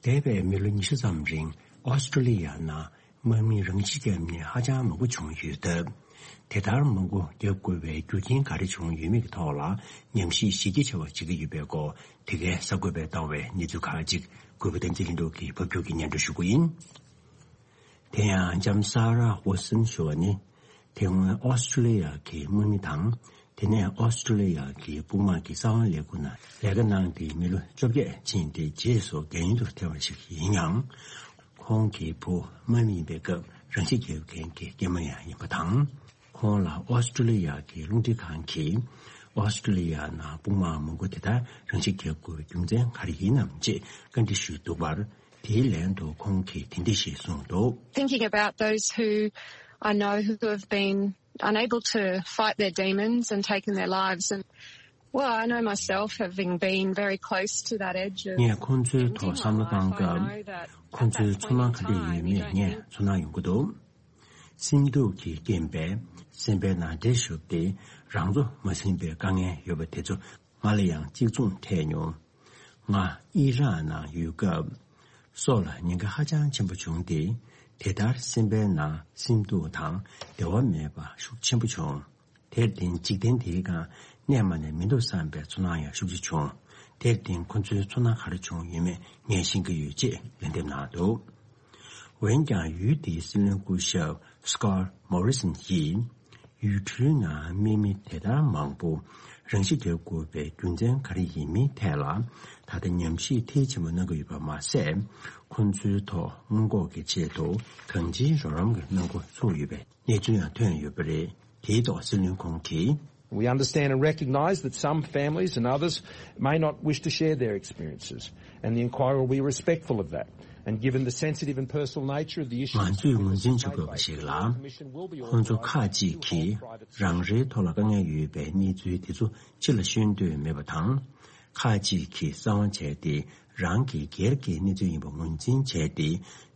འདས་པའི་མི་ལོ་ཉི་ཤུ་ཙམ་རིང་ཨོ་སི་ཀྲོ་ལི་ཡ་ནང་དམག་མིས་རང་ཤི་བརྒྱབ་མཁན་ཧ་ཅང་མང་པོ་བྱུང་ཡོད་སྟབས། དེ་ལྟར་མང་པོ་བརྒྱབ་དགོས་པའི་རྒྱུ་རྐྱེན་ག་རེ་བྱུང་ཡོད་མེད་ཀྱི་ཐོག་ལ་ཉམས་ཞིབ་གཞི་རྒྱ་ཆེ་བ་བྱེད་ཀྱི་ཡོད་པའི་སྐོར། དེ་གའི་གསར་འགོད་པས་བཏང་བའི་གནས་ཚུལ་ཁག་ཅིག་གུས་པ་བསྟན་འཛིན་ལྷུན་གྲུབ་ཀྱིས་ཕབ་སྒྱུར་གྱིས་སྙན་སྒྲོན་ཞུ་གི་ཡིན། དེ་ཡང་ལྕམ་ས་ར་ཝོ་སན་ཞུ་བ་ནི། དེ་སྔོན་ཨོ་སི་ཀྲོ་ལི་ཡ་གི་དམག་མི་དང་། དེ་ནས་ཨོ་སི་ཀྲོ་ལི་ཡ་གི་དཔུང་དམག་གི་གསང་བ་ལས་ཁུངས་ནང་ལས་ཀ་གནང་སྟེ་མི་ལོ་བཅོ་བརྒྱད་ཕྱིན་ཏེ། རྗེས་སུ་རྒྱ་ཡུལ་དུ་ཐེ་བ་ཞིག་ཡིན་ཡང་། ཁོང་གི་བུ་དམག་མི་ཡིན་པའི་སྐབས་རང་ཤི་བརྒྱབ་མཁན་གྱི་སྐྱེས་དམན་ཡང་ཡིན་པ་དང་། ཁོང་ལ་ཨོ་སི་ཀྲོ་ལི་ཡ་གི་རླུང་འཕྲིན་ཁང་གིས། ཨོ་སི་ཀྲོ་ལི་ཡ་ནང་དཔུང་དམག་མང་པོ་དེ་ལྟར་རང་ཤི་བརྒྱབ་དགོས་པའི་རྒྱུ་མཚན་ག་རེ་ཡིན་ནམ་ཅེས་བཀའ་འདྲི་ཞུས་འདུག་པར། དེའི་ལན་དུ་ཁོང་གིས་དེ་འདྲ་ཞིག་གསུངས་འདུག Thinking about those who I know who have been unable to fight their demons and taken their lives. And, well, I know myself, having been very close to that edge of ངས་ཁོང་ཚོའི་ཐོག་བསམ་བློ་བཏང་སྐབས། ཁོང་ཚོའི་ཚོར་སྣང་ག་འདྲ་ཡོད་མེད་ངས་ཚོར་སྣང་ཡོང་གི་འདུག་སེམས་སྡུག་གི་རྐྱེན་པས་སེམས་པའི་ནང་འདྲེ་ཞུགས་ཏེ་རང་ཚོ་མ་ཟིན་པའི་དཀའ་ངལ་ཡོད་པ་དེ་ཚོ་ང་ལ་ཡང་གཅིག་མཚུངས་འཕྲད་མྱོང་། ང་ཨི་རག་ནང་ཡོད་སྐབས་སྲོག་ལ་ཉེན་ཁ་ཧ་ཅང་ཆེན་པོ་བྱུང་སྟེ། དེ་ལྟར་སེམས་པའི་ནང་སེམས་སྡུག་དང་བདེ་བ་མེད་པ་ཤུགས་ཆེན་པོ་བྱུང་། དེར་བརྟེན་འཇིག་རྟེན་དེའི་སྒང་གནས་མ་ནས་མི་འདུག་བསམ་པའི་ཚོར་སྣང་ཡང་ཤུགས་ཆེ་བྱུང་། དེར་བརྟེན་ཁོ་ཚོའི་ཚོར་སྣང་ག་རེ་བྱུང་ཡོད་མེད་ངས་ཤེས་ཀྱི་ཡོད་ཅེས་ལན་འདེབས་གནང་འདུག། འོན་ཀྱང་ཡུལ་དེའི་སྲིད་བློན་སྐུ་ཞབས་Scott Morrison་ཡིས་ཡུལ་གྲུའི་ནང་དམག་མི་དེ་ལྟར་མང་པོ་རང་ཤི་བརྒྱབ་དགོས་པའི་རྒྱུ་མཚན་ག་རེ་ཡིན་མིན་ཐད་ལ་ད་ལྟ་ཉམས་ཞིབ་མཐིལ་ཕྱིན་པ་གནང་གི་ཡོད་པ་མ་ཟད། ཁོ་ཚོའི་ཐོག་སྔོན་འགོག་གི་ཆེད་དུ་གང་ཅིའི་རོགས་རམ་གྱི་གནང་སྒོ་ཚུགས་ཡོད་པའི་གནས་ཚུལ་ཡང་ཐོན་ཡོད་པ་རེད། དེའི་ཐོག་སྲིད་བློན་ཁོང་གིས། We understand and recognize that some families and others may not wish to share their experiences, and the inquiry will be respectful of that. And given the sensitive and personal nature of the issue, ང་ཚོས་ངོས་འཛིན་བྱེད་དགོས་པ་ཞིག་ལ། ཁོང་ཚོ་ཁག་ཅིག་གིས་རང་རེའི་ཐོག་ལ་དཀའ་ངལ་ཡོད་པའི་གནས་ཚུལ་དེ་ཚོ་ཕྱི་ལ་ཤོད་འདོད་མེད་པ་དང་། ཁག་ཅིག་གིས་གསང་བ་བྱས་ཏེ་རང་གི་སྒེར་གྱི་གནས་ཚུལ་ཡིན་པ་ངོས་འཛིན་བྱས་ཏེ་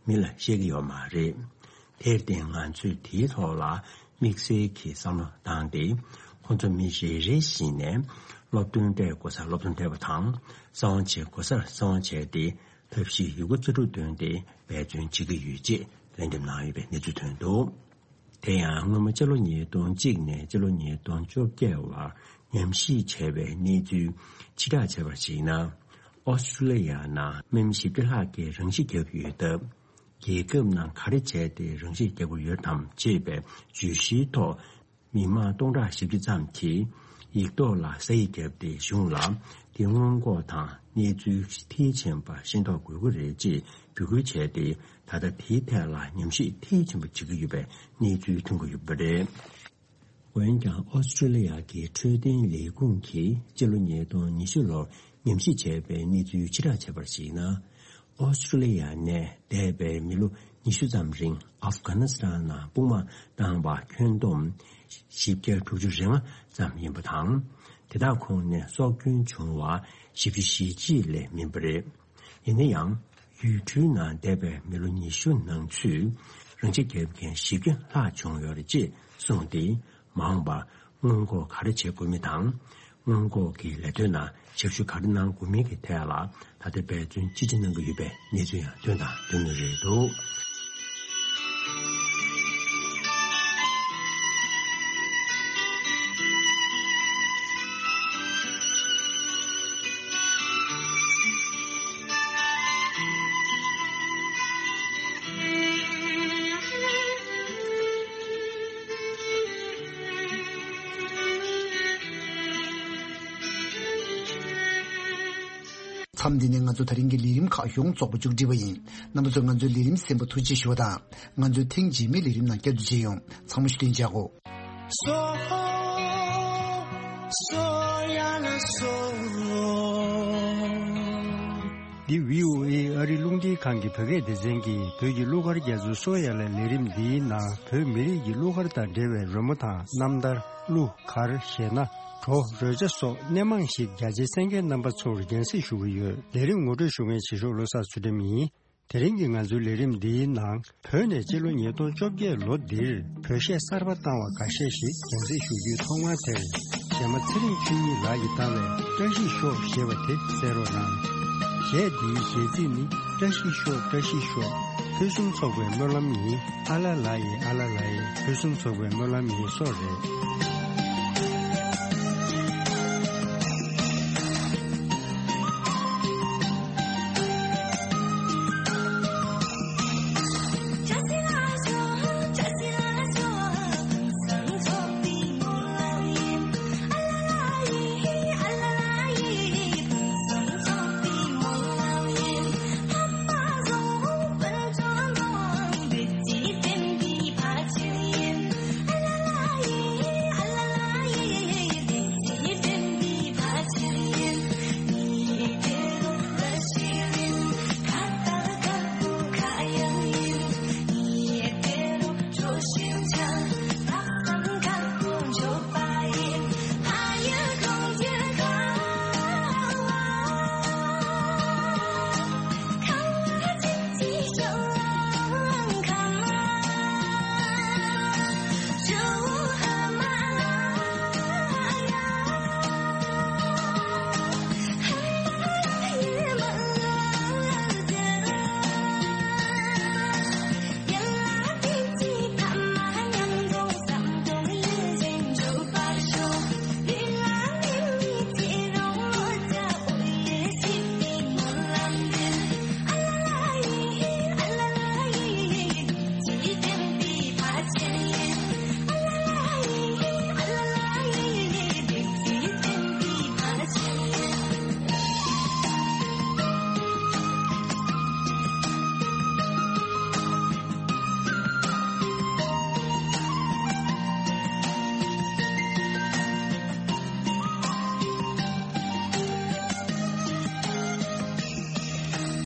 མི་ལ་བཤད་ཀྱི་ཡོད་མ་རེད། དེར་བརྟེན་ང་ཚོས་དེའི་ཐོག་ལ་དམིགས་བསལ་གྱི་བསམ་བློ་བཏང་སྟེ། ཁོང་ཚོ་མི་རེ་རེ་བཞིན་ནས་སློབ་སྟོན་སྤྲད་དགོས་སར་སློབ་སྟོན་སྤྲད་པ་དང་། གསང་བ་བྱེད་དགོས་སར་གསང་བ་བྱས་ཏེ་ཐབས་ཤེས་ཡོད་རྒུ་རྩལ་སྤྲུགས་བཏོན་ཏེ་འབད་བརྩོན་བྱེད་ཀྱི་ཡོད་ཅེས་ལན་འདེབས་གནང་ཡོད་པའི་གནས་ཚུལ་ཐོན་འདུག། དེ་ཡང་སྔོན་མ་སྤྱི་ལོ་ཉིས་སྟོང་གཅིག་ནས་སྤྱི་ལོ་ཉིས་སྟོང་བཅོ་བརྒྱད་བར་ཉམས་ཞིབ་བྱས་པའི་གནས་ཚུལ་ཕྱིར་བསྒྲགས་བྱས་པར་གཞིགས་ན། ཨོ་སི་ཀྲི་ལི་ཡ་ནང་དམག་མི་བཞི་བཅུ་ལྷག་གིས་རང་ཤི་བརྒྱབ་ཡོད་སྟབས། རྒྱལ་ཁབ་ནང་ག་རེ་བྱས་ཏེ་རང་ཤི་བརྒྱབ་དགོས་ཡོད་དམ་ཅེས་པའི་བརྗོད་གཞིའི་ཐོག་མི་མང་སྟོང་ཕྲག་བཞི་བཅུ་ཙམ་གྱིས་ཡིག་ཐོག་ལ་ས་ཡིག་བརྒྱབ་སྟེ་གཞུང་ལ་དེ་སྔོན་འགོག་དང་གནས་ཚུལ་མཐིལ་ཕྱིན་པ་ཤེས་རྟོགས་དགོས་ཀྱི་རེད་ཅེས་འབོད་སྐུལ་བྱས་ཏེ། ད་ལྟ་དེའི་ཐད་ལ་ཉམས་ཞིབ་མཐིལ་ཕྱིན་པ་བྱེད་ཀྱི་ཡོད་པའི་གནས་ཚུལ་ཐོན་གྱི་ཡོད་པ་རེད། འོན་ཀྱང་ཨོ་སི་ཀྲི་ལི་ཡ་གི་འཕྲོད་བསྟེན་ལས་ཁུངས་ཀྱིས་སྤྱི་ལོ་ཉིས་སྟོང་ཉི་ཤུ་ལོར་ཉམས་ཞིབ་བྱས་པའི་གནས་ཚུལ་ཕྱིར་བསྒྲགས་བྱས་པར་གཞིགས་ན། ཨོ་སི་ཀྲི་ལི་ཡ་ནས་འདས་པའི་མི་ལོ་ཉི་ཤུ་ཙམ་རིང་ཨབ་གྷ་ནི་སི་ཐན་ནང་དཔུང་དམག་བཏང་བ་ཁྱོན་བསྡོམས་བཞི་བརྒྱ་དྲུག་ཅུ་རེ་ལྔ་ཙམ་ཡིན་པ་དང་། དེ་དག་ཁོངས་ནས་སྲོག་སྐྱོན་བྱུང་བ་བཞི་བཅུ་ཞེ་གཅིག་ལས་མིན་པ་རེད། ཡིན་ན་ཡང་། ཡུལ་གྲུའི་ནང་འདས་པའི་མི་ལོ་ཉི་ཤུ་ནང་ཚུད་རང་ཤི་བརྒྱབ་མཁན་བཞི་བརྒྱ་ལྷག་བྱུང་ཡོད་རེད་ཅེས་གསུངས་ཏེ། མ་འོངས་པར་སྔོན་འགོག་ག་རེ་བྱེད་དགོས་མིན་དང་། སྔོན་འགོག་གི་ལས་དོན་ནང་ཞབས་ཞུ་ག་རེ་གནང་དགོས་མིན་གྱི་ཐད་ལ་ད་ལྟ་འབད་བརྩོན་ཅི་ཆེ་གནང་གི་ཡོད་པའི་གནས་ཚུལ་ཡང་ཐོན་དང་ཐོན་མུས་རེད་འདུག། མཚམས་འདི་ནས་ང་ཚོ་ད་རིང་གི་ལས་རིམ་ཁག་ཡོངས་རྫོགས་པ་མཇུག་སྒྲིལ་བ་ཡིན། རྣམ་པ་ཚོས་ང་ཚོའི་ལས་རིམ་གསན་པ་ཐུགས་རྗེ་ཞུ་བ་དང་། ང་ཚོའི་ཐེངས་རྗེས་མའི་ལས་རིམ་ནང་བསྐྱར་དུ་མཇལ་ཡོང་། ཚང་མ་བཞུགས་གདན་འཇགས་གོ། འདི་བྷི་ཨོ་ཨེ་ཨ་རི་རླུང་འཕྲིན་ཁང་གི་བོད་སྐད་སྡེ་ཚན་གྱིས་བོད་ཀྱི་གླུ་གར་རྒྱ་མཚོའི་སོ་ཡ་ལ་ལས་རིམ་འདིའི་ནང་བོད་མི་རིགས་ཀྱི་གླུ་གར་དང་འབྲེལ་བའི་རོལ་མོ་དང་རྣམ་ཐར། གླུ་གར། གཞས་སྣ། བྲོ། རོལ་ཆ་སོགས་སྣེ་མང་ཞིག་རྒྱ་ཆེའི་གསན་མཁན་རྣམ་པ་ཚོར་རྒྱང་སྲིང་ཞུ་གི་ཡོད། ལས་རིམ་ངོ་སྤྲོད་ཞུ་མཁན་བྱེད་ཤོག་བློ་བཟང་ཚུལ་ཁྲིམས་ཡིན། དེ་རིང་གི་ང་ཚོའི་ལས་རིམ་འདིའི་ནང་། བོད་ནས་སྤྱི་ལོ་ཉིས་སྟོང་བཅོ་བརྒྱད་ལོ་འདིར་བོད་གཞས་གསར་པ་བཏང་བ་འགའ་ཤས་ཤིག་རྒྱང་སྲིང་ཞུ་རྒྱུའི་ཐོག་མར་དེར། གཞས་མ་ཚེ་རིང་ཆོས་ཉིད་ལགས་ཀྱིས་བཏང་བའི་བཀྲ་ཤིས་ཤོག་ཞེས་པ་དེ་གསན་རོགས་གནང་། གཞས་འདིའི་གཞས་ཚིག་ནི། བཀྲ་ཤིས་ཤོག་བཀྲ་ཤིས་ཤོག་ཕུན་སུམ་ཚོགས་པའི་སྨོན་ལམ་ཡིན། ཨ་ལ་ལ་ཡེ་ཨ་ལ་ལ་ཡེ་ཕུན་སུམ་ཚོགས་པའི་སྨོན་ལམ་ཡིན་སོགས་རེད།